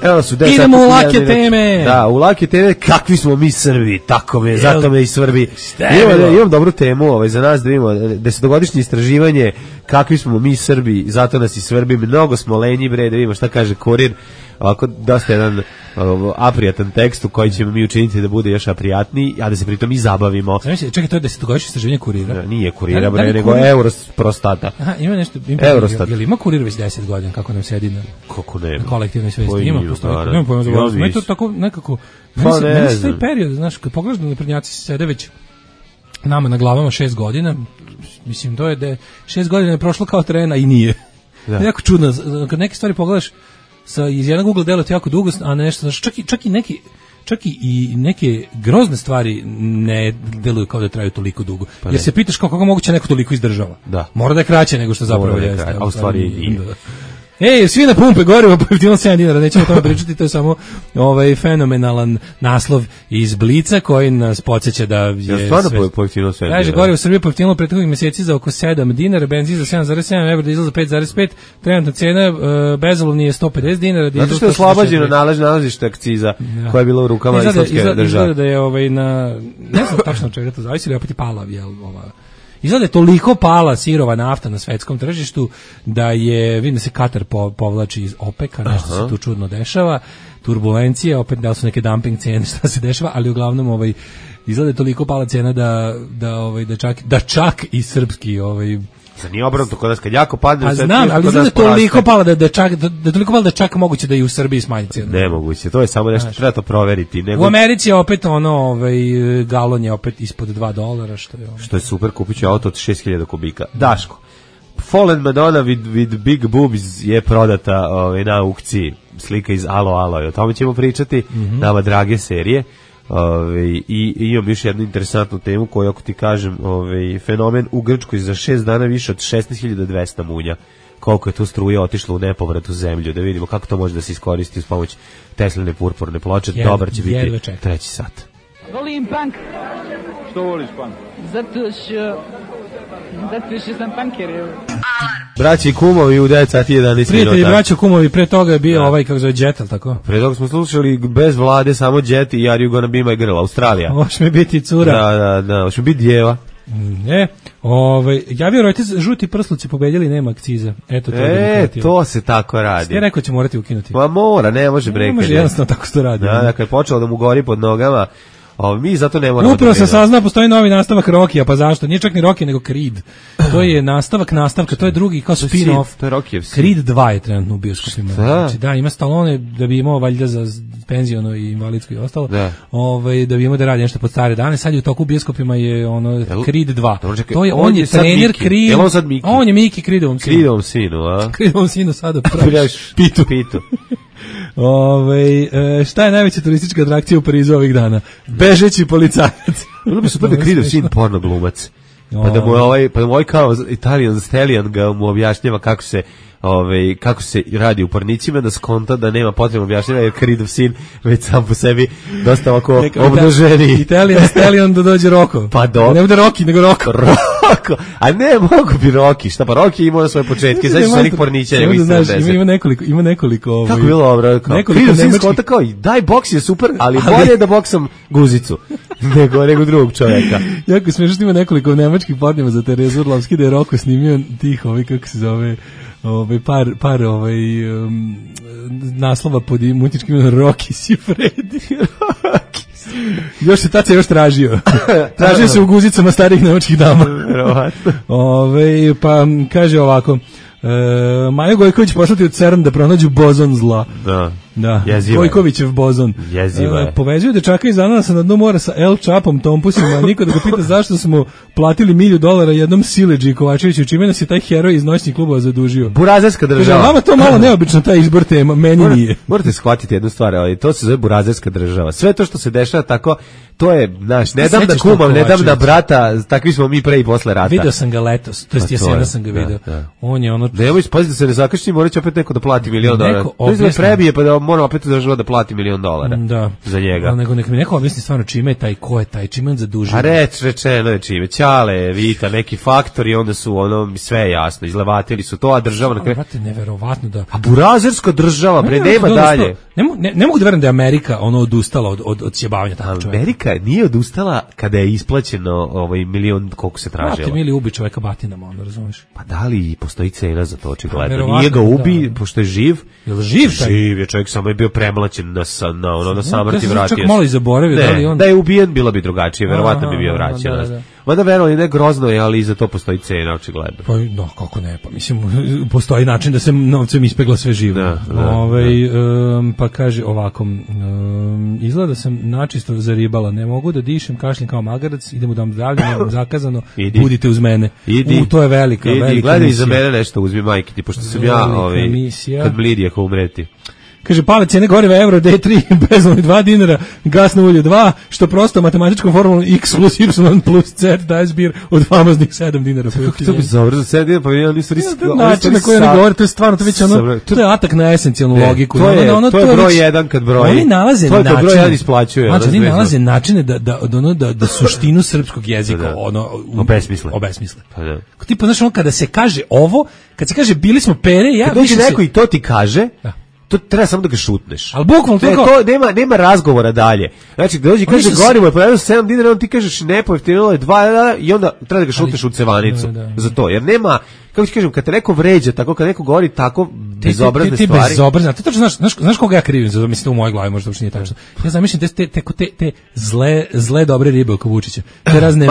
Evo su idemo u lake teme. Da, u lake teme, kakvi smo mi Srbi, tako me, zato me i Srbi. Imam, imam dobru temu ovaj, za nas da vidimo, desetogodišnje istraživanje, kakvi smo mi Srbi, zato nas i Srbi, mnogo smo lenji, bre, da vidimo šta kaže Kurir, ovako dosta jedan ovo, aprijatan tekst u koji ćemo mi učiniti da bude još aprijatniji, a da se pritom i zabavimo. Znači, čekaj, to je desetogodišnje istraživanje Kurira? Da, nije Kurira, bre, nego kurir... Eurostata. Aha, ima nešto, ima, Eurostat. Jel ima Kurir već deset godina, kako nam sedi na, kako ne, na kolektivnoj svesti? Ima, postoji, nema pojma za volosno. Ima to tako nekako, pa ne meni se taj period, znaš, kad pogledaš da naprednjaci sede već nama na glavama šest godina, mislim, to je da šest godina je prošlo kao trena i nije. Da. Jako čudno, kad neke stvari pogledaš, sa iz jednog ugla delo ti jako dugo, a nešto, znači čak i čak i neki čak i neke grozne stvari ne deluju kao da traju toliko dugo. Pa jer se pitaš kako moguće neko toliko izdržava. Da. Mora da je kraće nego što zapravo jeste. A u stvari i Ej, svi na pumpe gorivo pojeftinilo sedam dinara, nećemo o tome pričati, to je samo ovaj fenomenalan naslov iz Blica koji nas podsjeća da je ja stvarno pojeftinilo sedam dinara. Kaže, gorivo u Srbiji pojeftinilo prethodnih mjeseci za oko sedam dinara, benzin za sedam zarez sedam, evro, dizel za pet zarez pet, trenutna cena uh, bezolovni je sto pedeset dinara, dizel zato što je oslobađeno nalaž nalazište akciza ja. koja je bila u rukama izgleda, islamske izgleda, države. Izgleda da je ovaj na ne znam tačno čega to zavisi, ali opet i pala je ova. Izgleda je toliko pala sirova nafta na svetskom tržištu da je, vidim da se Katar po, povlači iz OPEC-a, nešto Aha. se tu čudno dešava, turbulencije, opet da li su neke dumping cijene, šta se dešava, ali uglavnom ovaj, izgleda je toliko pala cijena da, da, ovaj, da, čak, da čak i srpski ovaj, za nije obrnuto kod nas kad jako padne. A znam, ali izgleda toliko pala da, da, čak, da, da toliko pala da čak moguće da i u Srbiji smanji cijenu. Nemoguće, to je samo nešto, treba to proveriti. Nego... U Americi je opet ono, ovaj, galon je opet ispod dva dolara, što je ono. Što je super, kupit ću auto od šest hiljada kubika. Daško, Fallen Madonna with, with Big Boobs je prodata ovaj, na aukciji, slika iz Alo Alo, o tome ćemo pričati, mm-hmm. nama drage serije. Ove, i, i imam još jednu interesantnu temu koju, ako ti kažem, ove, fenomen u Grčkoj za šest dana više od šesnaest hiljada dvesta munja, koliko je tu struje otišlo u nepovrat u zemlju, da vidimo kako to može da se iskoristi uz pomoć Tesline purpurne ploče. Jed, dobar će biti treći sat. Volim punk. Što voliš punk? Zato što zato što sam punker. Braći i kumovi u devet sati jedanaest minuta. Prijatelji, braći i kumovi, pre toga je bio da. ovaj, kako zove, Jet, ali tako? Pre toga smo slušali bez vlade, samo Jet i Are You Gonna Be My Girl, Australija. Hoće mi biti cura. Da, da, da, hoće mi biti djeva. Ne, ovaj, javio Reuters, žuti prsluci pobedili, nema akciza. Eto, to e, to se tako radi. Ste rekao će morati ukinuti. Pa mora, ne može breka. Ne može, jednostavno tako se to radi. Da, da, kad je počelo da mu gori pod nogama, O, mi zato ne moramo. Upravo sam saznao, postoji novi nastavak Rokija, pa zašto? Nije čak ni Rocky, nego Creed. To je nastavak nastavka, to je drugi kao spin-off. To je Rokijev. Creed dva je trenutno u bioskopima. Znači, da, ima Stallone da bi imao valjda za penziono i invalidsko i ostalo. Da. Ovaj, da bi imao da radi nešto pod stare dane. Sad je u toku bioskopima je ono Creed dva. Dobro, čekaj, to je, on, on je je sad trener Miki. Creed. Jel on sad Miki? On je Miki Creedovom sinu. Creedovom sinu, a? Creedovom sinu sada praviš pitu. Pitu. Ove, e, šta je najveća turistička atrakcija u Parizu ovih dana? Bežeći policajac. Bilo bi super da Creedov sin porno glumac. Pa da mu je ovaj, pa da mu ovaj kao Italian Stallion ga mu objašnjava kako se Ove, kako se radi u pornicima, da skonta da nema potrebno objašnjava, jer Creedov sin već sam po sebi dosta ovako obnaženi. Italian Stallion da dođe Roko. Pa do. Ne bude Roki, nego Roko. Roko. A ne, mogu bi Roki. Šta pa Roki ima na svoje početke. Znači su onih pornića. Ima, znaš, ima, ima nekoliko, ima nekoliko. Ovaj, kako bilo dobro? Creedov sin skonta kao, daj, boks je super, ali, ali bolje da boksam guzicu nego, nego drugog čovjeka. Jako smiješno, ima nekoliko nemačkih pornjeva za Terezu Orlovski da je Roko snimio tih, ovaj, kako se zove, ovaj, par, par ovaj, um, naslova pod muzičkim imenom Rocky si Freddy. Još se tad se još tražio. Tražio se u guzicama starih nemačkih dama. Ove, pa kaže ovako, e, Majo Gojković poslati u CERN da pronađu bozon zla. Da. Da, Jeziva Gojkovićev bozon. Jeziva je. E, povezuju dečaka iz Ananasa na dno mora sa El Čapom, Tompusima, a niko da ga pita zašto smo platili milju dolara jednom Sileđi Kovačeviću, čime nas je taj heroj iz noćnih klubova zadužio. Burazerska država. Vama to malo neobično, taj izbor tema, meni Mora, nije. Morate shvatiti jednu stvar, ali to se zove burazerska država. Sve to što se dešava tako, to je, znaš, ne dam da kumam, ne dam da brata, takvi smo mi pre i posle rata. Video sam ga letos, to jest jesena sam ga video. Da, da. On je ono... Nemoj spaziti da se ne zakašni, morat će opet neko da plati milion dolara. To je prebije, pa da moram opet država da plati milion dolara da. Za njega. Nego nek mi neko objasni stvarno čime je taj, ko je taj, čime on zadužio. A reč, rečeno je čime. Ćale, Vita, neki faktori, onda su ono, sve je jasno, izlevatili su to, a država... Na kraju... Vrate, neverovatno da... A burazerska država, bre, ne, nema dalje. Ne, ne, ne mogu da verujem da je Amerika ono odustala od, od, od sjebavanja takvog čovjeka. Amerika nije odustala kada je isplaćeno ovaj milion koliko se tražilo. Vrate, mili ubi čovjeka batinama, ono, razumiješ? Pa da li postoji cena za to, očigledno? Nije ga ubi, da, pošto je živ. Je li živ? Taj? Živ je, čovjek samo je bio premlaćen na, na, ono, na samrti ja vratio. Čak malo i zaboravio. Ne, da, li on... da je ubijen, bilo bi drugačije, verovatno bi bio vraćen. Da, da. Mada verovali ne grozno je, ali i za to postoji cena, očigledno. Pa no, kako ne, pa mislim, postoji način da se novcem ispegla sve živo. Da, da, Ove, da. Um, pa kaže ovako, um, izgleda sam načisto zaribala, ne mogu da dišem, kašljem kao magarac, idem u dom zdravlja, nemam zakazano, Idi. budite uz mene. Idi. U, to je velika, Idi. velika Gledaj misija. Gledaj za mene nešto, uzmi majke ti, pošto sam ja, ovaj, kad mlidije ko umreti. Kaže, pale cijene goriva euro D tri, bezvolni dva dinara, gasno ulje dva, što prosto matematičkom formulom x plus y plus z daje zbir od famoznih sedam dinara. Kako to bi zavrlo za sedam dinara, pa ja nisu riski. Način na koji ne govore, to je stvarno, to, već ono, to je atak na esencijalnu ne, logiku. To je, ono, to je broj već, jedan kad broji. Oni nalaze to je načine. broj jedan isplaćuje. Znači, oni nalaze načine da, da, da, da, da suštinu srpskog jezika da, ono, obesmisle. obesmisle. Pa da. Tipa, znaš, ono, kada se kaže ovo, kad se kaže bili smo pere, ja... Kad dođe neko i to ti kaže... Da. To treba samo da ga šutneš. Al bukvalno to, to nema nema razgovora dalje. Znači da dođe kaže gorivo je pojavilo sedam dinara, on ti kažeš ne, pojeftinilo je dva i onda treba da ga šutneš u cevanicu. Da, da. Za to jer nema, kako ti kažem, kad te neko vređa, tako kad neko govori tako bezobrazne te, te, te stvari. Bezobrazne. Ti tačno znaš, znaš, znaš koga ja krivim, zato mislim u mojoj glavi možda uopšte nije tačno. Ja zamišljam te te te, te, te zle zle dobre ribe oko Vučića. Te razne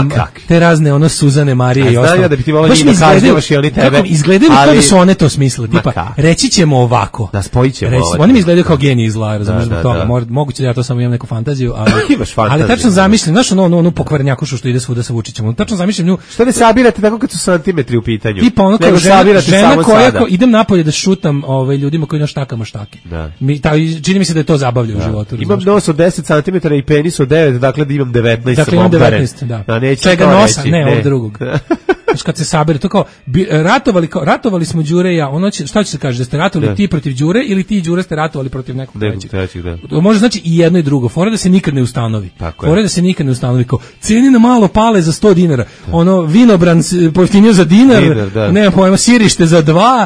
te razne ono Suzane Marije i ostalo. Ja da bi ti voleo da kažnjavaš i oni tebe. Izgledaju kao da su one to smislile, tipa reći ćemo ovako. Da spojićemo. Oni mi izgledaju kao geniji zla, razumiješ zbog toga. Moguće da ja to samo imam neku fantaziju, ali ali tačno zamišljam, znaš ono onu pokvarnjakušu što ide svuda sa Vučićem. Tačno zamišljam nju. Što ne sabirate tako kad su santimetri u pitanju. Tipa ono kao žena koja ko idem napolje da šutam ovaj ljudima koji na štakama štake. Da. Mi ta čini mi se da je to zabavlja u životu. Imam nos od deset centimetara i penis od devet, dakle da imam devetnaest. Dakle imam devetnaest, da. A neće čega nosa, ne, ne. Od drugog. Znači kad se sabere to kao bi, ratovali kao ratovali smo Đure i ja, ono će, šta će se kaže da ste ratovali da. Ti protiv Đure ili ti Đure ste ratovali protiv nekog trećeg. trećeg da. To može znači i jedno i drugo. Fora da se nikad ne ustanovi. Fora da se nikad ne ustanovi kao cijeni na malo pale za sto dinara. Da. Ono vinobran pojeftinio za dinar, dinar da. Nema pojma sirište za dva,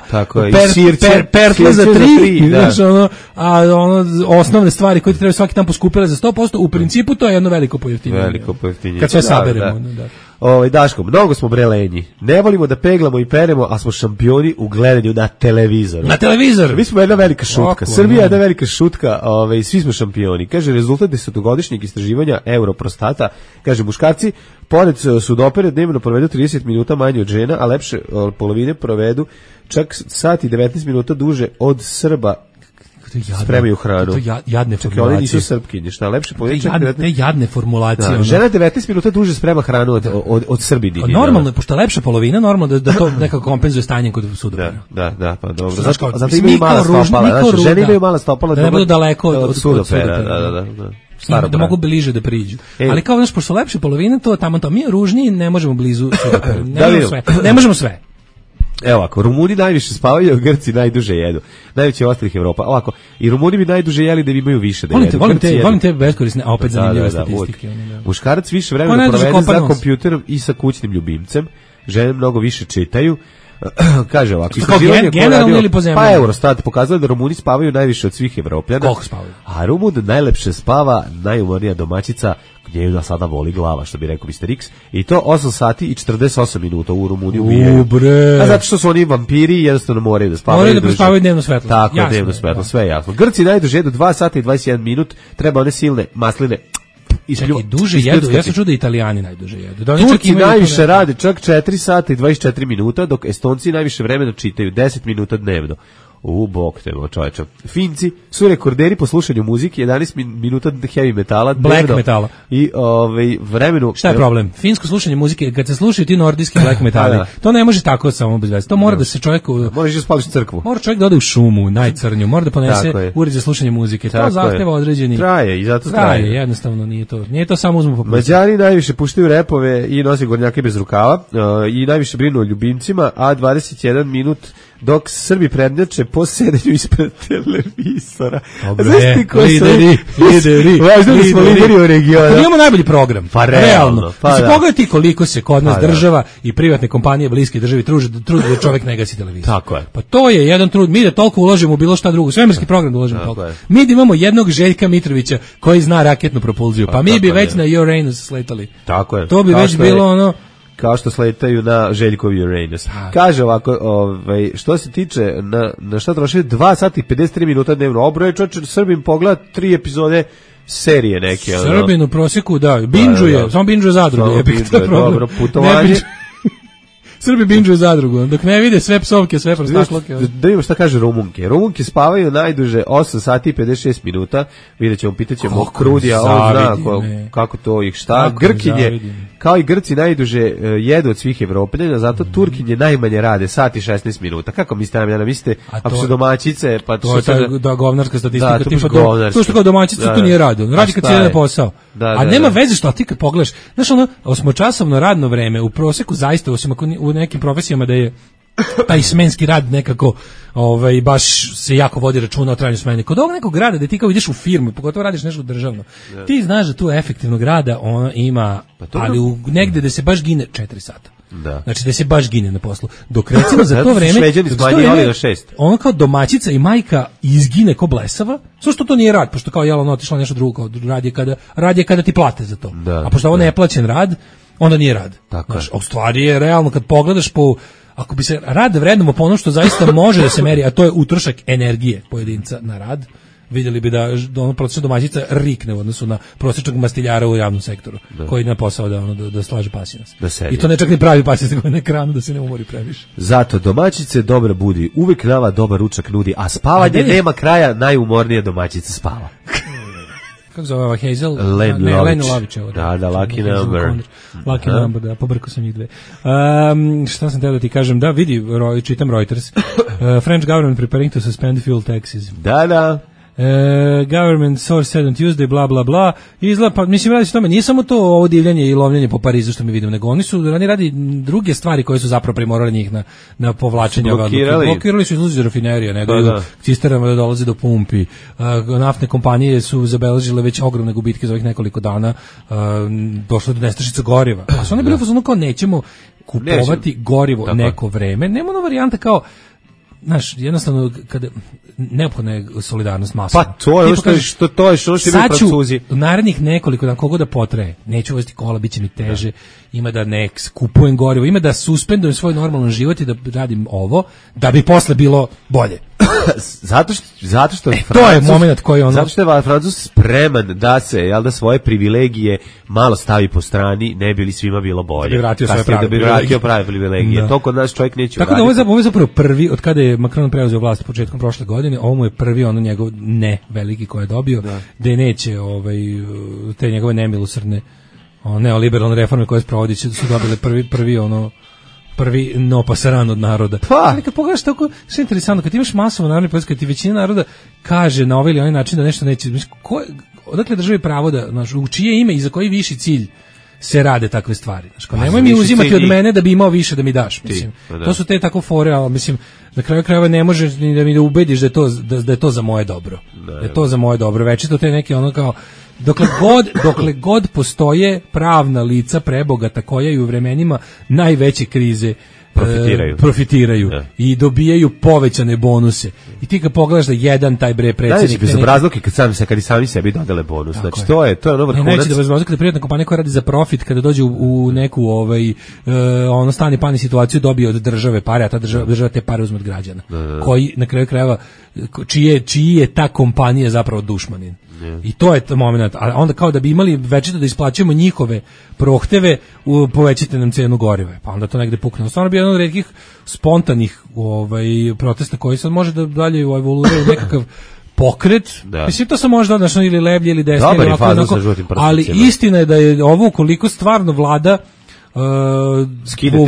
per, sirće, per, pertle za tri, za tri znaš, ono, a ono osnovne stvari koje ti treba svaki dan poskupile za sto posto, u principu to je jedno veliko pojeftinjenje. Veliko pojeftinjenje. Kad sve saberemo, da. Da. Ovaj Daško, mnogo smo bre lenji. Ne volimo da peglamo i peremo, a smo šampioni u gledanju na televizoru. Na televizor. Mi smo jedna velika šutka. Oko, Srbija je ne. jedna velika šutka, ovaj svi smo šampioni. Kaže rezultat desetogodišnjeg istraživanja Europrostata, kaže muškarci pored sudopere dnevno provedu trideset minuta manje od žena, a lepše od polovine provedu čak sat i devetnaest minuta duže od Srba. Spremaju hranu. To jadne Čekaj, formulacije. oni nisu srpkinje, šta lepše polovine. Te jadne, te jadne formulacije. Da, ono. žena devetnaest minuta duže sprema hranu od, od, od Srbini. Normalno je, pošto je lepša polovina, normalno da, da to nekako kompenzuje stanjem kod sudopera. Da, da, da, pa dobro. Znaš Zato, kao, zato mislim, imaju niko mala ružno, stopala. niko Znači, ružno, žene da. imaju mala stopala. Da ne budu daleko od, od, od, od sudopera. sudopera. Da, da, da. da. Da, da mogu bliže da priđu. E. Ali kao, znaš, pošto su lepše polovine, to tamo to. Mi ružniji ne možemo blizu sudopera. Ne Da, možemo vidim. sve. Ne možemo sve. Evo ovako, Rumuni najviše spavaju, a Grci najduže jedu. Najveći ostalih Evropa. Ovako, i Rumuni bi najduže jeli da bi imaju više da Volim jedu. te, volim Grci te, jedu. volim te beskorisne, a opet Da, zanimljive da, da, statistike. uvijek. ono, da. Muškarac više On vremena najduže provede za kopa nos. kompjuterom i sa kućnim ljubimcem. Žene mnogo više čitaju. Kaže ovako, Kao istraživanje gen- koje je generalno radio- ili po zemlji? Pa Eurostat pokazuje da Rumuni spavaju najviše od svih Evropljana. Koliko spavaju? A Rumun najlepše spava, najumornija domaćica, gdje ju da sada voli glava, što bi rekao mister X, i to osam sati i četrdeset osam minuta u Rumuniji ubijaju. U, bre. A zato što su oni vampiri i jednostavno moraju da spavaju. Moraju da duže. prespavaju dnevno svetlo. Tako, Jasno dnevno je, svetlo, da. sve je jasno. Grci najduže jedu dva sata i dvadeset jedan minut, treba one silne masline Čekaj, duže jedu, ja sam čuo da Italijani najduže jedu. Da oni čak Turci imaju to najviše ne- rade čak četiri sata i dvadeset četiri minuta, dok Estonci najviše vremena čitaju deset minuta dnevno. U bok te, čoveča. Finci su rekorderi po slušanju muzike, jedanaest min- minuta heavy metala. Black dnevno. metala. I ovaj, vremenu... Šta je problem? Finsko slušanje muzike, kad se slušaju ti nordijski black metali, Da. to ne može tako samo bez veze. To mora da se čovjek... u- Možeš da spališ crkvu. Mora čovjek da ode u šumu, najcrnju, mora da Tako ponese je. uređaj za slušanje muzike. Tako to je. zahteva određeni... Traje i zato traje. Traje, jednostavno nije to. Nije to samo uzmu po plusu. Mađari najviše puštaju repove i nose gornjake bez rukava uh, i najviše brinu o ljubimcima, a dvadeset jedan minut dok Srbi prednjače po sedenju ispred televizora. Dobre, Znaš ti ko su- lideri, lideri, Važno da smo lideri u regionu. Kad imamo najbolji program, Pa realno, realno. pa Pa da. pogledaj ti koliko se kod nas Pa da. država i privatne kompanije bliske državi truže trude da čovjek ne gasi televizor. Tako je. Pa to je jedan trud, mi da toliko uložimo u bilo šta drugo, svemirski program da uložimo Tako toliko. je. Mi da imamo jednog Željka Mitrovića koji zna raketnu propulziju, pa, Pa mi bi tako već je. na Uranus sletali. Tako je. To bi Kao već što je- bilo ono... kao što sletaju na Željkovi Uranus. Kaže ovako, ovaj, što se tiče na, na šta troši dva sata i pedeset tri minuta dnevno. Obroje čoče, Srbim pogleda tri epizode serije neke. ono. Srbin u prosjeku, da, binđuje, Da, da. samo binđuje zadrugu. Samo jebik, to je binđuje, problem. dobro, Ne putovanje. binđuje- Srbi binđuje zadrugu, dok ne vide sve psovke, sve prostakloke. Da, da vidimo šta kaže Rumunke. Rumunke spavaju najduže osam sati i pedeset šest minuta. Vidjet ćemo, pitat ćemo Kako Krudija, on zna zavidim, ko- ne. kako to ih šta. Kako Grkinje, zavidim. kao i Grci najduže e, jedu od svih Evropljana, zato Turkinje najmanje rade, sat i šesnaest minuta. Kako mislite, Amljana, mislite, A ako to- su domaćice, pa To je su ta sada- da govnarska statistika, Da, to tipa baš to, govnarska. to što kao domaćica Da, to da. nije radi. On A radi kad šta se ide je? na posao. Da, A da, nema da. veze što ti kad pogledaš, znaš ono, osmočasovno radno vreme u proseku zaista, osim ako ni- u nekim profesijama da je taj smenski rad nekako ovaj baš se jako vodi računa o trajanju smene. Kod ovog nekog rada da ti kao ideš u firmu, pogotovo radiš nešto državno, ti znaš da tu efektivnog rada ona ima, to ali u negde da se baš gine četiri sata. Da. Znači da se baš gine na poslu. Dok recimo za Zato to su vreme, Šveđani dok za to smanjivali vreme, na šest. ono kao domaćica i majka izgine ko blesava, sve što to nije rad, pošto kao jel ono otišla nešto drugo, kao rad je kada, rad je kada ti plate za to. Da, a pošto ovo da. ne je plaćen rad, onda nije rad. Tako Znaš, je. a u stvari je realno kad pogledaš po ako bi se rad vrednomo po ono što zaista može da se meri, a to je utrošak energije pojedinca na rad, vidjeli bi da da ono prosječna domaćica rikne u odnosu na prosječnog mastiljara u javnom sektoru, koji na posao da ono da, da slaže pasinac. Da sedi. I to ne čak ni pravi pasinac, nego na ekranu da se ne umori previše. Zato domaćice dobra budi, uvijek nama dobar ručak nudi, a spavanje A gde je- nema kraja, najumornija domaćica spava. Kako zove ova Hazel? Len ne, Lović. Len Lović. je ovo, Da, da, Lucky Hazel Number. Conner. Lucky Aha. Number, da, pobrkao sam njih dve. Um, šta sam teo da ti kažem? Da, vidi, ro, čitam Reuters. Uh, French government preparing to suspend fuel taxes. Da, da. Uh, government source said on Tuesday, bla, bla, bla. Izgleda, pa mislim, radi se o tome, nije samo to ovo divljanje i lovljenje po Parizu što mi vidimo, nego oni su, oni radi druge stvari koje su zapravo primorali njih na, na povlačenje ove odluke. Blokirali. Blokirali su izlazi iz rafinerija, ne Pa daju da. cisterama da dolaze do pumpi. Uh, naftne kompanije su zabeležile već ogromne gubitke za ovih nekoliko dana. Uh, došlo do nestašice goriva. A su oni bili u fazonu kao nećemo kupovati Nećemo. gorivo Tako. neko vreme. Nema ona varijanta kao znaš, jednostavno kada neophodna je solidarnost masova. Pa to je ono što, što to je što što bi Francuzi. Narednih nekoliko dana kogo da potraje. Neću voziti kola, biće mi teže. Da. Ima da ne kupujem gorivo, ima da suspendujem svoj normalan život i da radim ovo da bi posle bilo bolje. zato što zato što e, Francuz, to je momenat koji ono zato što je Francuz spreman da se jel da svoje privilegije malo stavi po strani, ne bi li svima bilo bolje. Da bi vratio svoje prave da bi vratio prave privilegije. Da. To kod nas čovjek neće tako uraditi. Da ovo je zapravo prvi od kada je Macron preuzeo vlast početkom prošle godine, ovo mu je prvi ono njegov ne veliki koji je dobio, da, da neće ovaj te njegove nemilosrdne ono neoliberalne reforme koje sprovodi su dobile prvi prvi ono prvi no pasaran od naroda. Pa. Ali kad pogledaš tako, što je interesantno, kad imaš masovo narodni protest, kad ti većina naroda kaže na ovaj ili onaj način da nešto neće, ko, odakle državi pravo da, znaš, u čije ime i za koji viši cilj se rade takve stvari. Znaš, pa, nemoj mi uzimati od mene da bi imao više da mi daš. Mislim. Ti, to su te tako fore, ali mislim, na kraju krajeva ne možeš ni da mi da ubediš da je to, da, da je to za moje dobro. Ne. Da je to za moje dobro. Večito te neke ono kao, dokle god, dokle god postoje pravna lica prebogata koja i u vremenima najveće krize profitiraju, e, profitiraju ja. I dobijaju povećane bonuse. I ti kad pogledaš da jedan taj bre predsjednik bez obrazluke kad sami se kad i sami sebi dodele bonus. Znači je. to je to je ono vrhunac. Ne, neće da bez obrazluke kada privatna kompanija koja radi za profit kada dođe u, u neku ovaj e, ono stani pani situaciju dobije od države pare, a ta država, država te pare uzme od građana. Da, da. Koji na kraju krajeva čije čiji je ta kompanija zapravo dušmanin. Yeah. I to je to moment, a onda kao da bi imali večito da isplaćujemo njihove prohteve, u, povećite nam cenu goriva, pa onda to negde pukne. Stvarno bi jedan od retkih spontanih ovaj, protesta koji sad može da dalje evoluira u nekakav pokret, da. Mislim to sam možda odnačno ili leblje ili desnije, ili ovako, onako, ali istina je da je ovo ukoliko stvarno vlada Uh,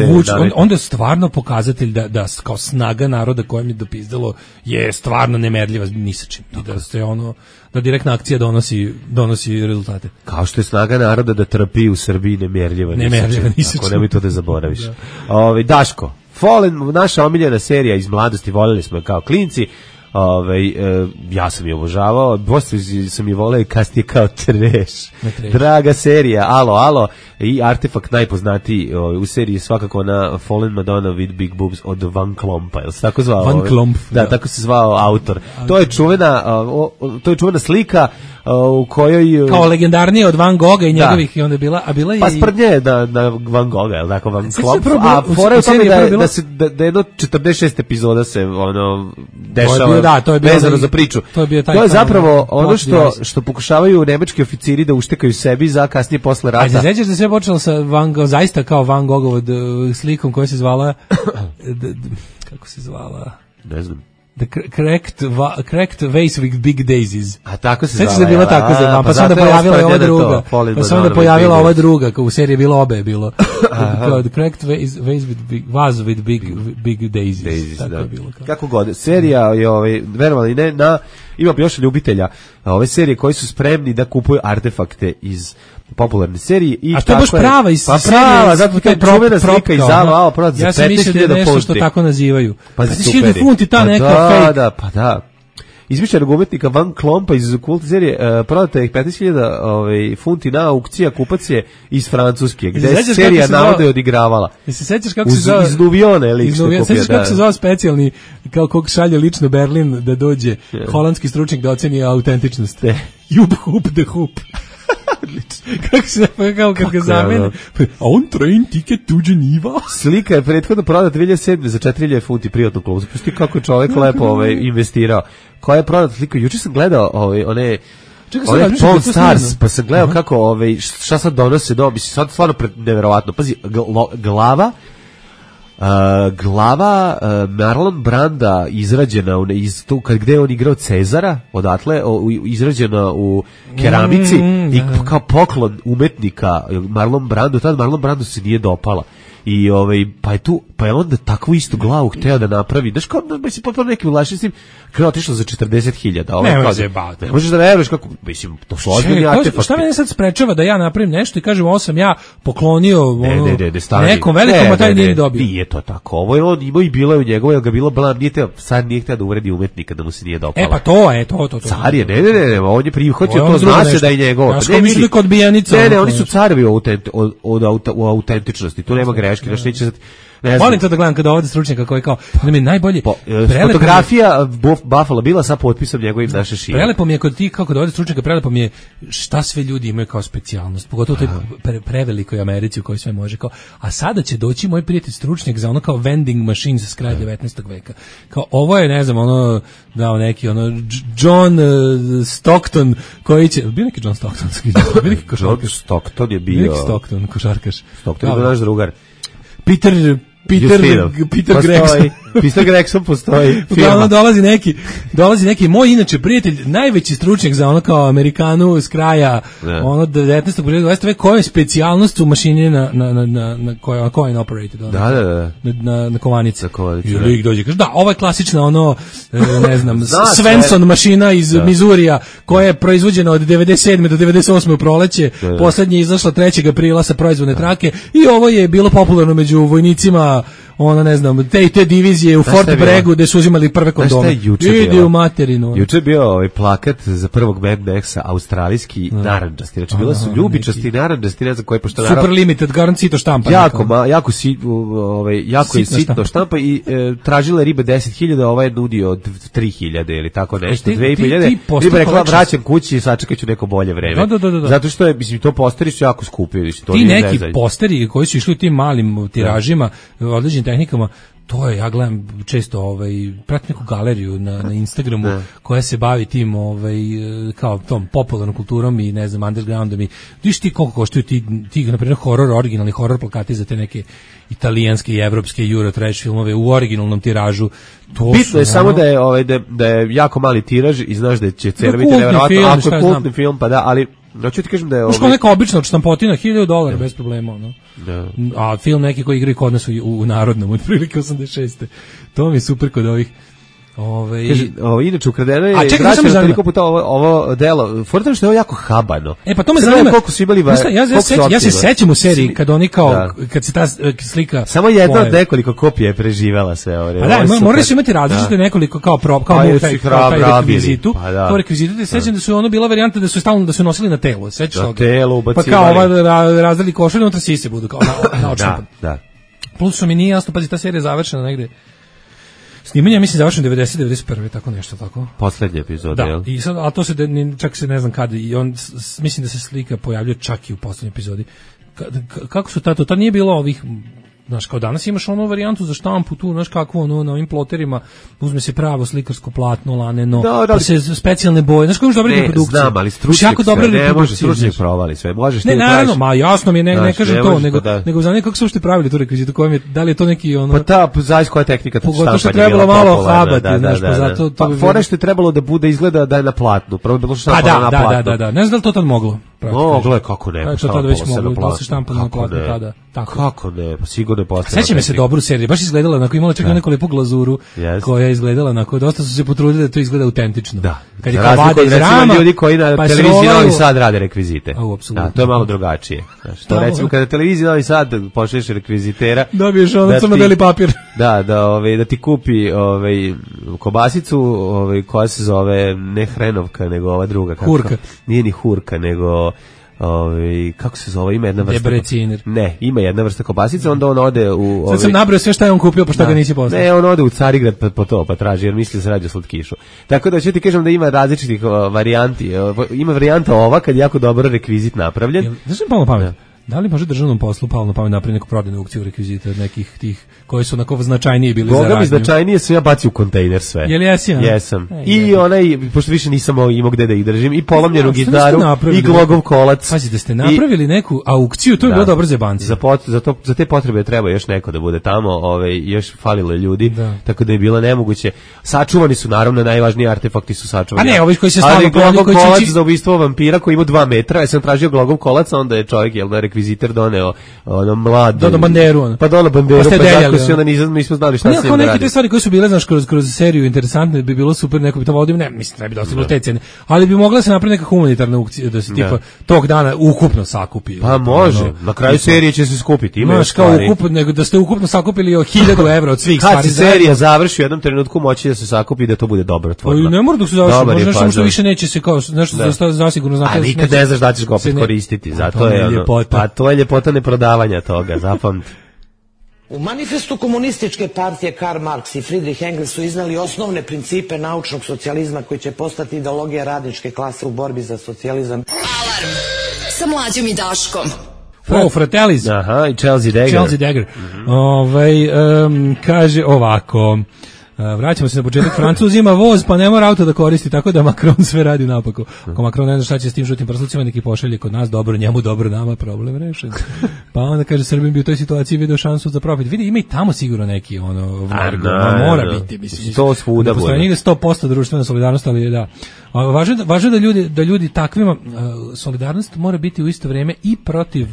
vuč, on, onda je stvarno pokazatelj da, da kao snaga naroda kojem je dopizdalo je stvarno nemerljiva ni sa čim. I da se ono da direktna akcija donosi donosi rezultate. Kao što je snaga naroda da trpi u Srbiji nemerljiva ni sa čim. Ako nemoj to da zaboraviš. Da. Ove, Daško, Fallen, naša omiljena serija iz mladosti, voljeli smo je kao klinci. Ove, e, ja sam je obožavao, poslije sam je voleo i kasnije kao treš. Draga serija, alo, alo, i artefakt najpoznatiji o, u seriji svakako na Fallen Madonna with Big Boobs od Van Klompa, je li se tako zvao? Van Klomp. Da, da, tako se zvao autor. To je čuvena, o, o, to je čuvena slika u kojoj kao legendarnije od Van Gogha i njegovih da. I onda je bila a bila je pa sprdnje da na Van Gogha, el tako Van Klomp, a fora je tome da, da se da, da jedno četrdeset šest epizoda se ono dešava da, to je bilo vezano za priču. To je, bio taj to je zapravo ono što što pokušavaju nemački oficiri da uštekaju sebi za kasnije posle rata. A se sećaš da sve počelo sa Van Gogh, zaista kao Van Goghov uh, slikom koja se zvala kako se zvala? Ne znam. The cracked, va, cracked vase with big daisies. A tako se zvala. Sećaš da je bila tako zvala, pa, pa se onda pojavila ova druga. Pa se onda pojavila ova druga, kao u seriji je bilo obe je bilo. The cracked vase, vase with big, vase with big, big daisies. daisies tako da. Je bilo. Kao. Kako god. Serija je, ovaj, verovali ne, na, ima još ljubitelja ove serije koji su spremni da kupuju artefakte iz popularne serije i a što je baš prava iz pa prava, zato to je čuvena slika iz Zala, prodat za petnaest hiljada funti. Ja sam mislio da je nešto što tako nazivaju. Pa petnaest hiljada funti ta neka fake. Da, da, pa da. Izmišljenog umetnika Van Klompa iz kult serije uh, prodata je petnaest hiljada ovaj, funti na aukcija, kupac je iz Francuske, gde je serija navodno odigravala. Jesi se sećaš kako se zove? Iz Nuvione lik što kupio. Sećaš kako se zove specijalni, kao kog šalje lično Berlin da dođe yeah. holandski stručnjak da oceni autentičnost. Jub Hup de Hup. Kako se kao kad ga zamene. A on train ticket to Geneva. Slika je prethodno prodata dve hiljade sedme za četiri hiljade funti privatnu klubu. Pusti kako je čovjek lepo ovaj investirao. Koja je prodata slika? Juče sam gledao ovaj one Čekaj, one Pawn Stars, pa sam gledao kako ovaj šta sad donose do, mislim sad stvarno neverovatno. Pazi, glava Uh, glava uh, Marlon Branda izrađena u, iz tu kad gde on igrao Cezara odatle o, izrađena u keramici mm, i kao poklon umetnika Marlon Brandu, tad Marlon Brandu se nije dopala i ovaj pa je tu pa je onda takvu istu glavu hteo da napravi, znaš kao da se potpuno neki ulašnicim kao otišlo za četrdeset hiljada. Ovaj ne može baviti. Ne možeš da veruješ kako mislim to su ozbiljni artefakti. Šta mene sad sprečava da ja napravim nešto i kažem ovo sam ja poklonio ne, ono, ne, ne, ne, nekom velikom a taj nije dobio. Nije to tako. Ovo je on imao i bilo je u njegovoj, ga bilo blam, nije teo, sad nije hteo da uvredi umetnika da mu se nije dopala. E pa to je, to, to, to. Car je, ne, ne, ne, ne, on je prihvatio to, zna se da je njegovo. Ja što misli kod bijenica. Ne, ne, oni su carevi od, od, od, od autentičnosti, tu nema greške, znaš, neće sad Volim to da gledam kada ovde stručnjaka koji kao, da mi najbolje... Po, fotografija Buffalo bila sa potpisom njegovim naše šire. Prelepo mi je kod ti, kao kod ovde stručnjaka, prelepo mi je šta sve ljudi imaju kao specijalnost, pogotovo u toj pre, prevelikoj Americi u kojoj sve može kao, a sada će doći moj prijatelj stručnjak za ono kao vending machines s kraja devetnaestog veka. Kao, ovo je, ne znam, ono, dao neki, ono, John uh, Stockton, koji će, bio neki John Stockton, bio neki košarkaš. Stockton je bio... Bio neki Stockton, košarkaš. Stockton je bio naš drugar. Peter... Peter, Peter Gregson. Peter Gregson postoji. Uglavnom dolazi neki, dolazi neki moj inače prijatelj, najveći stručnjak za ono kao Amerikanu s kraja, ne. ono devetnaestog dvadesetog veka, koja je specijalnost u mašini na na na na na koja coin operated, ono, da, da, da. na na, na kovanice. kovanice I lik dođe kaže da, ovo je klasična ono ne znam Svensson mašina iz da. Mizurija koja je proizvođena od devedeset sedme do devedeset osme u proleće, poslednje izašla trećeg aprila sa proizvodne trake i ovo je bilo popularno među vojnicima, ona ne znam, te te divizije u Fort Braggu gde su uzimali prve kondome. Idi u materinu. Juče je bio ovaj plakat za prvog Mad Maxa, australijski no. narandžasti. Znači, bila su ljubičasti narandžasti, ne znam koji, pošto Super naravno, limited, garant sito štampa. Jako, ma, jako, si, ovaj, jako je sitno štampa i e, tražila riba deset hiljada, ovaj je nudio tri hiljade ili tako nešto, dve i po hiljade. Riba rekla, vraćam kući i sačekat ću neko bolje vreme. Da, da, da, da. Zato što je, mislim, to posteri su jako skupi. To ti neki nezaj. Posteri koji su išli u tim malim tiražima, određenim tehnikama, to je, ja gledam često, ovaj, pratim neku galeriju na, na Instagramu ne. koja se bavi tim, ovaj, kao tom popularnom kulturom i, ne znam, undergroundom i viš ti koliko koštaju ti, ti na primjer, horor, originalni horor plakati za te neke italijanske i evropske Euro trash filmove u originalnom tiražu. To bitno su, je ono, samo da je, ovaj, da, da je jako mali tiraž i znaš da će cena biti nevjerojatno, ako je kultni film, pa da, ali hoću ti kažem da je ovaj... Što neka obična štampotina, hiljadu dolara bez problema, ono. Da. A film neki koji igra kod nas u, u narodnom, od prilike osamdeset šeste To mi je super kod ovih. Ove, Kaže, ovo, inače ukradeno je vraćeno toliko puta ovo, ovo delo. Fortno što je ovo jako habano. E pa to me zanima. Koliko su imali, ja, ja, ja, seć, ja se sećam u seriji kad oni kao da. kad se ta slika samo jedna od nekoliko kopija je preživela sve ovo. Pa da, morali su imati različite da. nekoliko kao prop, kao pa taj, kao taj rekvizitu. Pa da. To rekvizitu, da sećam da su ono bila varijanta da su stalno da su nosili na telo, sećaš na telo ubacivali. Pa kao ova razdeli košulju, unutra sise budu kao na na da, da. Plus što mi nije jasno, pazi, ta serija je završena negde. Snimanje mislim završeno devedeset devedeset prve tako nešto tako. Poslednja epizoda, da, jel? I sad, a to se čak se ne znam kada i on s, mislim da se slika pojavljuje čak i u poslednjoj epizodi. Ka, ka, kako su tato, ta nije bilo ovih, znaš, kao danas imaš onu varijantu za štampu tu, znaš kako ono, na ovim ploterima uzme se pravo slikarsko platno, laneno, da, da, pa se specijalne boje, znaš kako još dobre reprodukcije. Znam, ali stručnjak sve, ne može stručnjak provali sve, možeš ti ne, naravno, ma jasno mi je, ne, znaš, ne kažem ne to, nego, da. nego znam kako su uopšte pravili tu rekvizitu, kojom je, da li je to neki ono... Pa ta, zavis koja tehnika tu štampanja. Pogotovo što trebalo malo habati, da, znaš, da, pa zato... Pa fore što je trebalo da bude izgleda da je na platnu, prvo je bilo štampano na platnu. Da, da, da, ne znam da li to tad moglo. Moglo je, kako ne, pa šta već moglo, da se štampa na platnu tada. Kako ne, pa sigurno je postalo. Sećam se dobru seriju, baš izgledala onako, imala čak neku lepu glazuru yes. koja je izgledala onako, dosta su se potrudili da to izgleda autentično. Da. Kad je kao vade iz rama, ljudi koji na pa televiziji Novi Sad rade rekvizite. A, da, to je malo drugačije. Znači, to recimo kada televizija Novi Sad pošalješ rekvizitera, dobiješ ono crno-beli papir. Da, da, ovaj da ti kupi ovaj kobasicu, ovaj koja se zove ne hrenovka, nego ova druga kako. Hurka. Nije ni hurka, nego Ovi, kako se zove, ima jedna vrsta Debreciner. Ne, ima jedna vrsta kobasica, onda on ode u... Sad sam nabrao sve šta je on kupio, pa šta da. ga nisi poslao. Ne, on ode u Carigrad pa, po to, pa traži, jer misli da se radi o slatkišu. Tako da ću ti kažem da ima različitih o, varijanti. O, ima varijanta ova, kad je jako dobro rekvizit napravljen. Znaš mi palo pamet? Da li može državnom poslu palo na pamet napraviti neku prodajnu aukciju rekvizita od nekih tih koji su onako značajnije bili Boga za radnju? Boga mi značajnije su ja bacio u kontejner sve. Jel jesi? Ja? Jesam. E, I je. onaj, pošto više nisam imao gde da ih držim, i polomljenu gitaru, i glogov kolac. Pazite, ste napravili i, neku aukciju, to je da, bilo dobro za banci. Za, pot, za, to, za te potrebe treba još neko da bude tamo, ovaj, još falilo ljudi, da. Tako da je bilo nemoguće. Sačuvani su, naravno, najvažniji artefakti su sačuvani. A ne, ovi koji se stalno glogov kolac za ubistvo vampira koji ima dva metra, ja sam tražio glogov kolac, onda je čovjek, jel da, rekviziter doneo ono mlado. Dono banderu. Ono. Pa dono banderu, pa, pa tako si onda nismo, nismo znali šta se ima radi. Neke te stvari koje su bile, znaš, kroz, kroz seriju interesantne, bi bilo super, neko bi to vodio, ne, mislim, ne bi dostiglo te cene, ali bi mogla se napraviti neka humanitarna aukcija, da se tipa tog dana ukupno sakupi. Pa može, ono, na kraju serije će se skupiti. Ima znaš, kao ukupno, nego da ste ukupno sakupili o hiljadu evra od svih stvari. Kad se serija završi u jednom trenutku moći da se sakupi da to bude dobrotvorno. Ne mora dok se završi, možda samo što više neće se kao, nešto zasigurno znate. A nikad ne znaš da ćeš ga opet koristiti, zato je ono, pa to je ljepota neprodavanja toga, zapamti. U manifestu komunističke partije Karl Marx i Friedrich Engels su iznali osnovne principe naučnog socijalizma koji će postati ideologija radničke klase u borbi za socijalizam. Alarm sa Mlađom i Daškom. Wow, Fratellis. Aha, i Chelsea Dagger. Chelsea Dagger. Mm-hmm. Ovaj, um, kaže ovako... Uh, vraćamo se na početak. Francuz ima voz, pa ne mora auto da koristi, tako da Macron sve radi napako. Ako Macron ne zna šta će s tim žutim prslucima, neki pošalje kod nas, dobro njemu, dobro nama, problem rešen. Pa onda kaže, Srbin bi u toj situaciji video šansu za profit. Vidi, ima i tamo sigurno neki, ono, vargo, ma mora biti, mislim. To svuda bude. Postoje nigde sto posto društvena solidarnost, ali da. A važno, važno da ljudi, da ljudi takvima, uh, solidarnost mora biti u isto vrijeme i protiv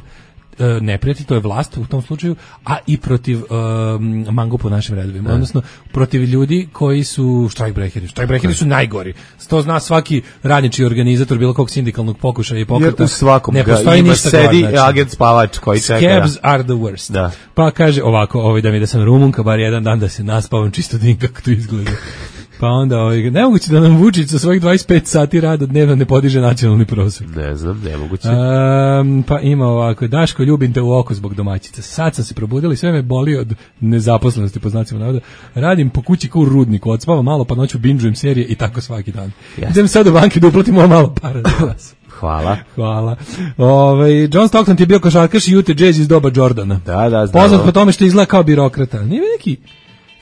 neprijatelj, to je vlast u tom slučaju, a i protiv um, mango po našim redovima, ne. Odnosno protiv ljudi koji su štrajkbreheri. Štrajkbreheri su najgori. To zna svaki radnički organizator bilo kog sindikalnog pokušaja i pokreta. Jer u svakom ne postoji ima ništa sedi gore, znači, agent spavač koji čeka. Scabs are the worst. Da. Pa kaže ovako, ovaj, da mi da sam Rumunka, bar jedan dan da se naspavam čisto din kako to izgleda. Pa onda, ovaj, nemoguće da nam Vučić sa svojih dvadeset pet sati rada dnevno ne podiže nacionalni prosjek. Ne znam, nemoguće. Um, pa ima ovako, Daško, ljubim te u oko zbog domaćica. Sad sam se probudila i sve me boli od nezaposlenosti, po znacima navoda. Radim po kući kao u rudniku, odspavam malo, pa noću binđujem serije i tako svaki dan. Yes. Idem sad u banke da uplatim ovo malo para za vas. Hvala. Hvala. Ove, John Stockton ti je bio košarkaš i Utah Jazz iz doba Jordana. Da, da, znam. Poznat po tome što izgleda kao birokrata. Nije neki...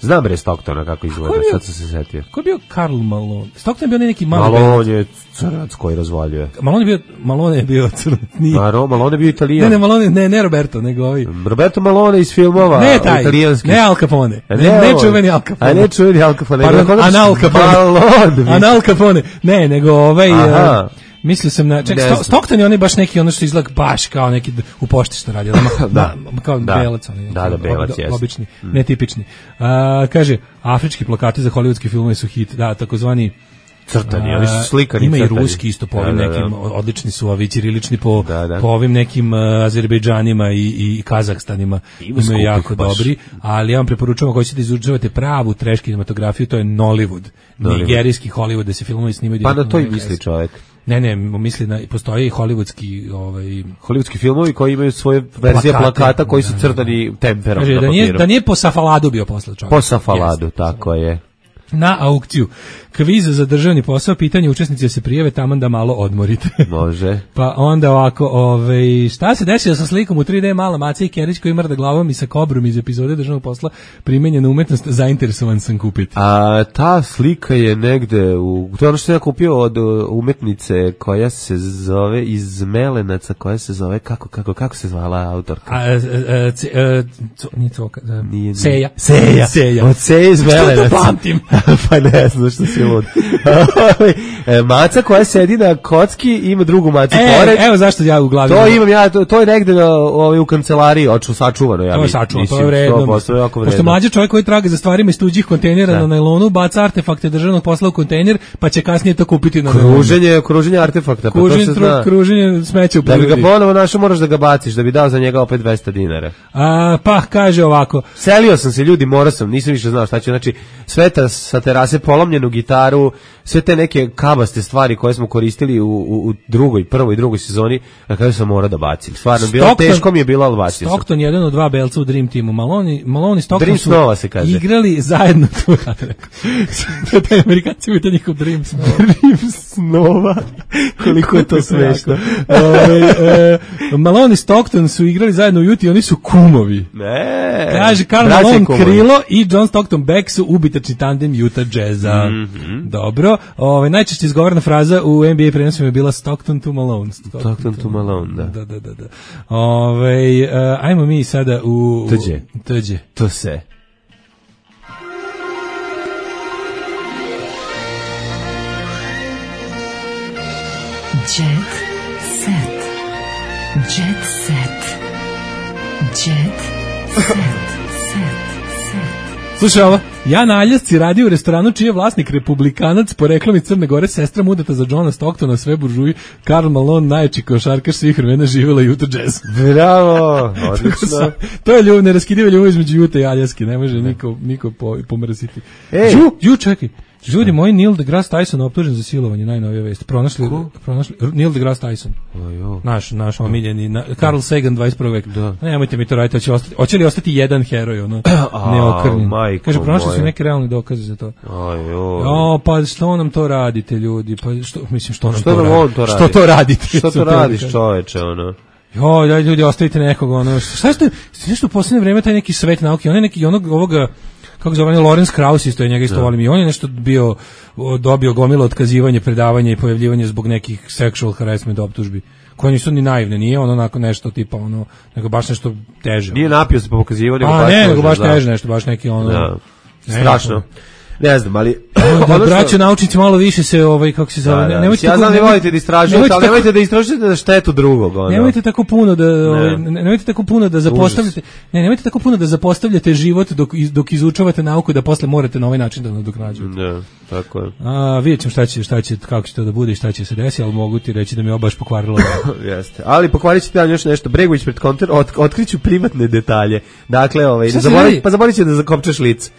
Znam bre Stocktona kako izgleda, bio, sad sam se setio. Ko je bio Karl Malone? Stockton je bio neki mali Malone je crnac koji razvaljuje. Malone je bio, Malone je bio crnac. Maro, Malone je bio Italijan. Ne, ne, Malone, ne, ne Roberto, nego ovi. Roberto Malone iz filmova ne taj, italijanskih. Ne Al Capone. Ne, ne, ne čuveni Al Capone. A ne čuveni Al Capone. Pardon, Anal Capone. Anal Capone. Ne, nego ovaj... Aha. Mislio sam na... Ček, Sto, Stockton je onaj baš neki ono što izgleda baš kao neki u pošti što radi. Da, da, kao da, belac. Onaj, da, da, belac, jes. Obični, mm. netipični. A, kaže, afrički plakati za hollywoodski filmove su hit. Da, takozvani... Crtani, oni su slikani. Ima crtani. I ruski isto po ovim da, da, nekim, da. Odlični su ovi ćirilični po, da, da. po ovim nekim uh, Azerbejdžanima i, i Kazahstanima. Ima imaju jako baš. Dobri, ali ja vam preporučujem ako ćete da izučavate pravu trash kinematografiju, to je Nollywood. Nollywood. Nigerijski Hollywood, da se filmovi snimaju. Pa na to i misli čovjek. Ne, ne, misli na postoji i hollywoodski, ovaj hollywoodski filmovi koji imaju svoje verzije plakate, plakata koji su crtani temperom na papiru. Da nije, da nije po Safaladu bio posle čovjek. Po Safaladu, yes. Tako je. Na aukciju. Kviz za državni posao, pitanje učesnici da se prijave taman da malo odmorite. Može. Pa onda ovako, ovaj, šta se desilo sa slikom u tri D mala Maca i Kerić koji mrda glavom i sa kobrom iz epizode državnog posla, primenjena umetnost, zainteresovan sam kupiti. A ta slika je negde, u, to je ono što ja kupio od umetnice koja se zove iz Melenaca, koja se zove, kako, kako, kako se zvala autorka? A, a, a, c, a, co, nije to, a, nije, Seja. Seja. Seja. Od Seja iz Melenaca. Što to pamtim? Pa ne znam što si lud. Maca koja sedi na kocki ima drugu macu e, pored. Evo zašto ja u glavi. To imam ja, to, to je negde ovaj, u kancelariji oču sačuvano. Ja to je sačuvano, to je vredno. Pošto mlađi čovjek koji traga za stvarima iz tuđih kontejnera da. Na nailonu, baca artefakte državnog posla u kontejner, pa će kasnije to kupiti na kruženje, kruženje artefakta. Pa kruženje, to se zna. Kruženje smeća u prirodi. Da bi ga ponovo našao, moraš da ga baciš, da bi dao za njega opet dvesta dinara. A, pa, kaže ovako. Selio sam se, ljudi, morao sam, nisam više znao šta će. Znači, sveta sa terase, polomljenu gitaru, sve te neke kabaste stvari koje smo koristili u, u, u drugoj, prvoj i drugoj sezoni, na kraju sam morao da bacim. Stvarno, bilo teško mi je bilo, ali bacio sam. Stockton je jedan od dva belca u Dream Teamu. Malone, Malone i Stockton Dream su Snova se kaže. Igrali zajedno, to ja te rekao. Taj Amerikanci imaju njihov Dream Snova. Dream Snova. Koliko je to smešno. e, Malone i Stockton su igrali zajedno u Juti, oni su kumovi. Ne. Kaže, Karl Malone krilo i John Stockton Beck su ubitačni tandem Utah Jazza. Mm -hmm. Dobro. Ove, najčešće izgovorena fraza u N B A prenosima je bila Stockton to Malone. Stockton, Stockton to Malone, da. Da, da, da, da. Ove, uh, ajmo mi sada u... Tđe. Tđe. To se. Jet set. Jet set. Jet set. Set. Set. Slušaj ovo. Ja na Aljasci radio u restoranu čiji je vlasnik republikanac po reklami Crne Gore, sestra mudata za Johna Stocktona, sve buržuji, Karl Malone, najjači košarkaš svih vremena, živela Utah Jazz. Bravo, odlično. To je ljubav, neraskidiva ljubav između Utah i Aljaske, ne može niko, niko po, pomrsiti. Ej. Ju, ju, čekaj. Ljudi moji, Neil deGrasse Tyson optužen za silovanje, najnovija vest. Pronašli, pronašli Neil deGrasse Tyson. Ojo. Naš, naš omiljeni, na, Carl Sagan dvadeset prvog veka. Da. Nemojte mi to raditi, hoće, ostati, hoće li ostati jedan heroj, ono, neokrnjen. Kaže, pronašli su neke realne dokaze za to. Ojo. O, pa što nam to radite, ljudi? Pa što, mislim, što nam što to, nam radi? to radi? Što to radite? Što to radiš, čoveče, ono? Jo, daj ljudi, ostavite nekog, ono, šta ste, nešto u posljednje vreme taj neki svet nauke, on je neki, onog, ovoga, kako zove, Lorenz Krauss isto je, njega isto volim, i on je nešto bio, dobio gomilo otkazivanje, predavanja i pojavljivanje zbog nekih sexual harassment optužbi, koje nisu ni naivne, nije ono onako nešto tipa, ono, nego baš nešto teže. Nije napio se po pokazivanju, nego A, baš ne, teže, nego baš da. teže nešto, baš neki ono... Da. Strašno. Ne znam, ali... Da, ono braćo što... naučnici malo više se, ovaj, kako se zove... Da, da. Nemojte ja tako, znam da volite da istražujete, ali nemojte tako, da istražujete na štetu drugog. Ono. Nemojte tako puno da, ovaj, nemojte tako puno da zapostavljate, ne, nemojte tako puno da zapostavljate život dok, dok izučavate nauku, da posle morate na ovaj način da nadoknađujete. Da, tako je. A, vidjet ćemo šta će, šta će, kako će to da bude i šta će se desiti, ali mogu ti reći da mi je baš pokvarilo. Jeste. Ali pokvarit ćete vam još nešto. Bregović pred konter, ot, otkriću privatne detalje. Dakle, ovaj, ne zaboravi, pa zaboravit će da zakopčaš lice.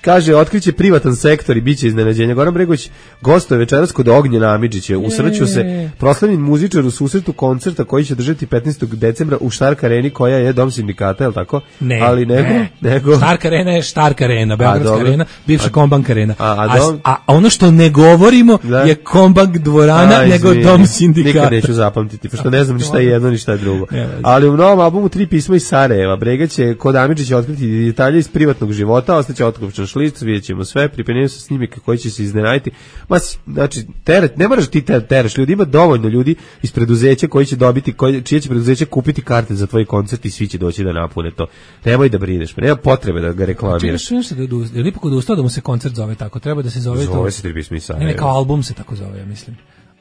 Kaže, otkriće privatan sektor i biće iznenađenja. Goran Bregović gostuje večeras kod Ognjena Amidžića. Usreću se proslavljen muzičar u susretu koncerta koji će držati petnaestog decembra u Štark areni, koja je dom sindikata, je li tako? Ne, ali nego, ne. nego... Štark arena je Štark arena, Beogradska arena, bivša Kombank arena. A, a, a, a, a ono što ne govorimo da. je Kombank dvorana, a, nego dom sindikata. Nikad neću zapamtiti, pošto ne znam ni šta je jedno, ni šta je drugo. Ali u novom albumu Tri pisma iz Sarajeva Brega će kod Amidžića otkriti detalje iz privatnog života, ostaće otkupčan šlic, vidjet ćemo sve, pripremljaju se snimike koji će se iznenaditi. Ma, znači, teret, ne moraš ti tereš ljudi, ima dovoljno ljudi iz preduzeća koji će dobiti, koji, čije će preduzeće kupiti karte za tvoj koncert i svi će doći da napune to. Nemoj da brineš, nema potrebe da ga reklamiraš. Čekaj, što da je li ipak odustao da mu se koncert zove tako? Treba da se zove, zove to. Zove se Tri pisma iz Sarajeva. Ne, ne, kao album se tako zove, ja mislim.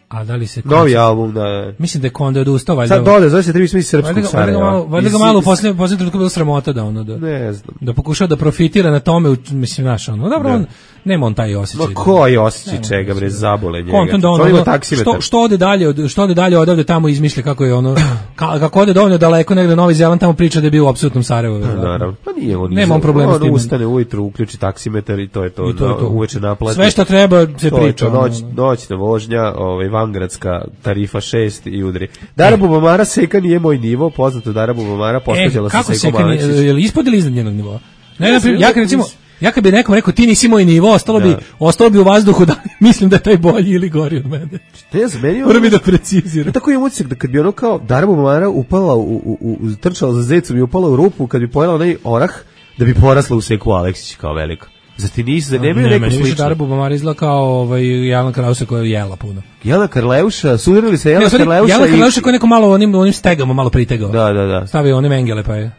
A da li se koncert... Novi album, da. Mislim da je Konda odustao, valjda. Sad dole, zove se Tri pisma iz Srpskog Sarajeva. Valjda ga malo u posljednjem posljednjem trenutku bilo sramota da ono da. Ne znam. Da pokušao da profitira na tome, mislim naš ono. Dobro, on nema on taj osjećaj. Ma koji osjećaj čega bre, zabole njega. Kontom da ono, što što ode dalje, od što ode dalje odavde tamo izmišlja kako je ono kako ode dovoljno daleko negde Novi Zeland tamo priča da je bio u apsolutnom Sarajevu. Naravno. Pa nije on. Nema on problema s tim. Ustane ujutru, uključi taksimetar i to je to. Uveče naplati. Sve što treba se priča. Noć, noćna vožnja, ovaj vangradska tarifa šest i udri. Dara Bubamara Seka nije moj nivo, poznato Dara Bubamara posvađala se sa Sekom Aleksić. Je li ispod ili iznad njenog nivoa? Ne, na primjer, ja kad recimo ja kad bi nekom rekao ti nisi moj nivo, ostalo bi ostalo bi u vazduhu da mislim da je taj bolji ili gori od mene. Ne znam, meni moram da preciziram. Tako je utisak da kad bi ono kao Dara Bubamara upala u, u, u trčala za zecom i upala u rupu, kad bi pojela onaj orah, da bi porasla u Seku Aleksić kao veliko. Zar ti nisi, zar nemaju neko slično? Ne, meni Dara Bubamara izgleda kao ovaj, Jelena Karleuša koja je jela puno. Jelena Karleuša, sudarili se Jelena Karleuša i... Jelena Karleuša koja je neko malo onim, onim stegama malo pritegao. Da, da, da. Stavio one mengele pa je...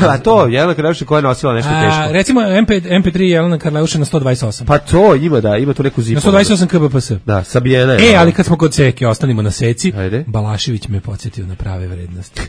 A to, Jelena Karleuša koja je nosila nešto teško. A, recimo em pe tri Jelena Karleuša na sto dvadeset osam. Pa to ima, da, ima tu neku zipu. Na sto dvadeset osam kilobita per Da, sabijena je. E, ali kad smo kod Seke, ostanimo na Seci. Ajde. Balašević me podsjetio na prave vrednosti.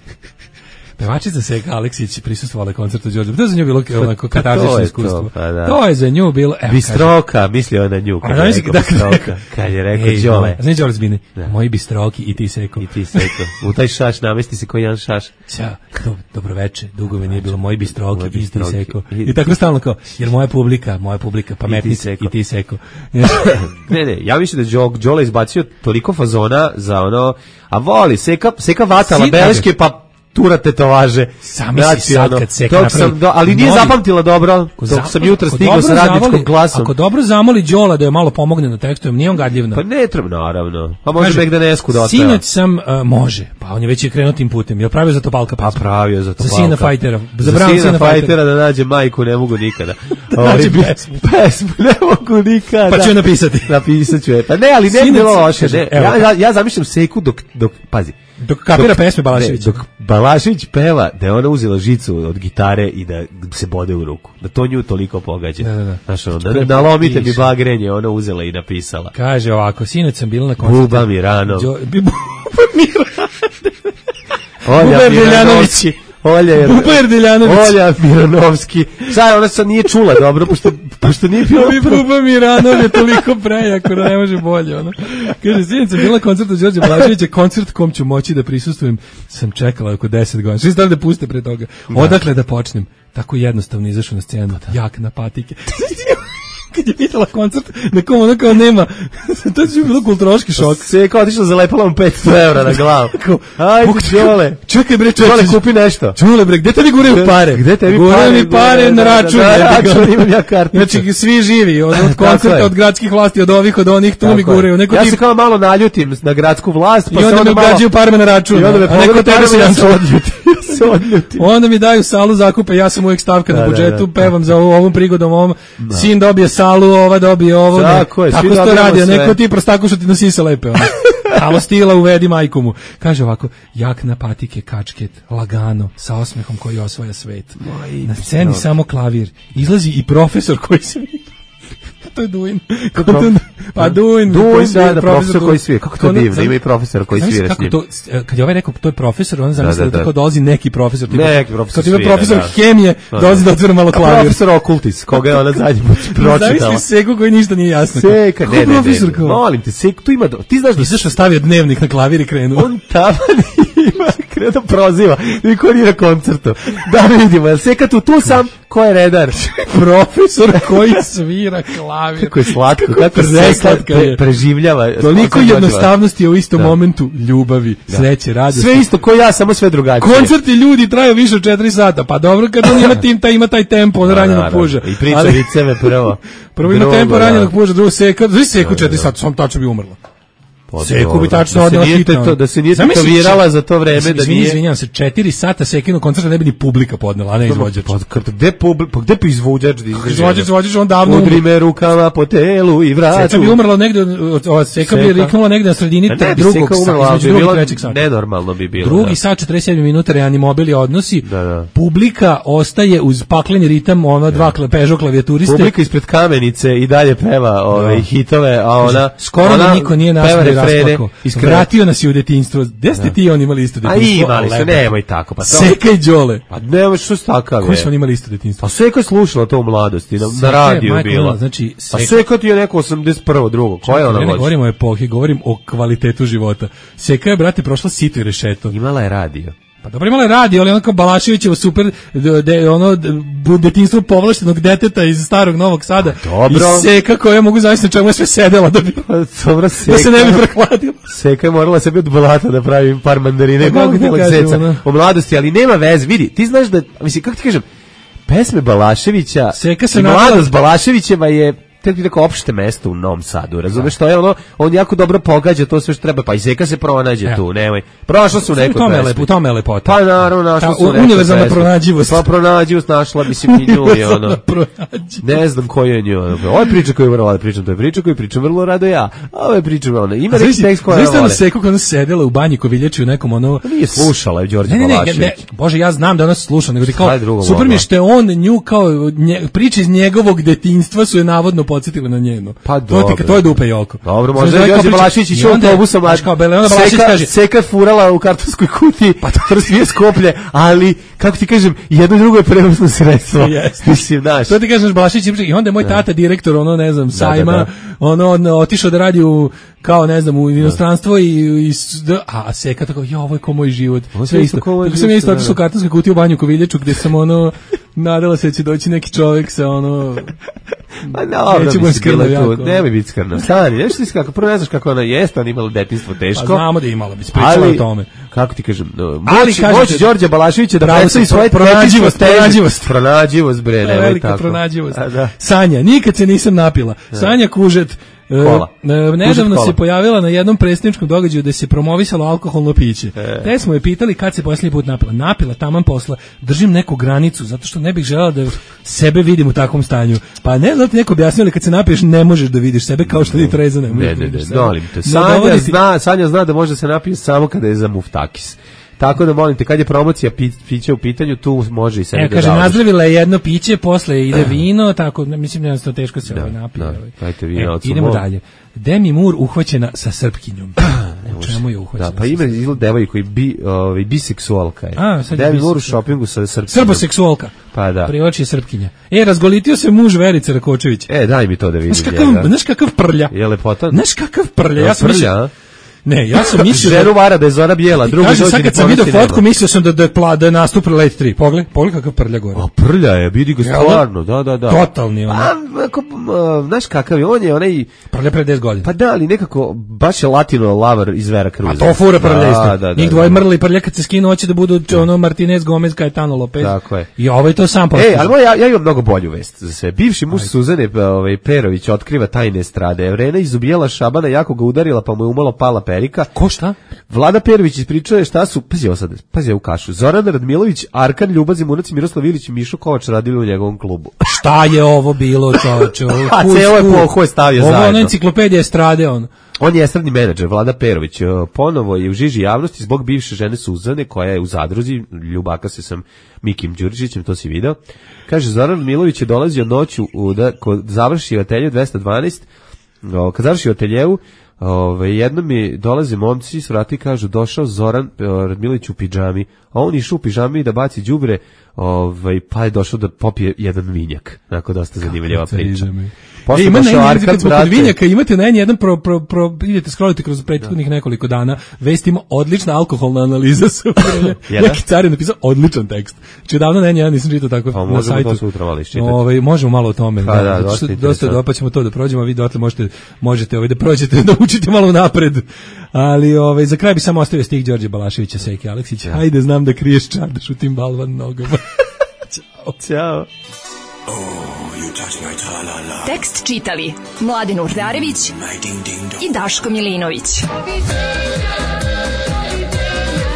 Pevačica Seka Aleksić prisustvovala koncertu Đorđe. To je za nju bilo onako katarzično iskustvo. To, pa da. To je za nju bilo... Evo, bistroka, mislio na nju. Kad je rekao bistroka. Kad je rekao Đole. Znaš Đole Zbini? Moji bistroki i ti Seko. I ti Seko. U taj šaš namesti se koji jedan šaš. Ćao, do, dobroveče. Dugo me nije bilo moji bistroki i ti Seko. I tako stalno kao, jer moja publika, moja publika, pametnica i ti Seko. Ne, ne, ja mislim da Đole izbacio toliko fazona za ono, a voli, Seka, Seka vatala beleške, pa tura tetovaže. Sami si sad kad Seka napravi. Do, ali nije novi, zapamtila dobro, dok sam jutra stigao sa radničkom glasom. Ako dobro zamoli Đola da je malo pomogne na tekstu, nije on gadljiv. Pa ne treba, naravno. Pa može nek da nesku da ostaje. Sinoć sam, uh, može, pa on je već i krenuo tim putem. Je pravio za to Balka Pa pravio za to Za sina fajtera. Za, za sina, sina fajtera da nađe majku ne mogu nikada. Da nađe pesmu. Pesmu ne mogu nikada. Pa ću je napisati. Napisat ću je. Pa ne, ali ne bi bilo loše. Ja, ja zamišljam Seku dok, dok, pazi, Dok kapira dok, pesme Balašević. Dok Balašević peva da je ona uzela žicu od gitare i da se bode u ruku. Da to nju toliko pogađa. Da, da, da. Znaš, ono, da nalomite mi bagrenje, ona uzela i napisala. Kaže ovako, sinoć sam bila na koncertu. Buba Mirano. Jo, Buba Mirano. Olja Miljanović. Olja Buba Erdeljanović. Olja Miranovski. Sad ona sad nije čula dobro, pošto, pošto nije bilo... Ovi Buba Miranov je toliko prejako da ne može bolje. Ono. Kaže, sjednica bila koncert od Đorđe Blaževića, koncert kom ću moći da prisustvujem, sam čekala oko deset godina. Svi stali da puste pre toga. Odakle da počnem? Tako jednostavno izašao na scenu. Jak na patike. Kad je videla koncert, nekom ono kao nema, to je bilo kulturološki šok. Sve je kao otišla, zalepala mu petsto evra na glavu. Ajde, Đole. Čekaj bre, čekaj. Đole, kupi nešto. Đole bre, gde tebi guraju pare? Gde tebi pare? Guraju mi pare na račun. Na račun imam ja karticu. Znači, svi živi, od, od koncerta, od gradskih vlasti, od ovih, od onih, tu mi guraju. Ja se kao malo naljutim na gradsku vlast, pa se onda mi ugađaju parme na račun. I onda me neko tebe se ja odljutim. Onda mi daju salu zakupa, ja sam uvijek stavka na budžetu, pevam za ovom prigodom, ovom sin dobije salu, ova dobije ovo. Tako je, tako to radi, neko ti prostaku što ti nosi se lepe. Halo stila, uvedi majku mu. Kaže ovako, jak na patike, kačket, lagano, sa osmehom koji osvaja svet. Na sceni samo klavir. Izlazi i profesor koji se to je Duin. Pa Duin. Duin, da, da, profesor koji svira. Kako to divno, ima i profesor koji svira s njim. Kad je ovaj rekao, to je profesor, on zamisli da tako dolazi neki profesor. Neki profesor svira. Kad je profesor hemije, dolazi da otvira malo klavir. Profesor okultis, koga je ona zadnji put pročitala. Zamisli Seku koji ništa nije jasno. Seka, ne, ne, ne, molim te, Seku, tu ima, ti znaš da... Izašao stavio dnevnik na klavir i krenuo. On tamo ima, krenuo proziva, niko nije na koncertu. Da vidimo, jel Seka tu, tu sam, ko je redar? Profesor koji svira klavir. Kako je slatko, kako Seka pre, preživljava. Toliko jednostavnosti je u istom da. momentu ljubavi, da. sreće, radosti. Sve isto ko ja, samo sve drugačije. Koncerti ljudi traju više od četiri sata, pa dobro kad on ima tim, taj ima taj tempo od ranjenog puža. I priča ali, viceve prvo. Prvo ima tempo ranjenog puža, drugo Seka, znači Seku četiri sata, sam tačno bi umrla. Seku bi tačno odnela hitno. Da se nije tetovirala za to vreme, da nije... Izvinjam se, četiri sata Sekino koncerta ne bi ni publika podnela, a ne izvođač. Gde publika, gde pa izvođač? Izvođač, izvođač, on davno... Udri me rukama po telu i vratu. Seka bi umrla negde, Seka bi riknula negde na sredini drugog sata, između drugog i trećeg sata. Nenormalno bi bilo. Drugi sat, četrdeset sedam minuta, reanimobil je odnosi, publika ostaje uz pakleni ritam, ono dva Peugeot klavijaturiste. Publika ispred Kamenice i dalje peva ove hitove, a ona... Skoro da niko nije nas rasplako. Vratio nas je u detinjstvo. Gde ste ti on imali isto detinjstvo? A imali su, nemoj tako. Pa Seka i Đole. Pa nemoj, što su takav je? Koji su oni imali isto detinjstvo? Pa Seka je slušala to u mladosti, na, na radiju bila. Znači, Seka... A Seka ti je neko osamdeset prvo drugo. Koja je ona vođa? Ne govorim o epohi, govorim o kvalitetu života. Seka je, brate, prošla sito i rešeto. Imala je radio. Pa dobro, imala je radio, ali ono kao Balaševićevo super, de, ono, detinjstvo povlaštenog deteta iz starog Novog Sada. Dobro. I Seka koja mogu zavisno čemu je sve sedela da bi, dobro, Seka, da se ne bi prehladila. Seka je morala sebi od blata da pravi par mandarine, pa, kako te seca o mladosti, ali nema veze, vidi, ti znaš da, mislim, kako ti kažem, pesme Balaševića Seka se i mladost Balaševićeva je tek tako opšte mesto u Novom Sadu, razumeš što je ono, on jako dobro pogađa to sve što treba, pa i Seka se pronađe tu, nemoj. Prošla su neko pesme. U tome je lepota. Pa naravno, našla su neko univerzalna pronađivost. Pa pronađivost našla, mislim, i nju je ono. Ne znam ko je nju. Ovo je priča koju vrlo rado pričam, to je priča koju pričam vrlo rado ja. Ovo je priča vrlo, ima neki tekst koja je vole. Znaš Seku kada se sedela u banji Koviljači u nekom ono... Nije slušala je Đorđe Balašević. Bože, ja znam da ona sluša, nego ti kao, super mi što je on nju kao, priče iz njegovog detinjstva su je navodno podsjetile na njeno. Pa to dobro. To je Dupe Joko. Dobro, možda je Đorđe Balašević išao autobusom, a Seka, Seka furala u kartonskoj kutiji, pa to sve skoplje, ali, kako ti kažem, jedno drugo je prevozno sredstvo. Mislim, znaš. To ti kažeš Balašević, i onda je moj tata direktor, ono, ne znam, sajma, da, da, da. ono, on, otišao da radi u, kao, ne znam, u inostranstvo i, i a Seka tako, jo, ovo je ko moj život. Sve isto. Tako sam ja isto otišao u kartonskoj kutiji u banju Koviljaču, gde sam, ono, nadala se da će doći neki čovjek sa, ono, ma dobro, mislim, bila tu, nemoj biti skrnav. Stani, nešto ti kako, prvo ne znaš kako ona jeste, ona imala detinjstvo teško. Pa znamo da je imala, bi pričala o tome. Kako ti kažem, moći, moći Đorđe Balaševića da predstavi svoje pronađivost, pronađivost. Pronađivost, bre, nemoj velika tako. Pronađivost. Sanja, nikad se nisam napila. Sanja Kužet, Kola. E, nedavno se pojavila na jednom predstavničkom događaju da se promovisalo alkoholno piće. E. Te smo je pitali kad se posljednji put napila. Napila taman posla. Držim neku granicu zato što ne bih želela da sebe vidim u takvom stanju. Pa ne znam ti neko objasnio, ali kad se napiješ ne možeš da vidiš sebe kao što ti treza ne možeš. Ne, ne, ne, dolim te. Sanja zna, Sanja zna da može se napije samo kada je za muftakis. Tako da molim te, kad je promocija pi, pića u pitanju, tu može i sebi e, da kaže, davaš. nazdravila je jedno piće, posle ide vino, tako, mislim, jednostavno teško se da, ovaj napije. Da, ovaj. dajte vino, e, idemo dalje. Demi Moore uhvaćena sa srpkinjom. U čemu je uhvaćena? Da, pa ima izgled devojka i bi, ovaj, biseksualka je. A, sad je Demi Moore u šopingu sa srpkinjom. Srboseksualka. Pa da. Privlači je srpkinja. E, razgolitio se muž Verice Rakočević. E, daj mi to da vidim. Znaš kakav, znaš kakav prlja? Je lepotan? Znaš kakav prlja? Ja sam prlja, mislio, ne, ja sam mislio ženu vara da je Zora bijela, drugi dođe. Sad kad sam vidio fotku, mislio sam da da je pla, da je nastup Late tri. Pogledaj, pogledaj kakav prlja gore. A prlja je, vidi ga stvarno, da, da, da. Totalni on. A, ako, znaš kakav je, on je onaj... Prlja pre deset godina. Pa da, ali nekako, baš je latino lavar iz Vera Cruza. A to fura prlja isto. Da, da, njih dvoje mrli prlja kad se skinu, hoće da budu ono Martinez, Gomez, Caetano, Lopez. Tako je. I ovaj to sam postiže. E, ali ja, ja imam mnogo bolju vest za sve. Bivši muž Suzane ovaj, Perović otkriva tajne estrade. Evrena izubijala Šabana, jako ga udarila, pa mu je umalo pala perika. Ko šta? Vlada Perović ispričao je šta su, pazi ovo sad, pazi u kašu, Zoran Radmilović, Arkan Ljubav Zimunac, Miroslav Ilić i Mišo Kovač radili u njegovom klubu. Šta je ovo bilo, čoveče? A celo je po je stavio ovo zajedno. Ovo enciklopedija estrade, on. On je estradni menadžer, Vlada Perović. Ponovo je u žiži javnosti zbog bivše žene Suzane, koja je u zadruzi, ljubaka se sam Mikim Đurišićem, to si video. Kaže, Zoran Milović je dolazio noću u, da, kod završi ateljevu dvesta dvanaest, kad završi ateljevu, Ove, jednom mi dolaze momci s vrata i kažu došao Zoran Radmilović u pidžami, a on išao u pidžami da baci đubre, ovaj, pa je došao da popije jedan vinjak. Onako dosta zanimljiva priča. E, ima na jedan, kad smo kod vinjaka, imate na jedan, pro, pro, pro, idete scrolliti kroz prethodnih nekoliko dana, vest ima odlična alkoholna analiza sa neki car je napisao odličan tekst. Znači, odavno na jedan nisam čitao tako pa, na sajtu. To sutra malo iščitati. Ove, možemo malo o tome. Pa, da, da, dosta, dosta do, pa ćemo to da prođemo, a vi dotle možete, možete ovaj, da prođete, da učite malo napred. Ali ovaj, za kraj bi samo ostavio stih Đorđe Balaševića, Seke Aleksića. Ja. Hajde, znam da kriješ čardaš u tim balvan nogama. Ćao. Ćao. Tekst čitali Mladen Urdarević i Daško Milinović.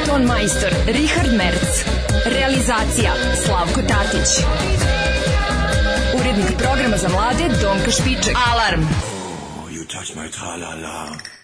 Ton majstor Richard Merc. Realizacija Slavko Tatić. Urednik programa za mlade Donka Špiček. Alarm! Oh, you touch my tra-la-la.